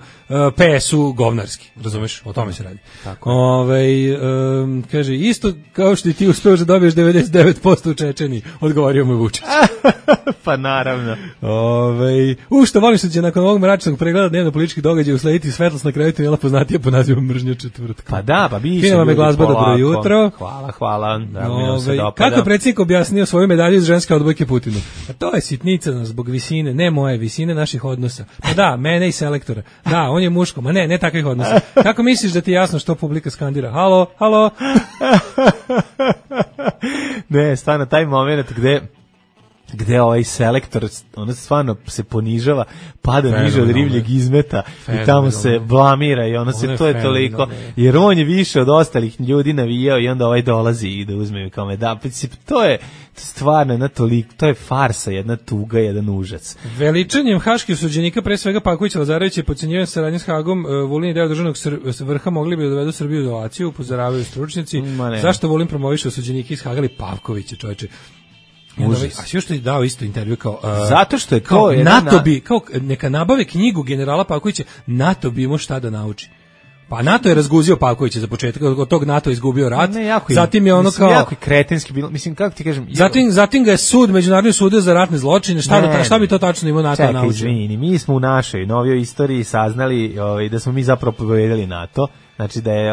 PS-u govnarski, razumeš, o tome se radi. Kaže, isto kao što i ti uspeo da dobiješ 99% u Čečeniji, odgovorio mu Vučić. Pa naravno. Što volim što će nakon ovog mračnog pregleda dnevno-političkih događaja uslediti svetlost na kraju tunela poznatija po nazivom Mržnja četvrtka. Pa da, pa biće. Fina vam je glazba, dobro jutro. Hvala. Kako je predsjednik objasnio svoju medalju iz ženske odbojke Putinu? A to je sitnica zbog visine, ne moje, visine naših odnosa. Pa da, mene i selektora. Da, on je muško, ma ne takvih odnosa. Kako misliš da ti je jasno što publika skandira? Halo? Ne, stvarno, taj moment gde ovaj selektor, ono stvarno se ponižava, pada niže od ribljeg izmeta i tamo se blamira i to je toliko, jer on je više od ostalih ljudi navijao i onda ovaj dolazi i da uzme kao medalju. To je stvarno jedna toliko, to je farsa, jedna tuga, jedan užac. Veličanjem haških osuđenika, pre svega Pavkovića, Lazarevića i podcenjivanjem saradnje s Hagom, Vulin i deo državnog vrha mogli bi da dovedu Srbiju u izolaciju, upozoravaju stručnjaci. Zašto Vulin promoviše osuđenike iz Haga ili Pavkovića, čoveče? A sve što je dao isto intervju kao zato što je kao NATO bi kao neka nabave knjigu generala Pavkovića, NATO bi imao šta da nauči. Pa NATO je razguzio Pavkovića za početak, od tog NATO izgubio rat. Zatim je ono kao jako kretenski bilo, mislim kako ti kažem. Zatim ga je međunarodni sud za ratne zločine, šta bi to tačno imao NATO naučio? Izvini, mi smo u našoj novijoj istoriji saznali da smo mi zapravo pobedili NATO. Znači da je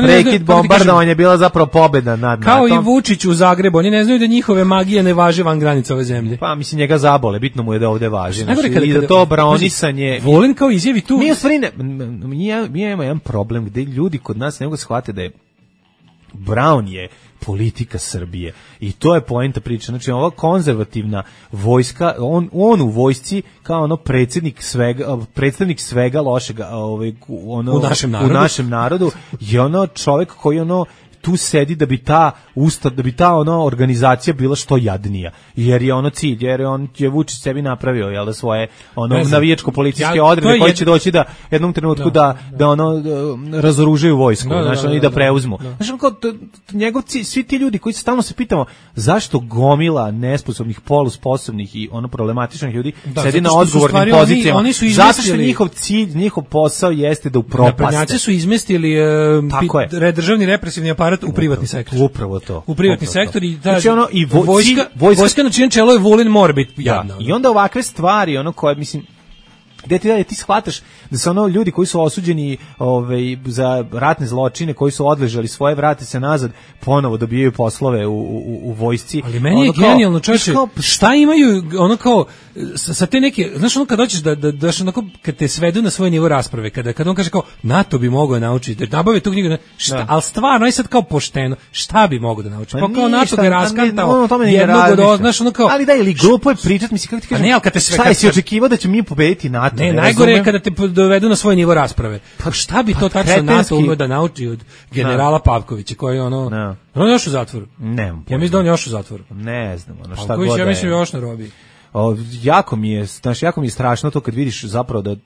prekid bombardovanja bila zapravo pobeda nad NATO. Kao i Vučić u Zagrebu, oni ne znaju da njihove magije ne važe van granica ove zemlje. Pa mislim njega zabole, bitno mu je da ovde važi. I da to braonisanje... Volin kao izjavi tu... Mi imamo jedan problem gde ljudi kod nas ne mogu shvatiti da je Brown je politika Srbije i to je poenta priče. Znači ova konzervativna vojska, on u vojsci kao ono predstavnik svega lošega u našem narodu je ono čovjek koji tu sedi da bi ta organizacija bila što jadnija, jer je ono cilj, jer on je Vučić sebi napravio da svoje navijačko policijske odrede koji će doći da jednom trenutku da razoružaju vojsku, i da preuzmu. Njegov cilj, svi ti ljudi koji stalno se pitamo zašto gomila nesposobnih, polusposobnih i problematičnih ljudi sedi na odgovornim pozicijama, zato što njihov cilj, njihov posao jeste da upropaste. Naprednjaci su izmestili državni represivni aparat u privatni sektor. Upravo to. U privatni sektor i vojska na čijem čelu je Vulin mora biti jadna. I onda ovakve stvari, koje mislim gde ti shvataš da se ono ljudi koji su osuđeni za ratne zločine, koji su odležali svoje, vrate se nazad, ponovo dobijaju poslove u vojsci. Ali meni je genijalno, čovječe, šta imaju ono kao sa te neke, znaš ono kad dođeš da onako, kad te svedu na svoj nivo rasprave, kada on kaže kao NATO bi mogao naučiti, da nabave tu knjigu, šta, ali stvarno, aj sad kao pošteno, šta bi mogao da nauči? Pa kao NATO ga je raskantao jednog od, znaš ono kao... Ali da, ili glupo je pričat, mislim, kako ti kažem, šta je si očekivao da će mi pobediti NATO? Ne, najgore je kada te dovedu na svoj nivo rasprave. Pa šta bi to tačno NATO umeo da nauči od generala Pavkovića, koji je ono... On je još u zatvoru. Ne, ja mislim da on je još u zatvoru. Ne znam, ono šta god Pavković, da je. ja mislim još na robiji. Jako mi je strašno to kad vidiš zapravo da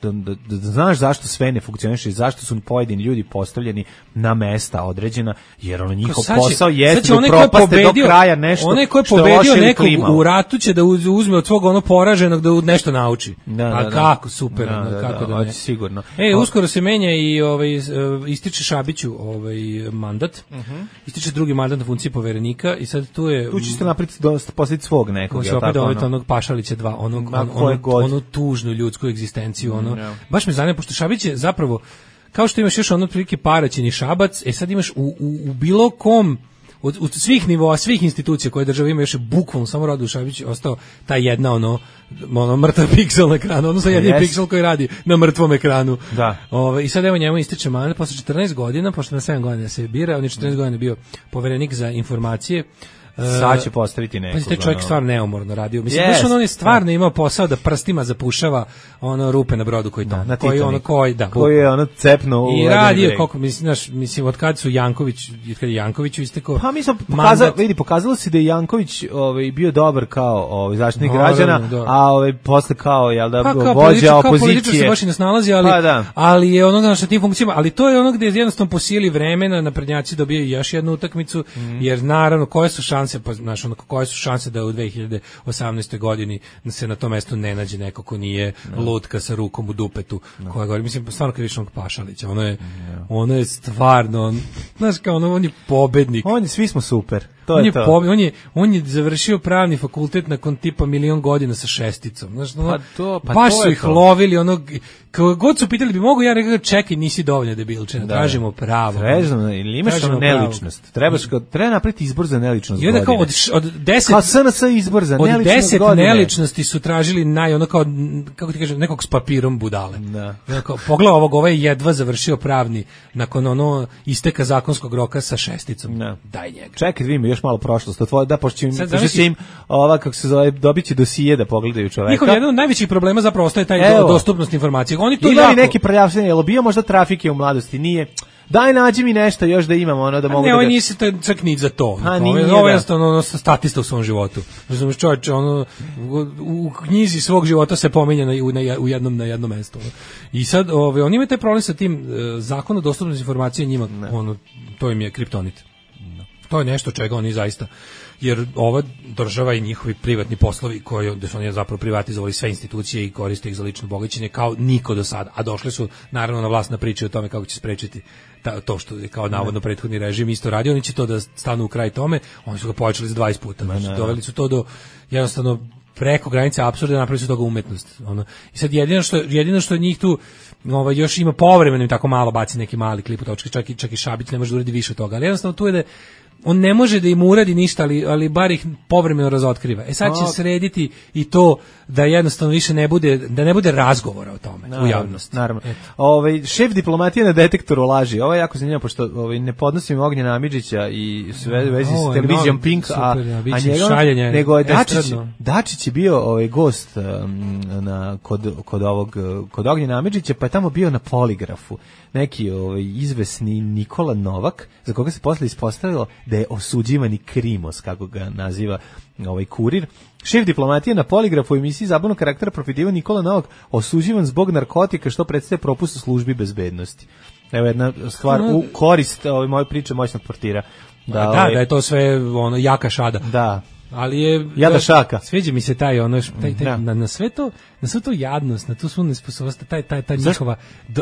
znaš zašto sve ne funkcioniše i zašto su pojedini ljudi postavljeni na mesta određena, jer ono njihov posao jeste da propaste do kraja nešto. Onaj ko je pobedio nekog u ratu će da uzme od svog ono poraženog da nešto nauči. Kako super, kako da ne. Sigurno. Uskoro se menja i ističe Šabiću mandat. Ističe drugi mandat na funkciji poverenika i sad tu je... Tu će se napraviti postaviti svog nekog. Onog Pašalića 2, onu tužnu ljudsku egzistenciju, baš me zanima, pošto Šabić je zapravo, kao što imaš još ono otprilike Paraćin i Šabac, sad imaš u bilo kom, od svih nivoa, svih institucija koje država ima, još je bukvalno samo Radu Šabić ostao ta jedna ono mrtav piksel na ekranu, odnosno jedini piksel koji radi na mrtvom ekranu. Da. I sad evo njemu ističe mandat posle 14 godina, pošto na 7 godina se bira, on je 14 godina bio poverenik za informacije. Sad će postaviti nekog. Pa taj čovjek stvarno neumorno radio. Mislim, on je stvarno imao posao da prstima zapušava ono rupe na brodu koji tamo. Koji je ono cepno i radio, koliko, mislim, od kad su Jankoviću istekao. Pa mislim, pokazalo se da je Janković bio dobar kao zaštitnik građana, a posle kao, vođa opozicije. Kao političar se baš i ne snalazi, ali je ono što tim funkcijama, ali to je ono gdje jednostavno po sili vremena naprednjaci dobijaju još jednu utakmicu, jer naravno, koje su koje su šanse da u 2018. godini se na tom mestu ne nađe neko ko nije lutka sa rukom u dupetu, koja govori, mislim, stvarno kad viš onog Pašalića, ono je stvarno, znaš kao on je pobednik. Svi smo super. On je završio pravni fakultet nakon tipa 1.000.000 godina sa šesticom. Znaš, baš su ih lovili, kako god su pitali bi mogu, ja rekao, čekaj, nisi dovoljno debilčina, tražimo pravo. Ili imaš neličnost. Treba napraviti izbor za neličnost godine. Kao od 10 kao SNS izbor za neličnost godine. Od 10 neličnosti su tražili kako ti kažem, nekog s papirom budale. Pogledaj ovaj je jedva završio pravni nakon isteka zakonskog roka sa šesticom. Daj njega. Čekaj, vi mi još malo prošlost. Pošto će im kako se zove, dobit će dosije da pogledaju čoveka. Njihov jedan od najvećih problema zapravo ostaje taj dostupnost informacije. Oni to imali neki prljavštenje, jel bio možda trafike u mladosti? Nije. Daj, nađi mi nešto još da imamo, da mogu da... Ne, ovo nisi čak ni za to. Ovo je jednostavno statista u svom životu. Razumiješ, čovječ, u knjizi svog života se pominje na jednom mestu. I sad, oni imaju taj problem sa tim zakonom o dostupnosti informacije njima, to im je kriptonit. To je nešto čega oni zaista, jer ova država i njihovi privatni poslovi gde su oni zapravo privatizovali sve institucije i koriste ih za lično bogaćenje kao niko do sada, a došli su naravno na vlast na priče o tome kako će sprečiti to što je kao navodno prethodni režim isto radio, oni će to da stanu u kraj tome, oni su ga povećali za 20 puta, doveli su to do jednostavno preko granice apsurda, napravili su toga umetnost. I sad jedino što njih tu još ima povremeno tako malo baci neki mali klip u točki, čak i Šabić ne može da uradi više od toga, ali jednostavno tu je da on ne može da im uradi ništa, ali bar ih povremeno razotkriva. Sad će srediti i to da jednostavno više ne bude razgovora o tome u javnosti. Naravno. Šef diplomatije na detektoru laži. Ovo je jako zanimljivo, pošto nepodosim Ognjena Amidžića i sve vezi s televizijom Pink, a njega, nego je Dačić je bio gost kod Ognjena Amidžića, pa je tamo bio na poligrafu neki izvesni Nikola Novak, za koga se posle ispostavilo da je osuđivani Krimos, kako ga naziva Kurir. Šef diplomatije na poligrafu u emisiji zabavnog karaktera profitiva Nikola Novak osuđivan zbog narkotika, što predstavlja propust u službi bezbednosti. Evo jedna stvar u korist moje priče moćnog portira. Da je to sve jaka šada. Da. Ali je jada šaka. Sviđa mi se taj na sve to jadnost, na tu svu nesposobnost, taj njihova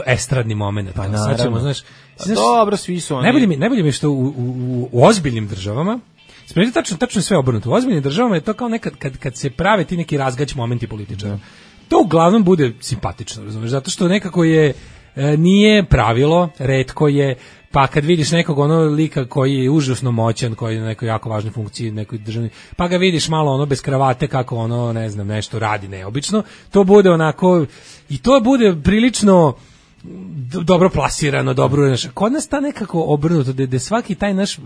estradni moment. Pa naravno. Znaš, dobro, svi su oni. Najbolje mi je što u ozbiljnim državama, tačno sve obrnuto. U ozbiljnim državama je to kao nekad kad se prave ti neki razgać momenti političara. to uglavnom bude simpatično, razumeš, zato što nekako je nije pravilo, retko je, pa kad vidiš nekog lika koji je užasno moćan, koji je na nekoj jako važnoj funkciji, nekoj državni, pa ga vidiš malo bez kravate kako ne znam, nešto radi neobično, to bude onako, i to bude prilično dobro plasirano, dobro, kod nas ta nekako obrnuto, da svaki taj naš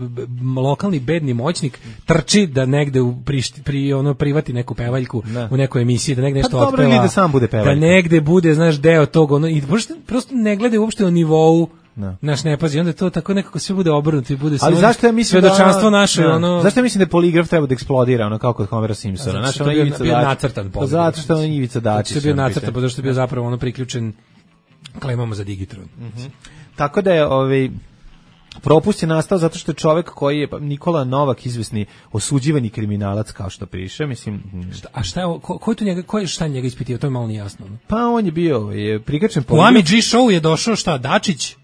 lokalni bedni moćnik trči da negde privati neku pevaljku u nekoj emisiji, da negde nešto otpeva, da sam bude pevaljka, da negde bude, znaš, deo tog, i prosto ne gleda uopšte o nivou, naš ne pazi, onda to tako nekako sve bude obrnuto i bude sve. Ali zašto ja mislim svedočanstvo naše, zašto ja mislim da poligraf treba da eksplodira, kao kod Homera Simpsona, znači to je bio nacrtan poligraf. Zato što on Ivica Dačić. To je bio nacrtan, zato što je bio zapravo priključen klemama za digitron. Tako da je propust je nastao zato što je čovek koji je Nikola Novak, izvesni osuđivani kriminalac, kao što piše, mislim. A šta je, ko je šta njega ispitio, to je malo nijasno. Pa on je bio prikačen po Ami G show je došao Dačić.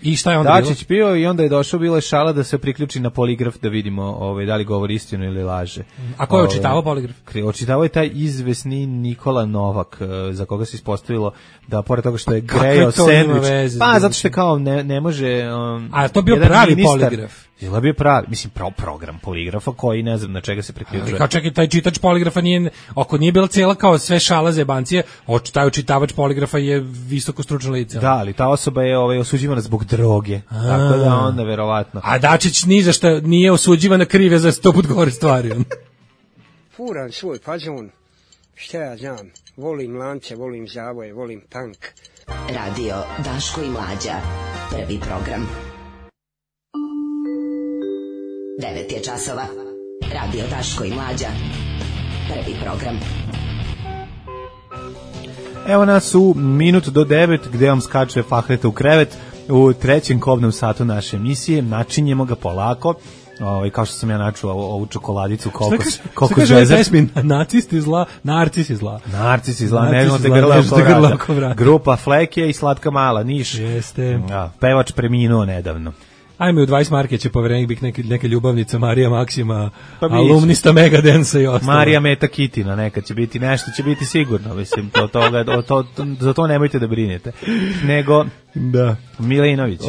I šta je onda Dačić bio i onda je došao, bila je šala da se priključi na poligraf da vidimo da li govori istinu ili laže. A ko je očitavao poligraf? Očitavao je taj izvesni Nikola Novak, za koga se ispostavilo da pored toga što je grejao sendvič, zato što kao ne može. A to bio pravi poligraf. Je bio pravi, mislim program poligrafa koji ne znam na čega se priključuje. Kao čekaj, taj čitač poligrafa ako nije bila cijela kao sve šala zebancije, taj očitavač poligrafa je visoko stručno lice. Da, ali ta osoba je osuđivana zbog droge, tako da onda verovatno. A Dačić ni za šta nije osuđivana, kriv je za 100 put gore stvari. Furan svoj fazon, šta ja znam, volim lance, volim zavoje, volim tank. Radio Daško i Mlađa, prvi program. 9 je časova. Radio Daško i Mlađa, prvi program. Evo nas u minut do 9 gde vam skače Fahreta u krevet u trećem kobnom satu naše emisije. Načinjemo ga polako. Kao što sam ja načuo ovu čokoladicu koliko žezer. Nacisti zla, narcisi zla. Narcisi zla, ne znamo te grla oko vrata. Grupa Fleke i Slatka Mala, Niš. Jeste. Pevač preminuo nedavno. Ajme, u 20 marke će poverenik biti neka ljubavnica Marija Maksima, alumnista Megadensa i ostalo. Marija Meta Kitina, neka će biti, nešto će biti sigurno, mislim, za to nemojte da brinete. Nego, Milinović.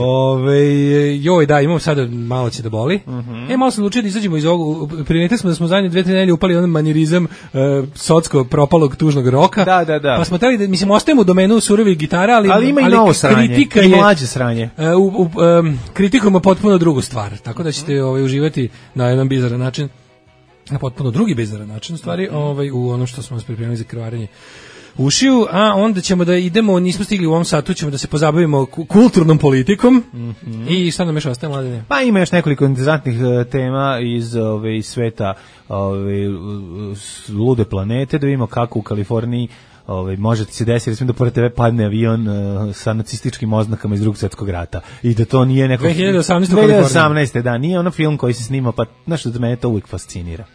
Joj, da, imam sada, malo će da boli. Malo sam odlučio da izađemo iz ovog, primetili smo da smo zadnje 2-3 nedelje upali onaj manirizam socko propalog tužnog roka. Da. Pa smo teli da, mislim, ostajemo u domenu surovih gitara, ali ima i novo sranje, i mlađe sranje. Kritikujemo potpuno drugu stvar, tako da ćete uživati na jedan bizaran način, na potpuno drugi bizaran način, u stvari, u ono što smo vas pripremili za krvarenje ušiju, a onda ćemo da idemo, nismo stigli u ovom satu, ćemo da se pozabavimo kulturnom politikom. I šta nam još ostaje, Mladine? Pa ima još nekoliko interesantnih tema iz sveta lude planete, da vidimo kako u Kaliforniji može se desiti, recimo da pored tebe padne avion sa nacističkim oznakama iz Drugog svjetskog rata i da to nije neko 2018. Da, nije ono film koji se snima, pa znaš da mene to uvijek fascinira.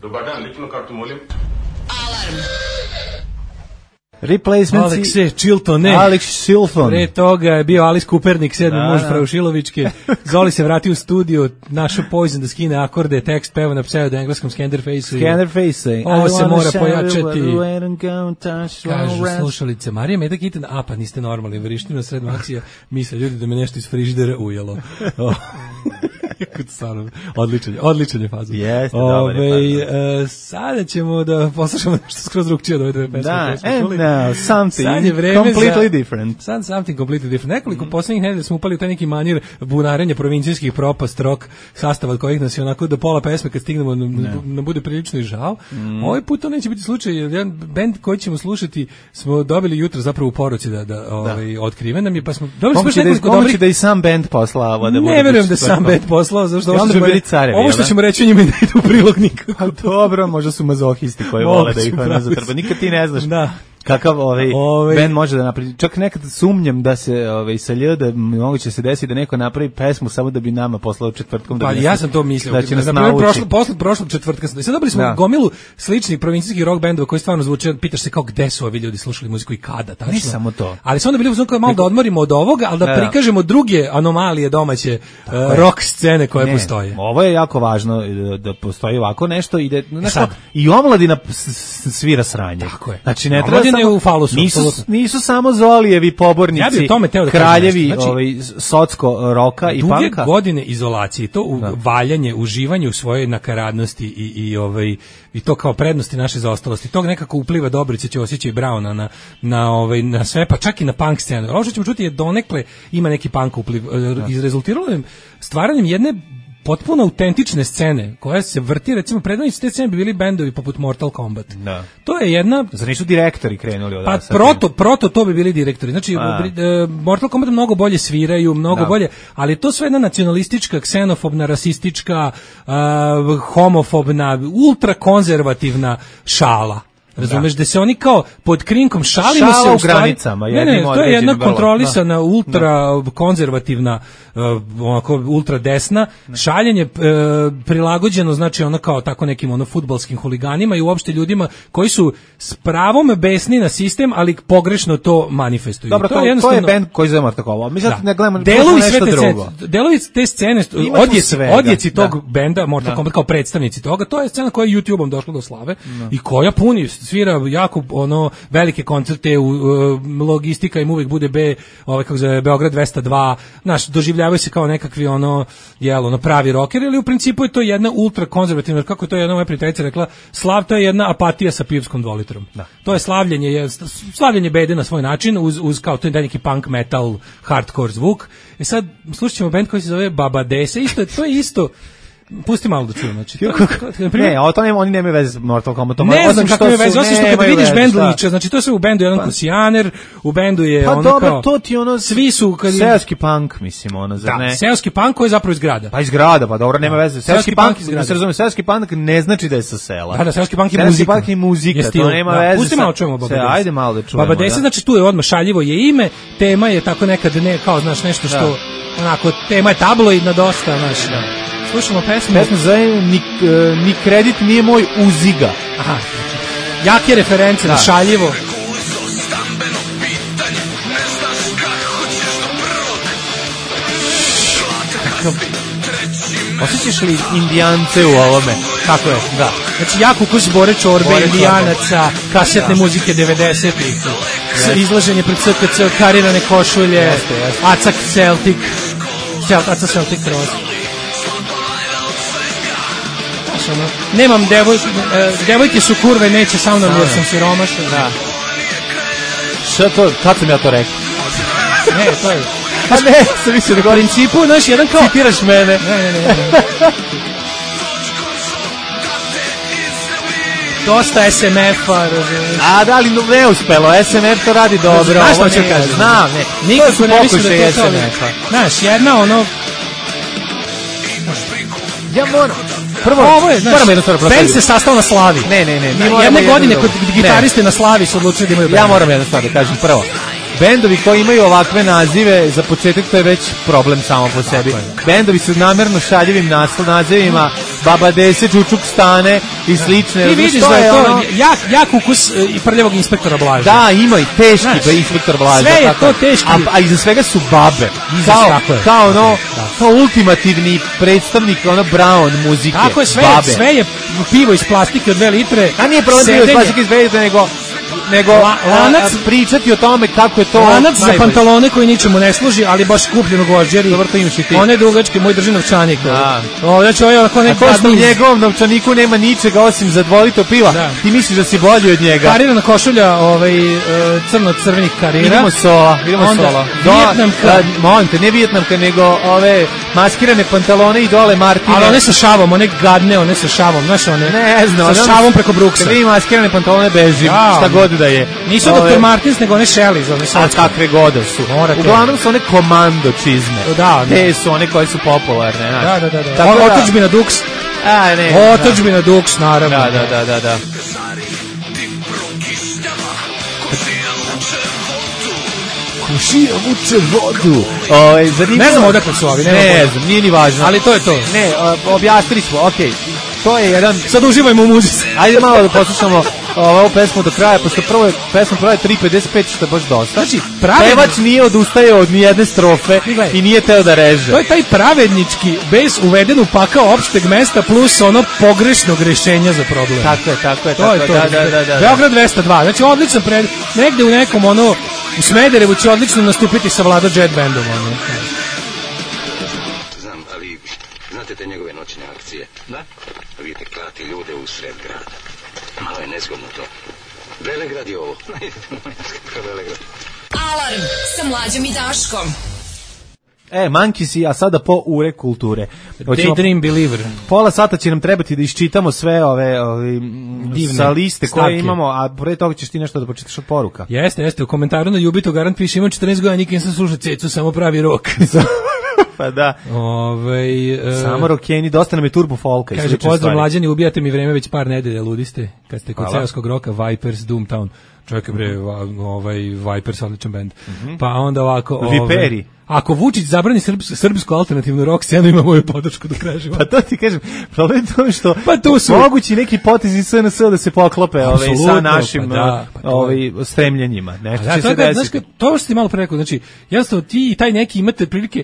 Dobar dan, ličnu kartu molim. Alarm! Replacementsi. Alex Chilton, ne. Alex Chilton. Pre toga je bio Alice Kupernik, 7. muž Fraušilovičke. Zoli se vratio u studio, našao Poison da skine akorde, tekst peva na pseudo-engleskom Scanderface. Ovo se mora pojačati. Kažu slušalice, Marija Meta Kitin, pa niste normalni, vrišti na sred maksija, misle ljudi da me nešto iz frižidera ujelo. Odličan je fazon. Jeste, dobar je fazon. Sada ćemo da poslušamo nešto skroz drugčije od ove dve pesme. Da, something completely different. Sad something completely different. Nekoliko poslednjih nedelja smo upali u taj neki manir bunarenja provincijskih propast rock sastava od kojih nas je onako do pola pesme kad stignemo na bude prilično i žao. Ovaj put to neće biti slučaj, jer jedan bend koji ćemo slušati smo dobili jutro zapravo u poruci da otkriven nam je, pa smo dobili smo nekoliko dobrih. Da i sam bend poslao. Ne verujem da sam bend poslao, zašto ovo što ćemo reći njima ne ide u prilog nikako. Dobro, možda su mazohisti koji vole da ih zatrpa. Nikad ti ne znaš. kakav bend može da napravi. Čak nekad sumnjam da se sa da moguće se desi da neko napravi pesmu samo da bi nama poslao četvrtkom da. Pa ja sam to mislio. Da će nas posle prošlog četvrtka sam. Sad dobili smo gomilu sličnih provincijskih rock bendova koji stvarno zvuče, pitaš se kao gde su ovi ljudi slušali muziku i kada, tačno. Ne samo to. Ali su onda bili uzmano kao malo da odmorimo od ovoga, ali da prikažemo druge anomalije domaće rock scene koje postoje. Ovo je jako važno da postoji ovako nešto i omladina svira sranje. Tako je. Znači ne treba u falusu, nisu samo Zolijevi pobornici, kraljevi socko roka i panka. Duge godine izolacije, to valjanje, uživanje u svojoj nakaradnosti i to kao prednosti naše zaostalosti. Tog nekako upliva Dobrice, Ćosića i Brauna na sve, pa čak i na punk scenu. Ovo što ćemo čuti je donekle ima neki punk upliv. Izrezultiralo je stvaranjem jedne potpuno autentične scene koja se vrti, recimo predvodnici te scene bi bili bendovi poput Mortal Kombat. Da. To je jedna... Zar nisu direktori krenuli od Pa proto to bi bili direktori. Znači, Mortal Kombat mnogo bolje sviraju, mnogo bolje, ali to sve jedna nacionalistička, ksenofobna, rasistička, homofobna, ultrakonzervativna šala. Razumeš, da se oni kao pod krinkom šalimo se u granicama. To je jedna kontrolisana ultra konzervativna, onako ultra desna, šaljenje prilagođeno, znači ono kao tako nekim fudbalskim huliganima i uopšte ljudima koji su s pravom besni na sistem, ali pogrešno to manifestuju. Dobro, to je bend koji zove Mortal Kombat. Mi sad ne gledamo nešto drugo. Delovi te scene, odjeci tog benda Mortal Kombat kao predstavnici toga, to je scena koja je YouTube-om došla do slave i koja puni svira jako velike koncerte, logistika im uvijek bude kako zove Beograd 202, doživljavaju se kao nekakvi pravi rockeri, ali u principu je to jedna ultra konzervativna, kako je to jedna moja prijateljica rekla, slav to je jedna apatija sa pivskom 2 litrom. To je slavljenje bede na svoj način uz kao to je neki punk metal hardcore zvuk. I sad slušat ćemo band koji se zove Baba Dese, to je isto. Pusti malo da čujem, znači. Oni nemaju veze s Mortal Kombatom. Ne znam kako je veze, osim što kad vidiš bend liče, znači to je sve u bendu jedan kusijaner, u bendu je pa dobro, to ti svi su seoski punk, mislim, zar ne? Da, seoski punk koji je zapravo iz grada. Pa iz grada, pa dobro, nema veze. Seoski punk, da se razume, seoski punk ne znači da je sa sela. Da, seoski punk je muzika. Seoski punk je muzika, to nema veze. Pusti malo čujemo Baba Dese. Ajde malo da čujemo. Baba Dese, znači tu je odmah šaljivo je ime, tema je tako nekad kao, znaš, nešto što, onako, tema je tabloidna dosta, znaš, slušamo pesmu. Pesmu zove Ni kredit nije moj Uziga. Aha. Jake reference, na šaljivo. Osjećaš li indijance u ovome? Kako je? Da. Znači, jak ukus Bore Čorbe, indijanaca, kasetne muzike 90-ih, izlaženje pred SKC, karirane košulje, Acak Celtic, Aca Celtic Cross. Nemam devojke su kurve, neće sa mnom jer sam siromašan. Da. Šta to, kad sam ja to rekao? Ne, to je... A ne, sam mislio da govorim. U principu, znaš, jedan kao... Citiraš mene. Ne. Dosta SMF-a, razumiješ. A da, ali ne uspelo, SMF to radi dobro. Znaš što ću kažem? Znam, ne. Nikako ne mislim da to SMF-a. Znaš, jedna Ja moram... Prvo, moram jednu stvar proslaviti. Band se sastao na Slavi. Ne. Jedne godine kod gitariste na Slavi su odlučili da imaju band. Ja moram jednu stvar da kažem. Prvo, bendovi koji imaju ovakve nazive, za početak to je već problem samo po sebi. Bendovi su namerno šaljivim nazivima, Baba Dese, Čučuk Stane i slične. Ti vidiš da je to jak ukus i prljavog inspektora Blaža. Da, ima i teški inspektor Blaža. Sve je to teški. A iza svega su babe. Kao ultimativni predstavnik Brown muzike. Tako je, sve je pivo iz plastike od 2 litre. A nije problem pivo iz plastike iz 2 litre, nego lanac pričati o tome kako je to lanac za pantalone koji ničemu ne služi, ali baš kupljenog u Alžiri. Dobro, to imaš i ti. One dugačke, moj drži novčanik. Znači, u njegovom novčaniku nema ničega osim za 2 litre piva. Ti misliš da si bolji od njega. Karirana košulja, crno-crvenih karira. Idemo sola. Molim te, ne vijetnamka, nego ove maskirane pantalone i dole Martine. Ali one sa šavom, one gadne, one sa šavom, znaš one? Ne znam. Sa šavom preko bruksa. Kad vi maskirane pantalone bežim, šta god da je. Nisu Dr. Martins, nego one Shelly. A kakve god su. Uglavnom su one komando čizme. Da. Te su one koje su popularne. Da. Otočbina Dux. Otočbina Dux, naravno. Da. Šija vuče vodu. Ne znam odakle su ovi. Ne znam, nije ni važno. Ali to je to. Ne, objasnili smo, okej. To je jedan... Sad uživajmo u muzici. Ajde malo da poslušamo ovu pesmu do kraja, pošto prvo pesma traje 3:55, što je baš dosta. Znači, pevač nije odustajao od nijedne strofe i nije teo da reže. To je taj pravednički bes uveden u pakao opšteg mesta plus ono pogrešnog rešenja za problem. Tako je. To je to. Da. Beograd 202. Znači, odlično negde u nekom u Smederevu će odlično nastupiti sa Vlado Jet Bandom. Znam, ali znate te njegove noćne akcije? Da? Vidite, klati ljude u sred grada. Malo je nezgodno to. Velegrad je ovo. Velegrad. Alarm sa Mlađom i Daškom. Mankisi, a sada po ure kulture. Daydream Believer. Pola sata će nam trebati da iščitamo sve ove divne sa liste koje imamo, a pre toga ćeš ti nešto da počitaš od poruka. Jeste, u komentaru na Ljubito Garant piše, imam 14 godina, nikad nisam slušao cecu, samo pravi rok. Pa da. Samo rokeni, dosta nam je turbo folka. Kaže, pozdrav Mlađani, ubijate mi vreme već par nedelja, ludiste, kad ste kod seoskog roka, Vipers, Doomtown. Čovjek je Vipers, odličan band. Pa onda ovako... Viperi. Ako Vučić zabrani srpsku alternativnu rock scenu, ima moju podršku do kraja života. Pa to ti kažem, problem je to što mogući neki potezi SNS da se poklope sa našim stremljenjima. Nešto će se desiti. To što ti malo pre rekao, znači, jasno, ti i taj neki imate prilike,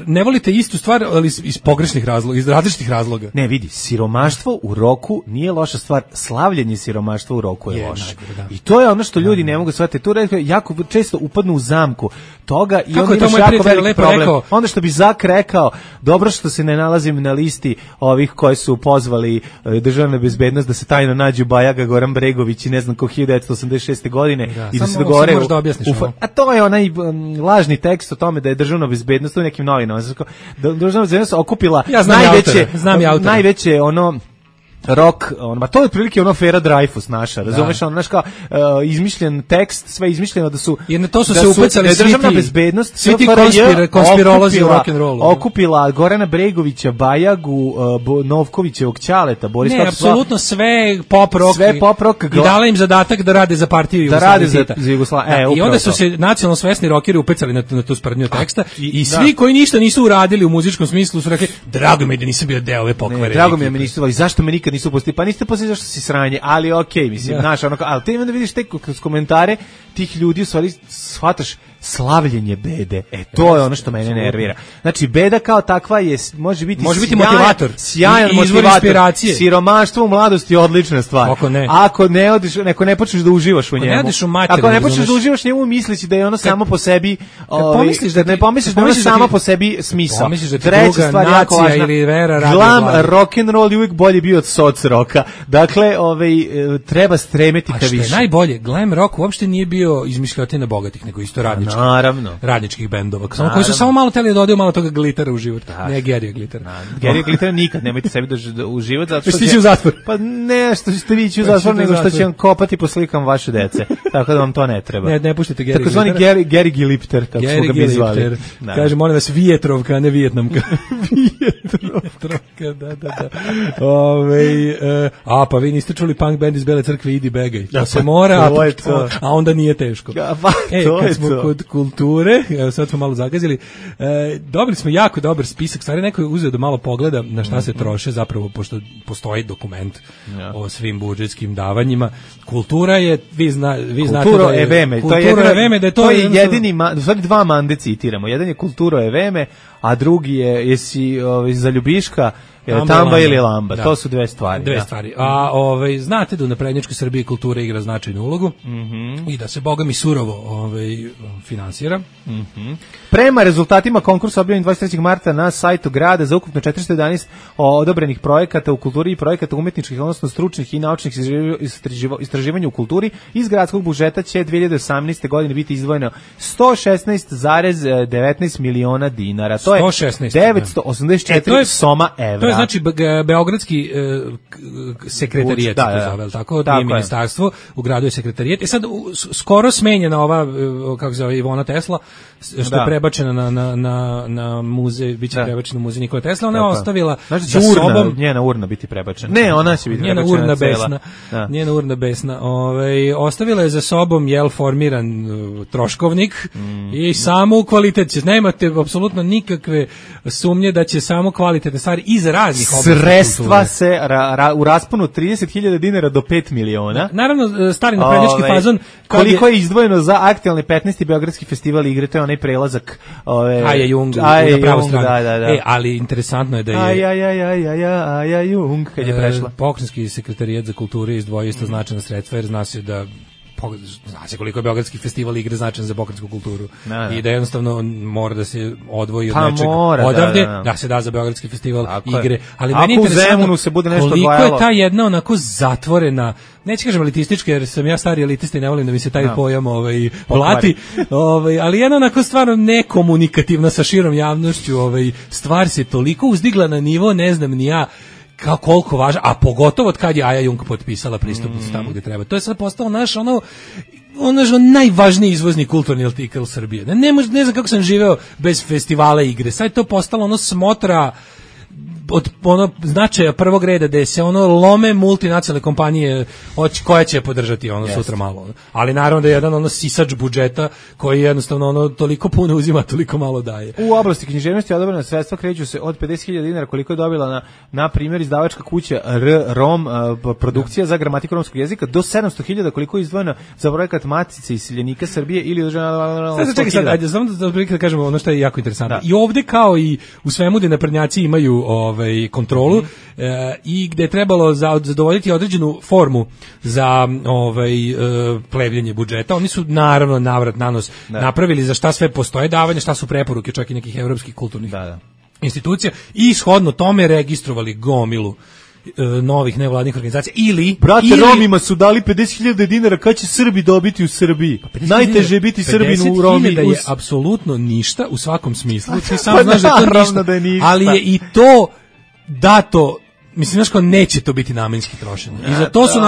ne volite istu stvar, ali iz pogrešnih razloga, iz različitih razloga. Ne, vidi, siromaštvo u roku nije loša stvar, slavljenje siromaštva u roku je loše. I to je ono što ljudi ne mogu shvatiti. Tu jako često upadnu u zamku toga i onda imaš jako veliki problem. Onda što bi Zak rekao, dobro što se ne nalazim na listi ovih koji su pozvali državnu bezbednost da se tajno nađu Bajaga, Goran Bregović i ne znam ko 1986. godine i da se dogovore. A to je onaj lažni tekst o tome da je državna bezbednost u nekim novim državna bezbednost okupila najveće ono rock, to je otprilike ono Fera Dreyfus naša, razumeš, ono, znaš kao, izmišljen tekst, sve izmišljeno da su... Jer na to su se upecali državna bezbednost, svi ti konspirolozi u rock'n'rollu. Okupila Gorana Bregovića, Bajagu, Novkovićevog ćaleta, Boris Ne, apsolutno sve pop rock. I dala im zadatak da rade za partiju Jugoslavije. I onda su se nacionalno svesni rockeri upecali na tu sprdnju teksta i svi koji ništa nisu uradili u muzičkom smislu su rekli, drago mi da nisam bio deo ove pokvare. Drago mi je, zašto me nikad nisu pustili, pa niste pustili zašto si sranje, ali okej, mislim, znaš, ali ti onda vidiš kroz komentare tih ljudi, u stvari shvataš slavljenje bede. To je ono što mene nervira. Znači, beda kao takva može biti motivator, sjajan motivator, inspiracije. Siromaštvo u mladosti je odlična stvar. Ako ne počneš da uživaš u njemu, ako ne počneš da uživaš njemu, misliš da je ono samo po sebi, ne pomisliš da je ono samo po sebi smisao. Treća stvar jako važna, glam rock'n'roll je uvijek bolje bio od soc roka. Dakle, treba stremeti ka više. A što je najbolje, glam rock uopšte nije bio izmišljotina bogatih, nego isto radničkih bendova, koji su samo malo teli da dodaju malo toga glitera u život. Ne Gerija glitera. Gerija glitera nikad, nemojte sebi da u život, zato što će u zatvor. Pa ne što ćete vi ići u zatvor, nego što će vam kopati po slikama vaše dece. Tako da vam to ne treba. Ne puštite Gerija glitera. Takozvani Geri Gilipter, kako smo ga mi zvali. Kaže, molim vas, Vijetrovka, a ne Vijetnamka. Vijetrovka, da. Pa vi niste čuli punk band iz Bele Crkve, Idi Begaj. To se mora, a onda nije teško. Kad smo kod kulture, sad smo malo zagazili, dobili smo jako dobar spisak, stvari neko je uzeo da malo pogleda na šta se troše, zapravo, pošto postoji dokument o svim budžetskim davanjima. Kultura je, vi znate da je to je jedini, u stvari dva mande citiramo, jedan je Kulturo Eveme, a drugi je, jesi za Ljubiška, Tamba ili Lamba, to su dve stvari. A znate da u naprednjačkoj Srbiji kultura igra značajnu ulogu i da se bogami surovo finansira. Prema rezultatima konkursa objavljenih 23. marta na sajtu grada za ukupno 411 odobrenih projekata u kulturi i projekata umetničkih, odnosno stručnih i naučnih istraživanja u kulturi, iz gradskog budžeta će 2018. godine biti izdvojeno 116,19 miliona dinara. To je 984 soma evra. je znači beogradski sekretarijat, tako, nije ministarstvo, u gradu je sekretarijat. I sad skoro smenjena ova, kako se zove, Ivona Tesla, što je prebačena na muzej, biće prebačena u muzej Nikola Tesla, ona je ostavila za sobom njena urna biti prebačena. Ne, ona će biti njena urna besna. Njena urna besna. Ostavila je za sobom formiran troškovnik i samo kvalitet. Nemate apsolutno nikakve sumnje da će samo kvalitetne stvari iz raznih oblasti sredstva se u rasponu 30.000 dinara do 5 miliona. Naravno, stari naprednjački fazon. Koliko je izdvojeno za aktualni 15. Beogradski festival igre, to je onaj prelazak Aja Jung na pravu stranu. Ali interesantno je da je Aja Jung kad je prešla. Pokrajinski sekretarijat za kulturu izdvojio isto značajna sredstva, jer zna se da koliko je Beogradski festival igre značajan za pokrajinsku kulturu i da jednostavno mora da se odvoji od nečeg odavde, da se da za Beogradski festival igre, ali meni je interesantno se bude nešto koliko je ta jedna onako zatvorena, neću kažem elitistička jer sam ja stari elitista i ne volim da mi se taj pojam plati, ali jedna onako stvarno nekomunikativna sa širom javnošću, stvar se toliko uzdigla na nivo, ne znam ni ja kao koliko važno, a pogotovo od kad je Aja Jung potpisala pristupnicu tamo gdje treba. To je sad postao naš najvažniji izvozni kulturni artikl Srbije. Ne znam kako sam živeo bez festivala igre. Sad je to postalo smotra od značaja prvog reda da se lome multinacionalne kompanije koja će podržati sutra malo. Ali naravno da je jedan sisač budžeta koji jednostavno toliko puno uzima, toliko malo daje. U oblasti književnosti odobrena sredstva kreću se od 50.000 dinara koliko je dobila na primjer izdavačka kuća ROM produkcija za gramatiku romskog jezika do 700.000 koliko je izdvojeno za projekat Matice iseljenika Srbije ili čekaj, samo da kažemo ono što je jako interesantno. I ovde kao i u svemu gde naprednjaci imaju kontrolu i gde je trebalo zadovoljiti određenu formu za plevljenje budžeta. Oni su naravno navrat nanos napravili za šta sve postoje davanje, šta su preporuke čak i nekih evropskih kulturnih institucija i shodno tome registrovali gomilu novih nevladnih organizacija ili Romima su dali 50.000 dinara, kad će Srbi dobiti u Srbiji? Najteže je biti Srbin u Romi. 50.000 je apsolutno ništa u svakom smislu. Ti samo znaš da to ništa, ali je i to dato. Mislim, znaš kao neće to biti namenski trošenje. I za to su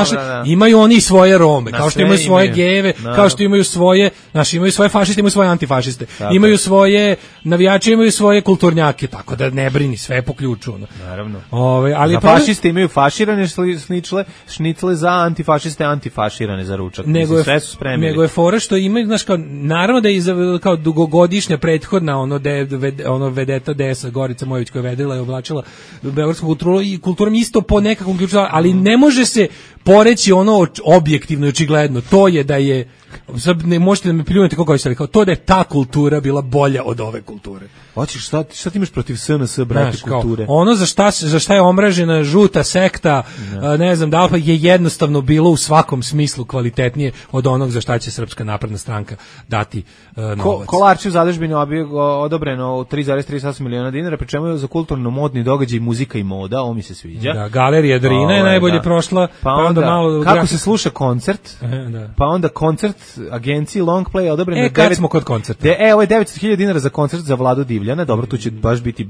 imaju oni svoje Rome, kao što imaju svoje gejeve, kao što imaju svoje, imaju svoje fašiste, imaju svoje antifašiste, imaju svoje navijače, imaju svoje kulturnjake, tako da ne brini, sve po ključu. Naravno. Ali fašiste imaju faširane šnicle, za antifašiste antifaširane za ručak. Sve su spremili. Nego je fora što imaju, znaš kao, naravno da je kao dugogodišnja prethodna vedeta DS Gorica Mojević koja je vedrila i oblačila beogradsku kulturu i kulturom isto po nekakvom ključu, ali ne može se poreći objektivno i očigledno. To je da je, sad ne možete da me pljunete kako hoćete, kao to da je ta kultura bila bolja od ove kulture. Hoćeš šta ti imaš protiv SNS, brate, kulture? Za šta je omražena žuta sekta, ne znam da li je jednostavno bilo u svakom smislu kvalitetnije od onog za šta će Srpska napredna stranka dati novac. Kolarči u zadužbini odobreno 3,38 miliona dinara, pri čemu je za kulturno-modni događaj muzika i moda, ovo mi se sviđa. Da, Galerija Drina je najbolje prošla. Pa onda malo kako se sluša koncert, pa onda koncert agenciji Long Play odobreno. Kad smo kod koncerta. Ovo je 900.000 dinara za koncert za Vladu Divljana, dobro, tu će baš biti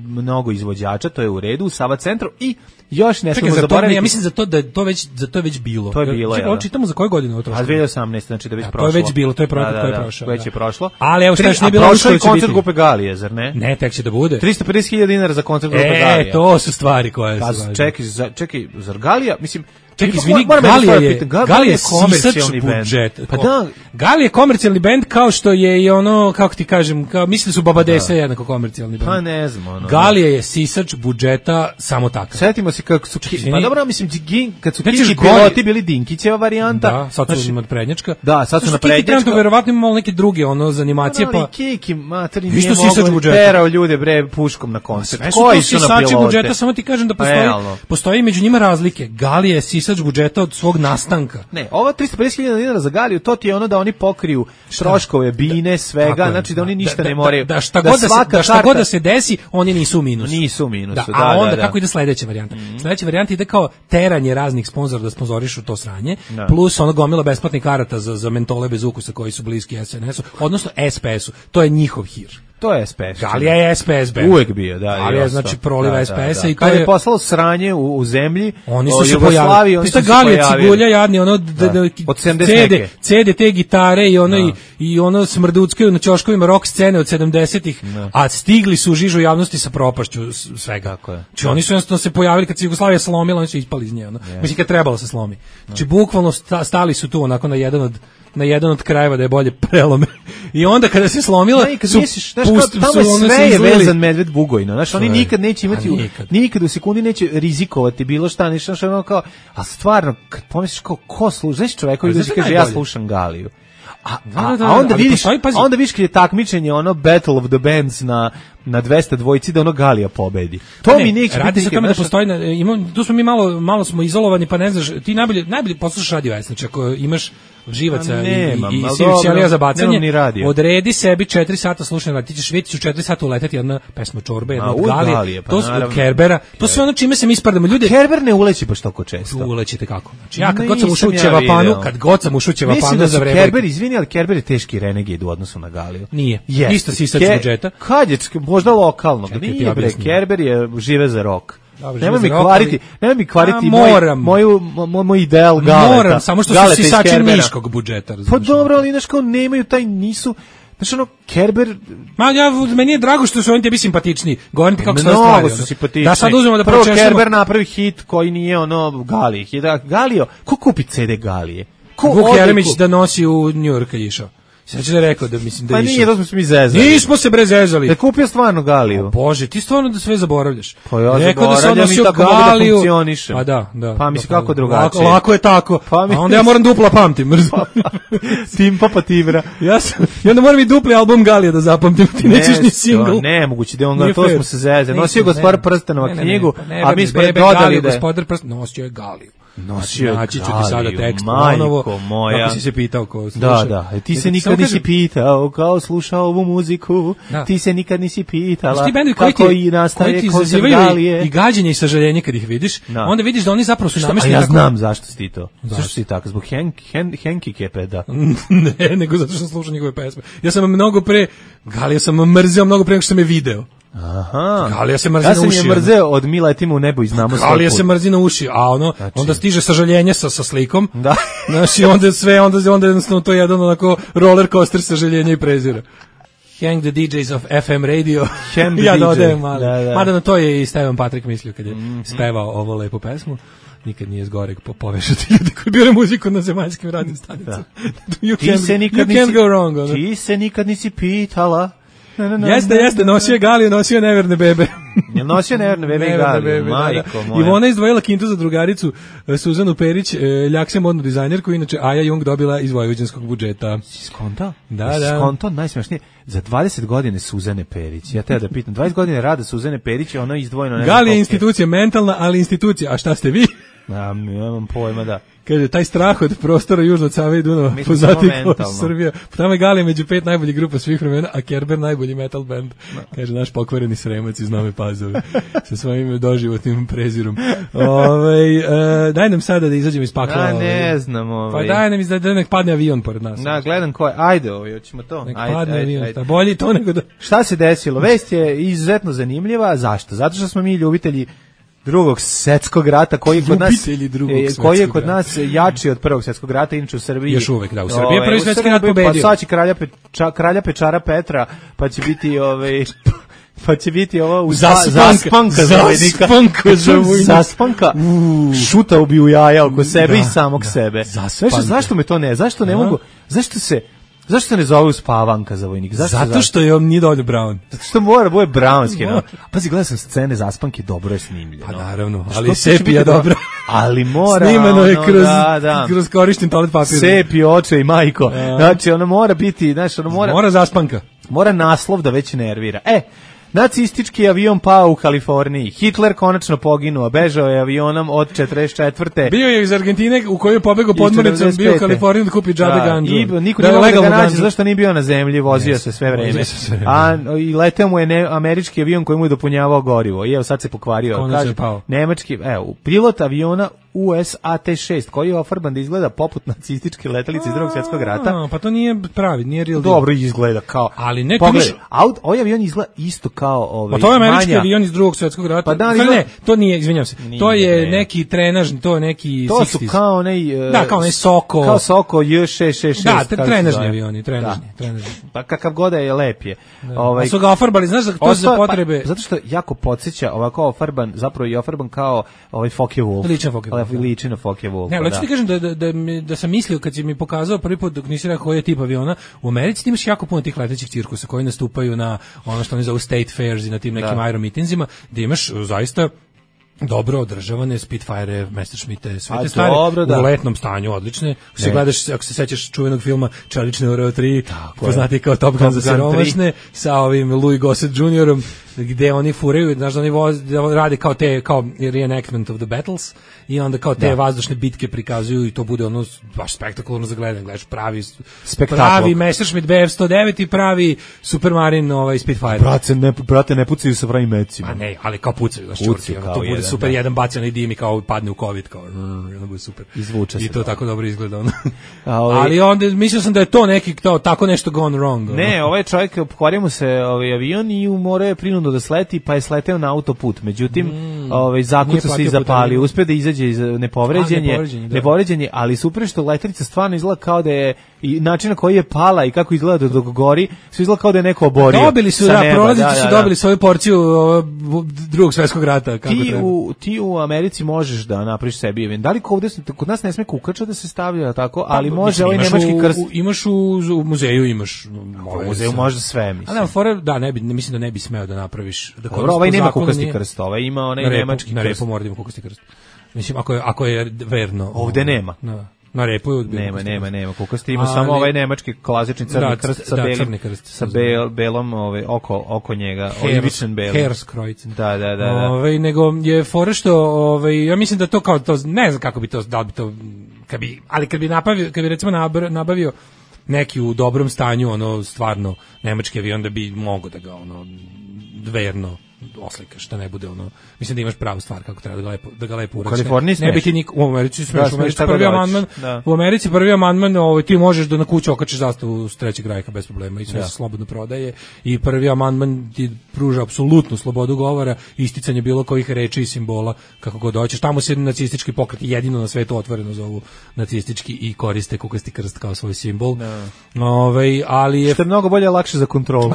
mnogo izvođača, to je u redu, u Sava centru i još ne smemo zaboraviti. Ja mislim za to je već bilo. To je bilo, ja. Čitamo za koju godinu ovo trošilo? 2018, znači da već prošlo. To je već bilo, to je projekat koji je prošao. Već je prošlo. Ali evo šta još nije bilo, prošlo je koncert grupe Galije, zar ne? Ne, tek će da bude. 350.000 dinara za koncert grupe Galije. To su stvari koje su. Čekaj, zar Galija, mislim, čekaj, izvini, Galija je sisač budžet. Pa da, Galija je komercijalni bend kao što je i kako ti kažem, mislim da su Babadesa jednako komercijalni bend. Pa ne znam, Galija je sisač budžeta samo takav. Setimo se kako su, pa dobro, mislim, kad su Kiki piloti bili Dinkićeva varijanta. Da, sad su naprednjačka. Da, sad su naprednjačka. Kiki verovatno imamo neke druge, za animacije, pa... Kiki, materi, nije mogo terao ljude, bre, puškom na koncert. Koji su na pilote? Budžeta, samo ti kažem da postoji među njima razlike. Galija je sisač budžeta od svog nastanka. Ne, ovo 350.000 dinara za Galiju, to ti je da oni pokriju troškove, bine, svega, znači da oni ništa ne moraju. Da šta god da se desi, oni nisu u minusu. Nisu u minusu, da. A onda kako ide sledeća varijanta? Sledeća varijanta ide kao teranje raznih sponzora da sponzorišu to sranje, plus gomila besplatnih karata za mentole bez ukusa koji su bliski SNS-u, odnosno SPS-u. To je njihov hir. To je SPS. Galija je SPS band. Uvek bio, da. Galija znači proliva SPS-a i to kad je poslalo sranje u zemlji, oni su se pojavili. Oni su se Galija Cigulja jadni, ono od 70 CD te gitare i ono i ono smrduckaju na ćoškovima rock scene od 70-ih, a stigli su u žižu javnosti sa propašću svega. Tako je. Znači oni su jednostavno se pojavili kad se Jugoslavija slomila, oni su ispali iz nje. Mislim kad trebalo se slomi. Znači bukvalno stali su tu onako na jedan od krajeva da je bolje prelome. I onda kada se slomila, tamo sve je vezan medved Bugojno. Znaš, oni nikad neće imati, nikad u sekundi neće rizikovati bilo šta, ništa, ono kao, a stvarno, kad pomisliš kao, ko sluša, znaš čovek koji kaže, ja slušam Galiju. A onda vidiš kad je takmičenje, ono, Battle of the Bands na 200 dvojci, da ono Galija pobedi. To mi neće radi biti. Radi se o tome da postoji, tu smo mi malo smo izolovani, pa ne znaš, ti najbolje poslušaš Radio S, znači ako imaš živaca i ćelija za bacanje, odredi sebi 4 sata slušanja, ti ćeš vidjeti u 4 sata uleteti jedna pesma Čorbe, jedna od Galije, to su od Kerbera, to sve ono čime se mi ispardamo. Ljudi, Kerber ne uleći baš toliko često. Ulećite kako? Znači ja kad god sam ušao u Ćevapanu za vreme. Kerber, izvini, ali Kerber je teški renegade u odnosu na Galiju. Nije. Isto si sad budžeta. Kad je možda lokalno, nije bre, Kerber je žive za rock. Nemoj mi kvariti moj ideal Galeta. Moram, samo što su sisači niškog budžeta. Pa dobro, ali znaš kao nemaju taj, nisu, znaš ono, Kerber... Meni je drago što su oni tebi simpatičniji. Govorim ti kako se stvari. Mnogo su simpatični. Da sad uzmemo da prvo Kerber napravi hit koji nije ono Galije. Galio, ko kupi CD Galije? Vuk Jeremić da nosi u New York kad je išao. Znači da je rekao da mislim da pa nije, to smo se mi zezali. Nismo se bre zezali. Da kupio stvarno Galiju. Bože, ti stvarno da sve zaboravljaš. Pa ja zaboravljam i tako mogu da funkcionišem. Pa da. Pa mislim kako drugačije. Lako je tako. A onda ja moram dupla pamtim. Timpa pa Tibra. I onda moram i dupli album Galije da zapamtim. Ti nećeš ni single. Ne, moguće da on ga, to smo se zezali. Nosio Gospodar Prstenova knjigu, a mi smo dodali da je Gospodar Prstenova nosio je Galiju. Naći ću ti sada tekst ponovo, kako si se pitao ko sluša. Da, ti se nikad nisi pitao kao slušao ovu muziku, ti se nikad nisi pitala kako i nastaje koncert Galije. I gađenje i sažaljenje kad ih vidiš, onda vidiš da oni zapravo su namešteni. A ja znam zašto si ti to. Zašto si tako? Zbog Henki Kepeda. Ne, nego zato što sam slušao njegove pesme. Ja sam mnogo pre, Galija sam mrzeo mnogo pre nego što sam je video. Aha. Galija se mrzi na uši. Ja sam je mrzeo od Mi letimo u nebo i znamo svoj put. Galija se mrzi na uši, a onda stiže sažaljenje sa slikom. Da. Znači onda jednostavno to je jedan onako roller coaster sažaljenja i prezira. Hang the DJs of FM radio. Ja dodajem malo. Mada na to je i Stevan Patrik mislio kad je spevao ovo lepu pesmu. Nikad nije zgoreg povešati ljudi koji bire muziku na zemaljskim radnim stanicama. Ti se nikad nisi pitala. Jeste, nosio je Galiju, nosio je neverne bebe. Je nosio neverne bebe i Galiju, majko moja. Ivona izdvojila kintu za drugaricu Suzanu Perić, ljak se modnu dizajnerku, inače Aja Jung dobila iz vojvođanskog budžeta. Si skonto? Da. Skonto, najsmešnije, za 20 godine Suzane Perić, ja da pitam, 20 godine rada Suzane Perić, ono izdvojeno... Galija je institucija, mentalna, ali institucija, a šta ste vi? Ja nemam pojma, da. Kaže, taj strah od prostora južno od Save i Dunava, poznati kao Srbija. Tamo je Galija među 5 najboljih grupa svih vremena, a Kerber najbolji metal band. Kaže, naš pokvareni Sremac iz Nove Pazove. Sa svojim doživotnim prezirom. Daj nam sada da izađemo iz pakla. Ne znam. Pa daj nam da nek padne avion pored nas. Da, gledam ko je. Ajde, hoćemo to. Nek padne avion. Bolje to nego da... Šta se desilo? Vest je izuzetno zanimljiva. Zašto? Zato što smo mi ljubitelji Drugog svjetskog rata koji je kod nas jači od Prvog svjetskog rata, inače u Srbiji. Još uvek da, u Srbiji je Prvi svjetski rat pobedio. Pa sad će kralja Pečara Petra, pa će biti ovo zaspanka šutao bi u jaja oko sebe i samog sebe. Zašto me to ne? Zašto ne mogu? Zašto se ne zove uspavanka za vojnik? Zato što je on nije dovoljno Brown. Zato što mora bude brownski. No? Pazi, gledao sam scene zaspanke, dobro je snimljeno. Pa naravno, ali sepija dobro. Ali mora. Snimeno je kroz korišten toalet papir. Sepi, oče i majko. Znači, ono mora biti, mora zaspanka. Mora naslov da već nervira. Nacistički avion pao u Kaliforniji. Hitler konačno poginuo, bežao je avionom od 44. Bio je iz Argentine u kojoj je pobegao podmornicom, bio u Kaliforniju da kupi džabe ganđu. I niko nije mogao da ga nađe, zašto nije bio na zemlji, vozio se sve vreme. I leteo mu je američki avion koji mu je dopunjavao gorivo. I evo sad se pokvario. Konačno je pao. Nemački, pilot aviona USAT-6, koji je ofarban da izgleda poput nacističke letelice iz Drugog svjetskog rata. Pa to nije pravi, nije real deal. Dobro izgleda kao. Ali ne, pogledaj, ovaj avion izgleda isto kao ovaj. Pa to je američki avion iz Drugog svjetskog rata. Pa da, ne, to nije, izvinjavam se. To je neki trenažni, to je neki to su kao onaj kao onaj Soko. Kao Soko J666. Da, trenažni avioni, trenažni. Pa kakav god je lep je. Ovaj su ga ofarbali, znaš da to za potrebe. Pa, zato što jako podsjeća ovako ofarban, zapravo je ofarban kao ovaj Focke-Wulf. Liči na Focke-Wulf. Ne, hoću ti kažem da sam mislio kad si mi pokazao prvi put dok nisi rekao koji je tip aviona, u Americi ti imaš jako puno tih letećih cirkusa koji nastupaju na ono što oni zovu state fairs i na tim nekim aeromitinzima, gde imaš zaista dobro održavane Spitfire, Messerschmitte, sve te stvari u letnom stanju, odlične. Se gledaš, ako se sećaš čuvenog filma Čelične Oreo 3, poznati kao Top Gun za siromašne, sa ovim Louis Gossett Juniorom, gde oni furaju, znaš da oni rade kao reenactment of the battles i onda kao te vazdušne bitke prikazuju i to bude ono baš spektakularno za gledanje, gledaš pravi Messerschmitt Bf-109 i pravi Supermarine Spitfire. Brate, ne pucaju sa pravim mecima. Pa ne, ali kao pucaju, znaš čurci, to bude super, jedan bacan i dim i kao padne u COVID, kao ono bude super. Izvuče se. I to tako dobro izgleda ono. Ali onda mislio sam da je to neki tako nešto gone wrong. Ne, ovaj čovjek pokvario mu se avion i morao je prinudno da sleti, pa je sleteo na autoput. Međutim, zakuca se i zapali, uspeo da izađe iz nepovređenje, ali super što letelica stvarno izgleda kao da je i način na koji je pala i kako izgleda dok gori, sve izgleda kao da je neko oborio. Dobili su, prolazići su dobili svoju porciju Drugog svjetskog rata. Ti u Americi možeš da napraviš sebi event. Da li kod nas ne sme kukača da se stavlja tako, ali može ovaj nemački krst. Imaš u muzeju, imaš. U muzeju može sve, mislim. Mislim da ne bi smeo da napraviš. Dobro, ovaj nema kukasti krst, ovaj ima onaj nemački krst. Na repu mora da ima kukasti krst. Mislim, ako je verno. Ovde nema. Na repu je nema. Kukasti ima samo ovaj nemački klasični crni krst sa belom oko njega, olivičan belo. Herskreuz. Da. Nego je fora što ja mislim da to kao to ne znam kako bi to da bi to kad bi recimo nabavio neki u dobrom stanju ono stvarno nemački avion da bi mogao da ga ono verno oslikaš, da ne bude ono, mislim da imaš pravu stvar kako treba da ga lepo uradiš. Ne bi ti u Americi smeš, u Americi prvi amandman, ti možeš da na kuću okačiš zastavu s Trećeg rajha bez problema i sve se slobodno prodaje i prvi amandman ti pruža apsolutnu slobodu govora, isticanje bilo kojih reči i simbola kako god hoćeš. Tamo se nacistički pokret jedino na svetu otvoreno zovu nacistički i koriste kukasti krst kao svoj simbol. Ali je što je mnogo bolje, lakše za kontrolu.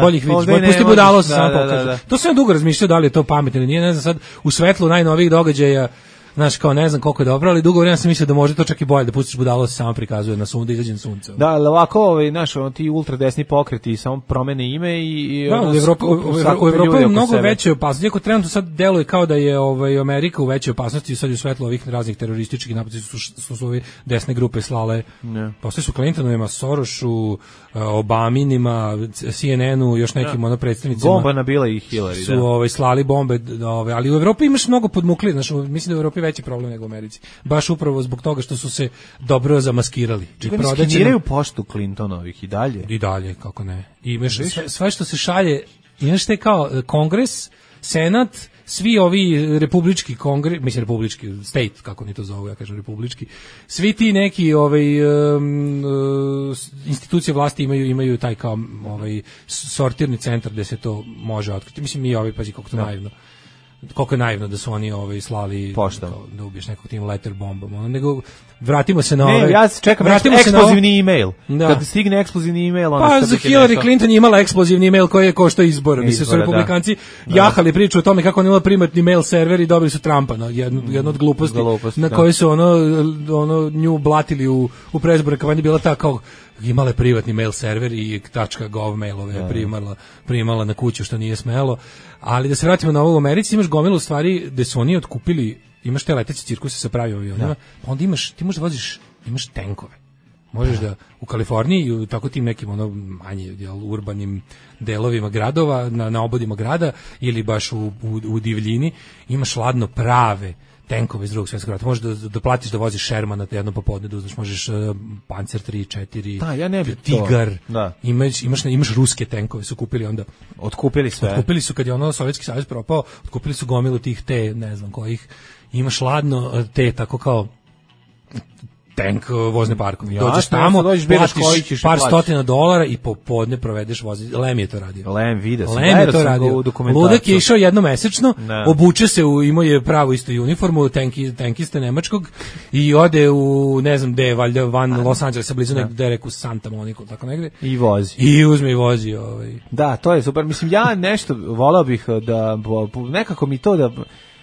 Boljih vidiš, pusti budalo se samo pokaže. To sam ja dugo razmišljao da li je to pametno ili nije, ne znam sad u svetlu najnovijih događaja, znaš kao ne znam koliko je dobro, ali dugo vremena sam mislio da može to čak i bolje da pustiš budalo se samo prikazuje na sunce, izađe na sunce. Da, ali ovako, znaš, ti ultradesni pokreti samo promene ime i da, u Evropi je mnogo veće opasnosti, iako trenutno sad deluje kao da je Amerika u većoj opasnosti, sad u svetlu ovih raznih terorističkih napada su ove desne grupe slale, posle su Clintonovima, Sorošu, Obaminima, CNN-u, još nekim predstavnicima. Bomba nabila i Hillary, su slali bombe, ali u Evropi imaš mnogo podmukli, znaš, mislim da u Evropi veći problem nego u Americi. Baš upravo zbog toga što su se dobro zamaskirali. Skeniraju poštu Clintonovih i dalje? I dalje, kako ne. I imaš sve što se šalje, imaš te kao Kongres, Senat, svi ovi republički kongres, mislim republički, state, kako ni to zovu, ja kažem republički, svi ti neki institucije vlasti imaju taj kao sortirni centar gde se to može otkriti. Mislim, mi pazi koliko to naivno. Koliko je naivno da su oni slali poštom da ubiješ nekog tim letter bombom, nego vratimo se na Ne, ja čekam eksplozivni email. Kad stigne eksplozivni email, pa za Hillary Clinton je imala eksplozivni email koji je koštao izbora. Mislim su republikanci jahali priču o tome kako on imala privatni mail server i dobili su Trumpa, jedno od gluposti na koje su ono nju blatili u predizbornoj kampanji, bila ta kao imala je privatni mail server i .gov mailove primala na kuću što nije smelo. Ali da se vratimo na ovo, u Americi imaš gomilu stvari gde su oni otkupili, imaš te leteće cirkuse sa pravim avionima, pa onda ti možeš da voziš, imaš tenkove. Možeš da u Kaliforniji i u tako tim nekim manje urbanim delovima gradova, na obodima grada ili baš u divljini, imaš ladno prave tenkove iz Drugog svjetskog rata. Možeš da platiš da voziš Sherman na jedno popodne, da uzmeš, možeš Panzer 3, 4, Tigar. Imaš ruske tenkove, su kupili onda. Otkupili sve. Otkupili su kad je Sovjetski savez propao, otkupili su gomilu tih ne znam kojih. imaš ladno te tako kao tank vozne parkovi. Ja, Dođeš tamo, platiš par stotina dolara i popodne provedeš vozi. Lem je to radio. Lem video sam. Lem je to radio. Ludak je išao jednomesečno, obuče se imao je pravu istu uniformu, tankiste nemačkog i ode u, ne znam gde, valjda van Los Angelesa, blizu negde reku Santa Monica, tako negde. I vozi. I uzme i vozi. Da, to je super. Mislim, ja nešto volao bih da, nekako mi to da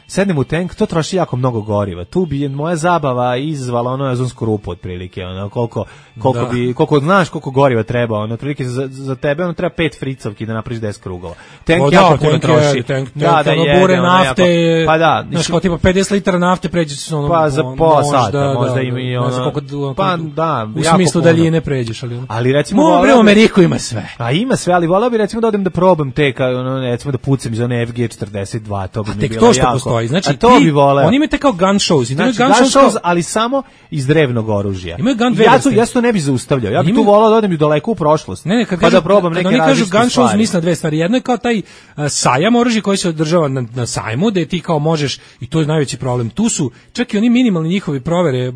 sednem u tank, to troši jako mnogo goriva. Tu bi moja zabava izazvala ono ozonsku rupu otprilike, ono koliko znaš koliko goriva treba, ono otprilike za tebe ono treba 5 fricovki da napraviš 10 krugova. Tank jako puno troši. Da, bure nafte. Pa da, znaš, kao tipa 50 litara nafte pređeš se ono. Pa za pola sata, možda ima i ono. Pa da, u smislu daljine pređeš, ali recimo u Ameriku ima sve. A ima sve, ali voleo bih recimo da odem da probam te, ono recimo da pucam iz one FG42, to bi mi bilo jako. Znači, to bi voleo. Oni imaju te kao gun shows. Znači, gun shows, ali samo iz drevnog oružja. Imaju gun ja to ne bi zaustavljao. Ja bih tu volao da odem i daleko u prošlost. Pa da probam neke različite stvari. Oni kažu gun shows, misle na dve stvari. Jedno je kao taj sajam oružja koji se održava na sajmu, da ti kao možeš, i to je najveći problem. Tu su čak i oni minimalni njihovi provere,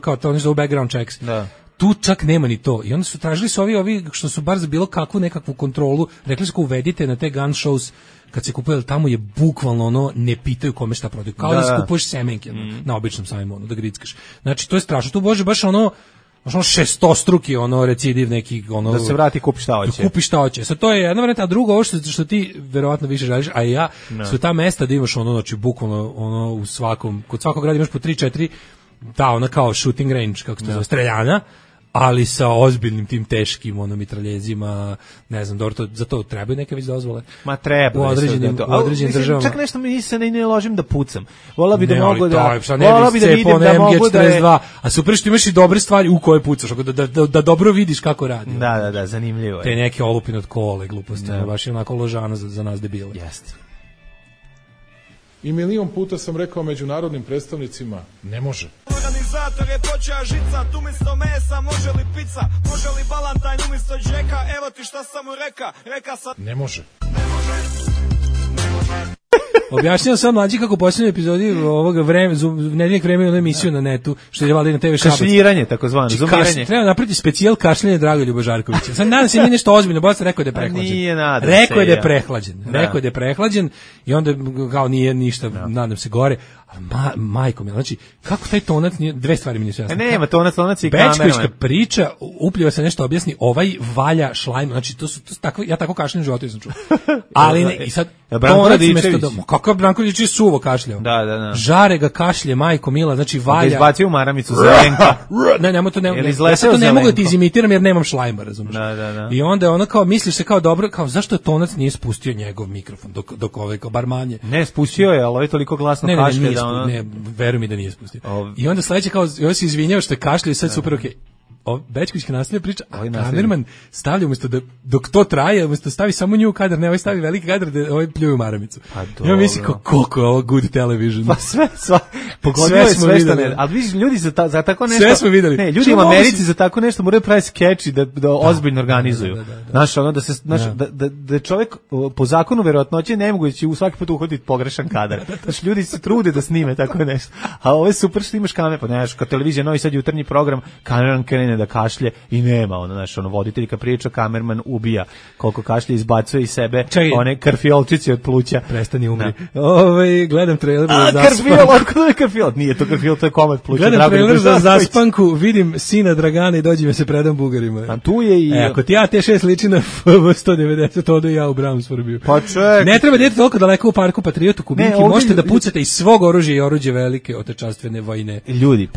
kao to oni zovu background checks. Da. Tu čak nema ni to. I onda su tražili su ovi što su bar za bilo kakvu nekakvu kontrolu, rekli su uvedite na te gun shows kad se kupuje, tamo je bukvalno ono, ne pitaju kome šta prodaju. Kao da se kupuješ semenke na običnom sajmu, ono, da grickaš. Znači, to je strašno. Tu bože baš ono šestostruki recidiv neki ono, da se vrati kupi šta hoće. Kupi šta hoće. Sad to je jedna varijanta, a drugo ovo što ti verovatno više želiš, a ja su ta mesta da imaš ono, znači bukvalno ono u svakom, kod svakog grada imaš po 3-4 ona kao shooting range, kako se to zove, streljana, ali sa ozbiljnim tim teškim mitraljezima, ne znam, za to trebaju neke već dozvole. Ma treba. U određenim državama. Čak nešto mi se ne ložim da pucam. Volao bi da ne, mogu da... Volao bi da vidim da mogu da je... A super što imaš i dobre stvari u koje pucaš, da dobro vidiš kako radi. Da, zanimljivo je. Te neke olupine od kole, gluposti, baš je onako ložano za nas debile. Jeste. I milion puta sam rekao međunarodnim predstavnicima, ne može. Organizator je počeo žicat, umjesto mesa može li pizza, može li balantajn umjesto džeka, evo ti šta sam mu reka sad... Ne može. Objašnjam sam mlađi kako u posljednjoj epizodi ovoga nedeljeg vremena emisiju na netu, što je vali na TV Šabac. Kašljiranje, takozvano, zumiranje. Treba napraviti specijal kašljanje Dragoljuba Žarkovića. Sad nadam se nije nešto ozbiljno, bolje rekao da je prehlađen. Nije, nadam se. Rekao je da je prehlađen. Rekao je da je prehlađen i onda kao nije ništa, nadam se gore. Majko mi, znači, kako taj tonac nije, dve stvari mi nisu jasne. Nema, tonac i kamerman. Bečkovićka priča, upljiva se nešto objasni, ovaj valja šlajm, znači, to su tako, ja tako kašljem u životu sam čuo. Ali ne, i sad, tonac mesto da, kakav Branko Radičević suvo kašljao. Da. Žare ga kašlje, majko mila, znači valja. Da izbacio u maramicu Zelenka. Ne, to ne mogu da ti izimitiram jer nemam šlajma, razumiješ. Da. I onda je ono kao, misliš se kao dobro, kao zašto je tonac nije spustio njegov mikrofon dok ovaj kao barmanje. Ne, spustio je, ali ovaj toliko glasno kašlje da ono... Ne, veruj mi da nije spustio. I onda sledeće kao, joj se izvinjao što je kašljao i sad super okej. Bečkovićka nastavlja priča, a kamerman stavlja umjesto da, dok to traje, umjesto stavi samo nju kadar, ne, ovaj stavi veliki kadar da ovaj pljuju maramicu. Ja mislim koliko je ovo good television. Pa sve smo videli. Ali vidiš, ljudi za tako nešto... Sve smo videli. Ne, ljudi u Americi za tako nešto moraju praviti skeči da ozbiljno organizuju. Znaš, ono da čovjek po zakonu verovatnoće nemoguće u svaki put uhvatiti pogrešan kadar. Znaš, ljudi se trude da snime tako nešto. A ovo je super što imaš kamer, pa znaš, kao televizija, Novi Sad jutarnji program, kameran krene da kašlje i nema voditelj kad priča, kamerman ubija koliko kašlje, izbacuje iz sebe one krfiolčice od pluća. Prestani, umri. Gledam trailer za Krfiol, nije to krfiol, to je komad pluća. Gledam trailer za Zaspanku, vidim sina Dragana i dođi me se predam Bugarima. A tu je i... Ako ti ja T6 liči na FV190, odo ja u Brownsforbiju. Pa ček. Ne treba djeti toliko daleko u parku Patriotu Kubinki, možete da pucate iz svog oružja i oruđe velike otečanstvene vojne. Ljudi,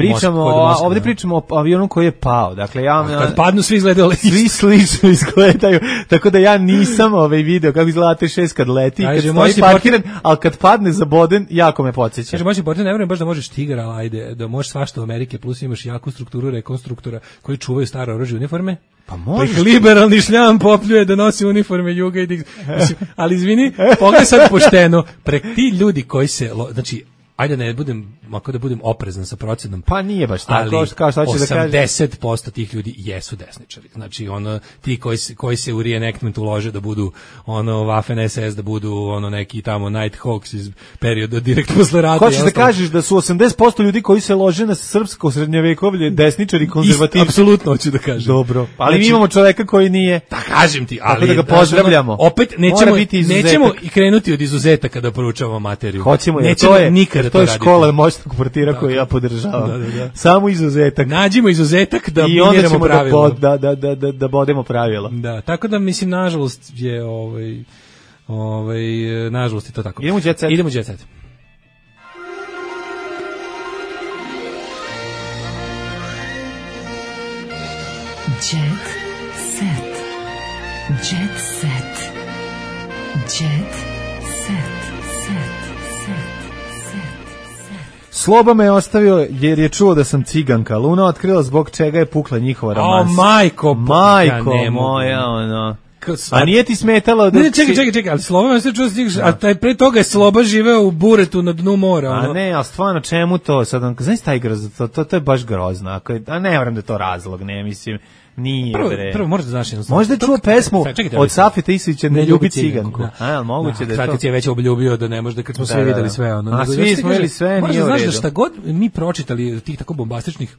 ovdje pričamo o avionu koji je pao. Dakle, kad padnu svi izgledaju svi slično izgledaju, tako da ja nisam video kako izgleda T6 kad leti, kad stoji parkiran, ali kad padne zaboden, jako me podsjeća. Kaže, možeš portir, ne vjerujem baš da možeš tigar, ali ajde, da možeš svašta u Amerike, plus imaš jaku strukturu rekonstruktora koji čuvaju stare oružje uniforme. Pa možeš. Liberalni šljam popljuje da nosi uniforme Juga i ali izvini, pogledaj sad pošteno, ti ljudi koji se, znači, ajde ne budem, ako da budem oprezan sa procenom. Pa nije baš tako, kao što hoćeš da kažeš. 80% tih ljudi jesu desničari. Znači, ti koji se u reenactment ulože da budu Waffen SS, da budu neki tamo Nighthawks iz perioda direkt posle rata. Hoćeš da kažeš da su 80% ljudi koji se lože na srpsko srednjevekovlje desničari, konzervativci? Apsolutno hoću da kažem. Dobro, ali mi imamo čoveka koji nije. Da kažem ti, ali da ga pozdravljamo. Opet nećemo i krenuti od izuzetaka da poručavamo materiju. Hoćemo, to je škola moćnog portira koju ja podržavam. Da. Samo izuzetak. Nađimo izuzetak da miniramo pravila. Da bodemo pravila. Da, tako da mislim, nažalost je nažalost je to tako. Idemo u Jet Set. Idemo u Jet Set. Jet Set. Jet Set. Jet Sloba me je ostavio jer je čuo da sam ciganka. Luna otkrila zbog čega je pukla njihova romansa. Majko moja, ono. A nije ti smetalo da... Ne, čekaj, ali Sloba me ostavio čuo, a taj pre toga je Sloba živeo u buretu na dnu mora. A ne, ali stvarno, čemu to? Sad, znaš taj grozno, to je baš grozno. A ne vjerujem da je to razlog, ne, mislim... Nije, prvo možda znaš jedno. Možda je čuo pesmu od Safeta Isića Ne ljubi ciganku. Moguće da je to. Sad ti je već obljubio da ne može, kad smo sve videli sve. A svi smo videli sve, nije u redu. Možda znaš da šta god mi pročitali tih tako bombastičnih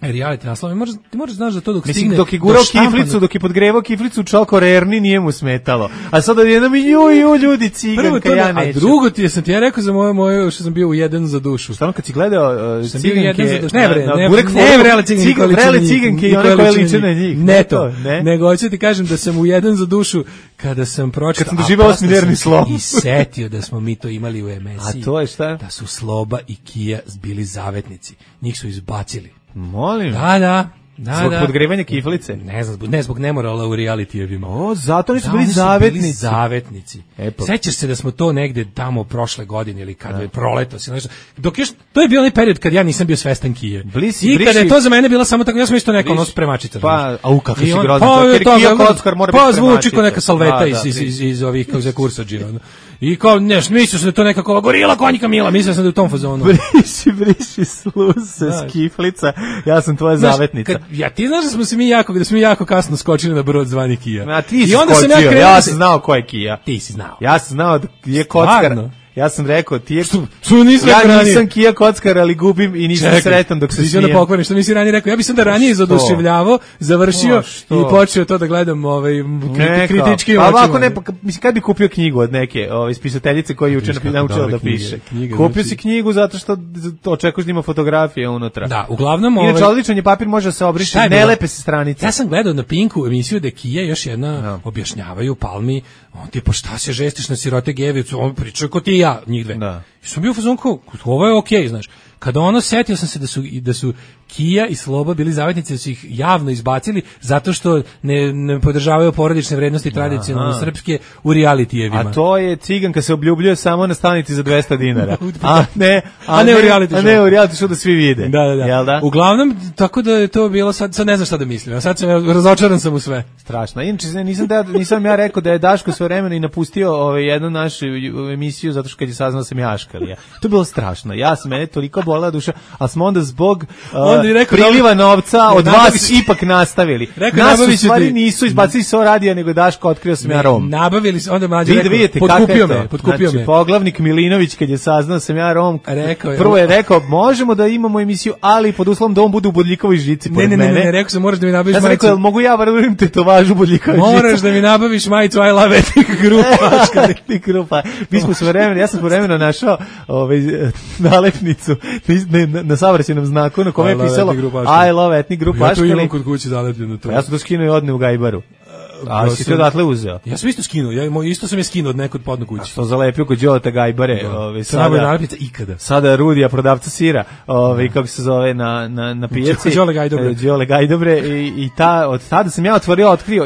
reality naslova, ti možeš znaš da to dok stigne... Dok je gurao kiflicu, dok je podgrevao kiflicu Čoko Rerni, nije mu smetalo. A sada jednom ju ljudi ciganka, ja neću. A drugo sam ti ja rekao za moje što sam bio u jedan za dušu. Stvarno kad si gledao ciganke... Ne vrele ciganke i one koje liče na njih. Ne to, nego hoću ti kažem da sam u jedan za dušu kada sam pročitao... Kad sam doživao osminerni slom. I setio da smo mi to imali u emisiji. A to je šta? Da su Sloba i Kija bili zavetnici. Njih su izbacili. Molim. Da. Zbog podgrevanja kiflice? Ne zbog nemorala u realitijevima. Zato nisu bili zavetnici. Sećaš se da smo to negde tamo prošle godine ili kad je proleto. To je bio onaj period kad ja nisam bio svestan Kije. I kada je to za mene bila samo tako, ja sam isto neka spremačica. Kako si grozno. Kija Kockar mora biti spremačica. Zvuči kao neka salveta iz ovih kao za kursađi. I kao, mislio sam da je to nekako gorila konjika Mila, mislio sam da je u tom fazonu. Briši sluse, skiflica, ja sam tvoja zavetnica. Ti znaš da smo mi jako kasno skočili na brod zvani Kija. A ti si skočio, ja sam znao ko je Kija. Ti si znao. Ja sam znao da je Kockar. Ja sam rekao, ja nisam Kija Kockar, ali gubim i nisam sretan dok se smijem. Što mi si ranije rekao, ja bi sam da ranije izoduševljavao, završio i počeo to da gledam kritički očima. Ovako ne, mislim, kad bi kupio knjigu od neke spisateljice koja je juče naučila da piše. Kupio si knjigu zato što očekuješ da ima fotografije unutra. Da, uglavnom... Inače, odličan je papir, može se obriši, ne lepe se stranice. Ja sam gledao na Pinku emisiju da Kija još jedna objašnjavaju Palmi, on ti, pa šta se žestiš na sirote Gevicu, on priča ko ti i ja, njih dve. Da. I sam bio u fazonu kao, ovo je okej, znaš. Kada setio sam se da su Kija i Sloba bili zavetnici, da su ih javno izbacili zato što ne podržavaju porodične vrednosti tradicionalno srpske u realitijevima. A to je ciganka se obljubljuje samo na stanici za 200 dinara. A ne u reality show da svi vide. Da. Uglavnom, tako da je to bilo, sad ne znam šta da mislim. Sad sam razočaran sam u sve. Strašno. Inače, nisam ja rekao da je Daško svojevremeno i napustio jednu našu emisiju zato što kad je saznao sam ja Aškalija. To je bilo strašno. Mene toliko bolela duša, ali smo onda zbog priliva novca od vas ipak nastavili. Nas u stvari nisu izbacili s radija, nego Daško otkrio sam ja Rom. Nabavili se, onda mlađe rekao, potkupio me. Poglavnik Milinović kad je saznao sam ja Rom, prvo je rekao, možemo da imamo emisiju, ali pod uslovom da on bude u bodljikovoj žici pored mene. Ne, rekao sam, moraš da mi nabaviš majicu. Ja sam rekao, mogu ja varujem tetovažu bodljikova žica? Moraš da mi nabaviš majicu I love etnik grupa. Ja sam svojevremeno našao nalepnicu na saobraćajnom znaku na kome je pisalo I love etnik grupa Aškali. Ja to imam kod kuće zalepljeno to. Ja sam to skinuo i odne u Gajbaru. A si to odatle uzeo? Ja sam isto skinuo, isto sam je skinuo od nekog podnog kuće. A što zalepio kod Đoleta Gajbare? Sada nalepnica ikada. Sada Rudija, prodavca sira, kako se zove na pijaci. Đole Gajdobre. I od tada sam ja otkrio.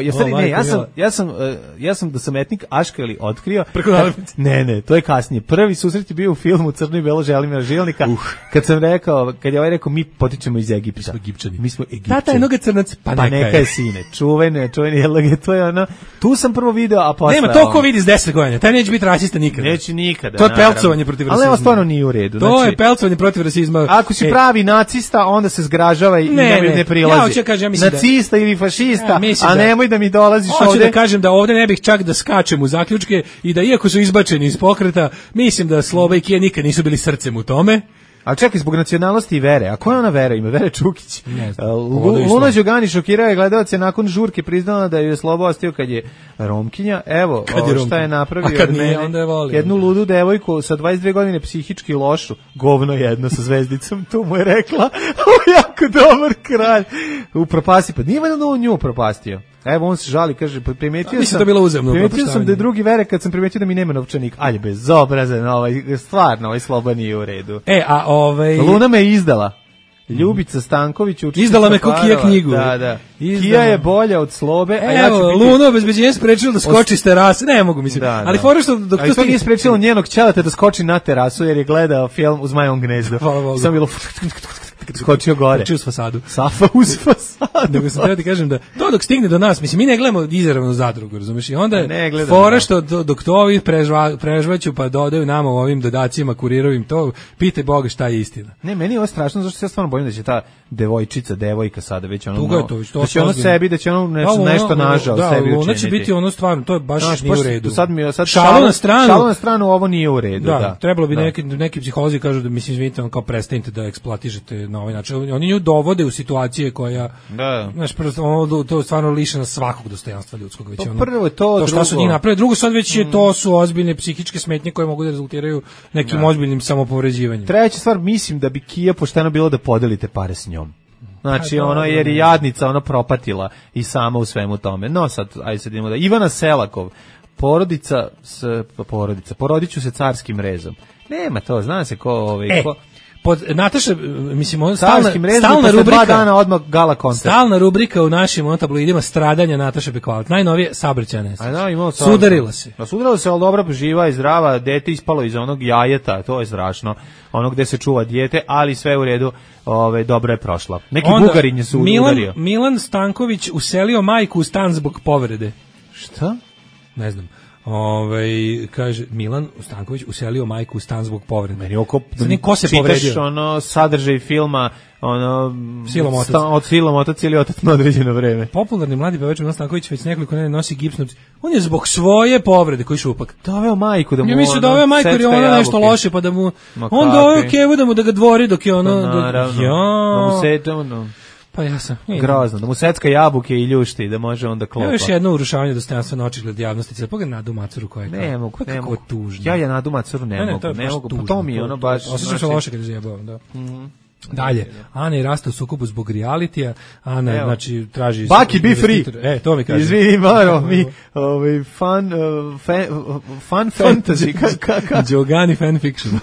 Ja sam da sam etnik Aškali otkrio. Preko nalepnice? Ne, to je kasnije. Prvi susret je bio u filmu Crno i belo Želimira Žilnika. Kad je ovaj rekao, mi potičemo iz Egipta. Mi smo Egipćani. Tata je noga crnac, pa neka je sine. Čuveni to je ono, tu sam prvo video, a posle... Nema to ko vidi s 10 godina, taj neće biti rasista nikada. Neće nikada, to je pelcovanje protiv rasizma. Ali ovo stvarno nije u redu. To je pelcovanje protiv rasizma. Ako si pravi nacista, onda se zgražava i ne prilazi. Ja hoću kažem, nacista ili fašista, a nemoj da mi dolaziš ovde. Hoću da kažem da ovde ne bih čak da skačem u zaključke i da iako su izbačeni iz pokreta, mislim da Sloba i Kija nikad nisu bili srcem u tome. Ali čekaj, zbog nacionalnosti i vere. A koja ona vera ima? Vere Čukić. Luna Đogani šokirao je gledalce nakon žurke, priznala da je Slobo ostio kad je Romkinja. Evo, šta je napravio od mene. Jednu ludu devojku sa 22 godine psihički lošu. Govno jedno sa zvezdicom, tu mu je rekla. Ovo je jako dobar kralj. Upropasti, pa nije valjda on nju upropastio. Evo on se žali, kaže, primetio sam da je drugi vere kad sam primetio da mi nema novčanik. Alje, bezobrazan, stvarno, ovaj Sloba nije u redu. Luna me izdala. Ljubica Stanković izdala me ko Kija knjigu. Da. Kija je bolja od Slobe, a ja ću biti... Luna obezbeđenje sprečilo da skoči s terase. Ne mogu, mislim. Ali fora što dok to nije sprečilo njenog ćeleta da skoči na terasu jer je gledao film u Zmajevom gnezdu. Samo bilo skočio gore. Skočio uz fasadu. Uz fasadu. Nego sam treba ti kažem da to dok stigne do nas, mislim, mi ne gledamo izravnu zadrugu, razumiješ? I onda fora što dok to ovi prežvaću pa dodaju nama ovim dodacima kurirovim, to pitaj Boga šta je istina. Ne, meni je ovo strašno, zašto se ja stvarno bojim da će ta devojka sada već ono... Da će ono sebi, da će ono nešto nažao sebi učiniti. Da, ono će biti ono stvarno, to je baš nije u redu. Šalu na stranu, ovo nije u redu. Da, trebalo bi neki psiholozi kažu da, mislim, izvinite, kao prestanite da eksploatišete na ovaj način. Oni nju dovode u situacije koja, znaš, to je stvarno lišeno svakog dostojanstva ljudskog. Prvo je to, šta su njih napravili. Drugo sad već je to su ozbiljne psihičke smetnje koje mogu da rezultiraju nekim ozbiljnim samopovređivanjem. Treća stvar, mislim da bi Kija pošteno bilo da podelite pare s njom. Znači, ono, jer je jadnica, ono, propatila i sama u svemu tome. No, sad, ajde sad idemo da... Ivana Selakov, porodiću se carskim rezom. Nema to, zna se ko... Pod Nataša, mislim, stalna rubrika, 2 dana odmah gala koncert. Stalna rubrika u našim tabloidima stradanja Nataše Bekvalac. Najnovije saobraćajne. Sudarila se. Sudarila se, ali dobro, živa i zdrava, dete ispalo iz onog jajeta, to je strašno. Ono gde se čuva dijete, ali sve u redu, dobro je prošla. Neki Bugarin je se udario. Milan Stanković uselio majku u stan zbog povrede. Šta? Ne znam. Kaže Milan Stanković uselio majku u stan zbog povrede. Meni oko ko se povredio? Čitaš ono sadržaj filma, ono od Silom otac ili otac na određeno vreme. Popularni mladi pevač Milan Stanković već nekoliko nedelja nosi gips. On je zbog svoje povrede koji šupak doveo majku da mu. Ja mislim da doveo majku jer je ona nešto loše pa da mu on doveo kevu da ga dvori dok je ono da mu se ono. Pa ja sam. Grozno, da mu secka jabuke i ljušti, da može onda klopa. Još jedno urušavanje dostojanstva na očigled javnosti. Sad pogledaj Nadu Macuru koja je kao... Ne mogu. Tužno. Ja Nadu Macuru ne mogu. Pa to mi je ono baš... Osjećam se loše kad je zajebavam, da. Dalje, Ana je rasta u sukobu zbog realitija. Ana, znači, traži... Baki, be free! To mi kaže. Izvini, Maro, mi fan fantasy. Đogani fanfiction.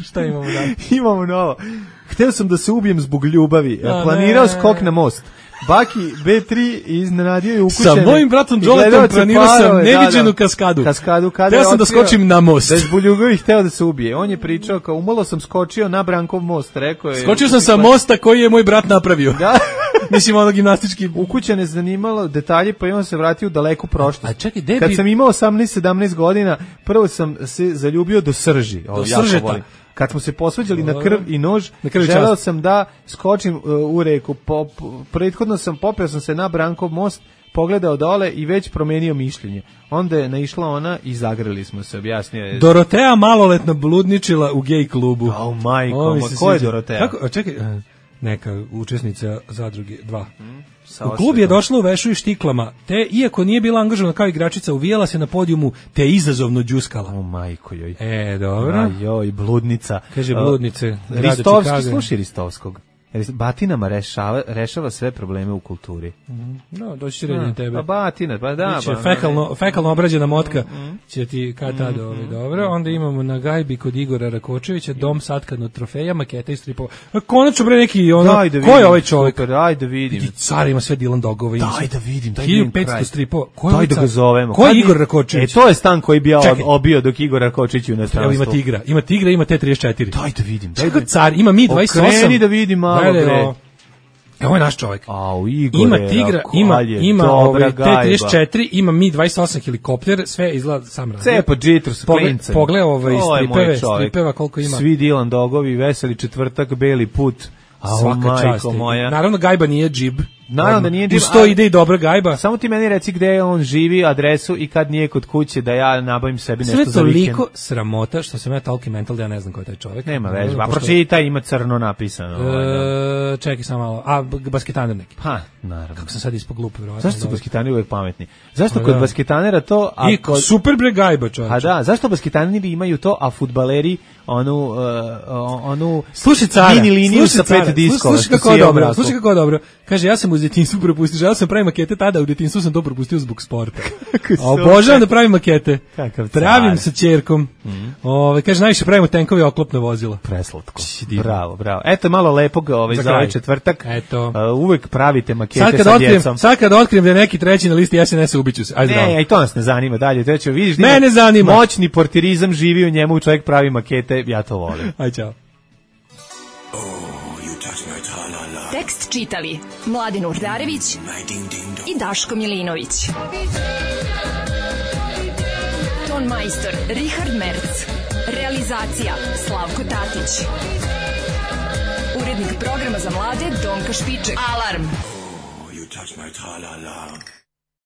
Šta imamo dalje? Imamo novo. Hteo sam da se ubijem zbog ljubavi. Planirao skok na most. Baki B3 iznenadio je ukućene. Sa mojim bratom Đoletom planirao sam neviđenu kaskadu. Hteo sam da skočim na most. Da je zbog ljubavi hteo da se ubije. On je pričao kao umalo sam skočio na Brankov most. Rekao je, skočio sam sa mosta koji je moj brat napravio. Da. Mislim, ono gimnastički. Ukućene zanimalo detalje, pa i on se vratio u daleku prošlost. A čekaj, kad sam imao 18-17 godina, prvo sam se zaljubio do srži. Do sržeta. Kad smo se posvađali na krv i nož, želeo sam da skočim u reku. Prethodno popeo sam se na Brankov most, pogledao dole i već promenio mišljenje. Onda je naišla ona i zagrlili smo se, objasnio je. Dorotea maloletno bludničila u gej klubu. Majko, ko je Dorotea? Čekaj, neka učesnica Zadruge 2. U klub je došla u vešu i štiklama, te, iako nije bila angažovana kao igračica, uvijela se na podijumu, te izazovno đuskala. Majko joj. Dobro. Joj, bludnica. Kaže bludnice. Ristovski, sluši Ristovskog. Batinama rešava sve probleme u kulturi. No, doći će redin tebe. Pa batina, pa da. Fekalno obrađena motka će ti kad tada dobro. Onda imamo na gajbi kod Igora Rakočevića, dom satkan od trofeja, maketa i stripova. Konačno bre neki ono, ko je ovaj čovjek? Super, ajde vidim. Car ima sve Dylan Dogove. Daj da vidim. 1500 stripova. Daj da ga zovemo. Ko je Igor Rakočević? To je stan koji bi ja obio dok Igor Rakočević u inostranstvu. Ima tigra, ima T34. Daj da vidim. Car ima Mi 28. Okreni da vidim malo. Ovo je naš čovjek. Igore, ima Tigra, ima T-34, ima Mi-28 helikopter, sve izgleda sam razgled. Cepo džitru s klincem. Pogledaj stripeva koliko ima. Svi Dilan Dogovi, Veseli četvrtak, Beli put. Svaka čast. Moja. Naravno, Gajba nije džib. Naravno da nije džib. Uz to ide i dobra Gajba. Samo ti meni reci gde on živi, adresu i kad nije kod kuće da ja nabavim sebi nešto za vikend. Sve toliko sramota što sam ja toliki mental da ja ne znam ko je taj čovjek. Nema veze, pa pročitaj, ima crno napisano. Čekaj samo malo. Basketaner neki. Ha, naravno. Kako sam sad ispod glupe, verovatno. Zašto su basketaneri uvek pametni? Zašto kod basketanera to... I super bre Gajba, čovječe. A da, zašto basketaneri imaju to, a fudbaleri onu slušaj cara, mini liniju sa 5 diskova. Slušaj kako je dobro. Kaže, ja sam u detinjstvu propustio, želeo sam pravim makete tada, u detinjstvu sam to propustio zbog sporta. Obožavam da pravim makete. Pravim sa ćerkom. Kaže, najviše pravimo tenkove oklopne vozila. Preslatko. Bravo. Eto malo lepog za ovaj četvrtak. Eto. Uvek pravite makete sa djecom. Sad kad otkrijem da je neki treći na listi SNS-a, ubiću se. Ajde, ne, i to nas ne zanima dalje. Treće, vidiš, mene zanima. Moćni portirizam živi u njemu, čovjek pravi makete, ja to volim. Aj, čao. Tekst čitali Mladin Urdarević i Daško Milinović. Ton majstor Richard Merc. Realizacija Slavko Tatić. Urednik programa za mlade Donka Špiček. Alarm!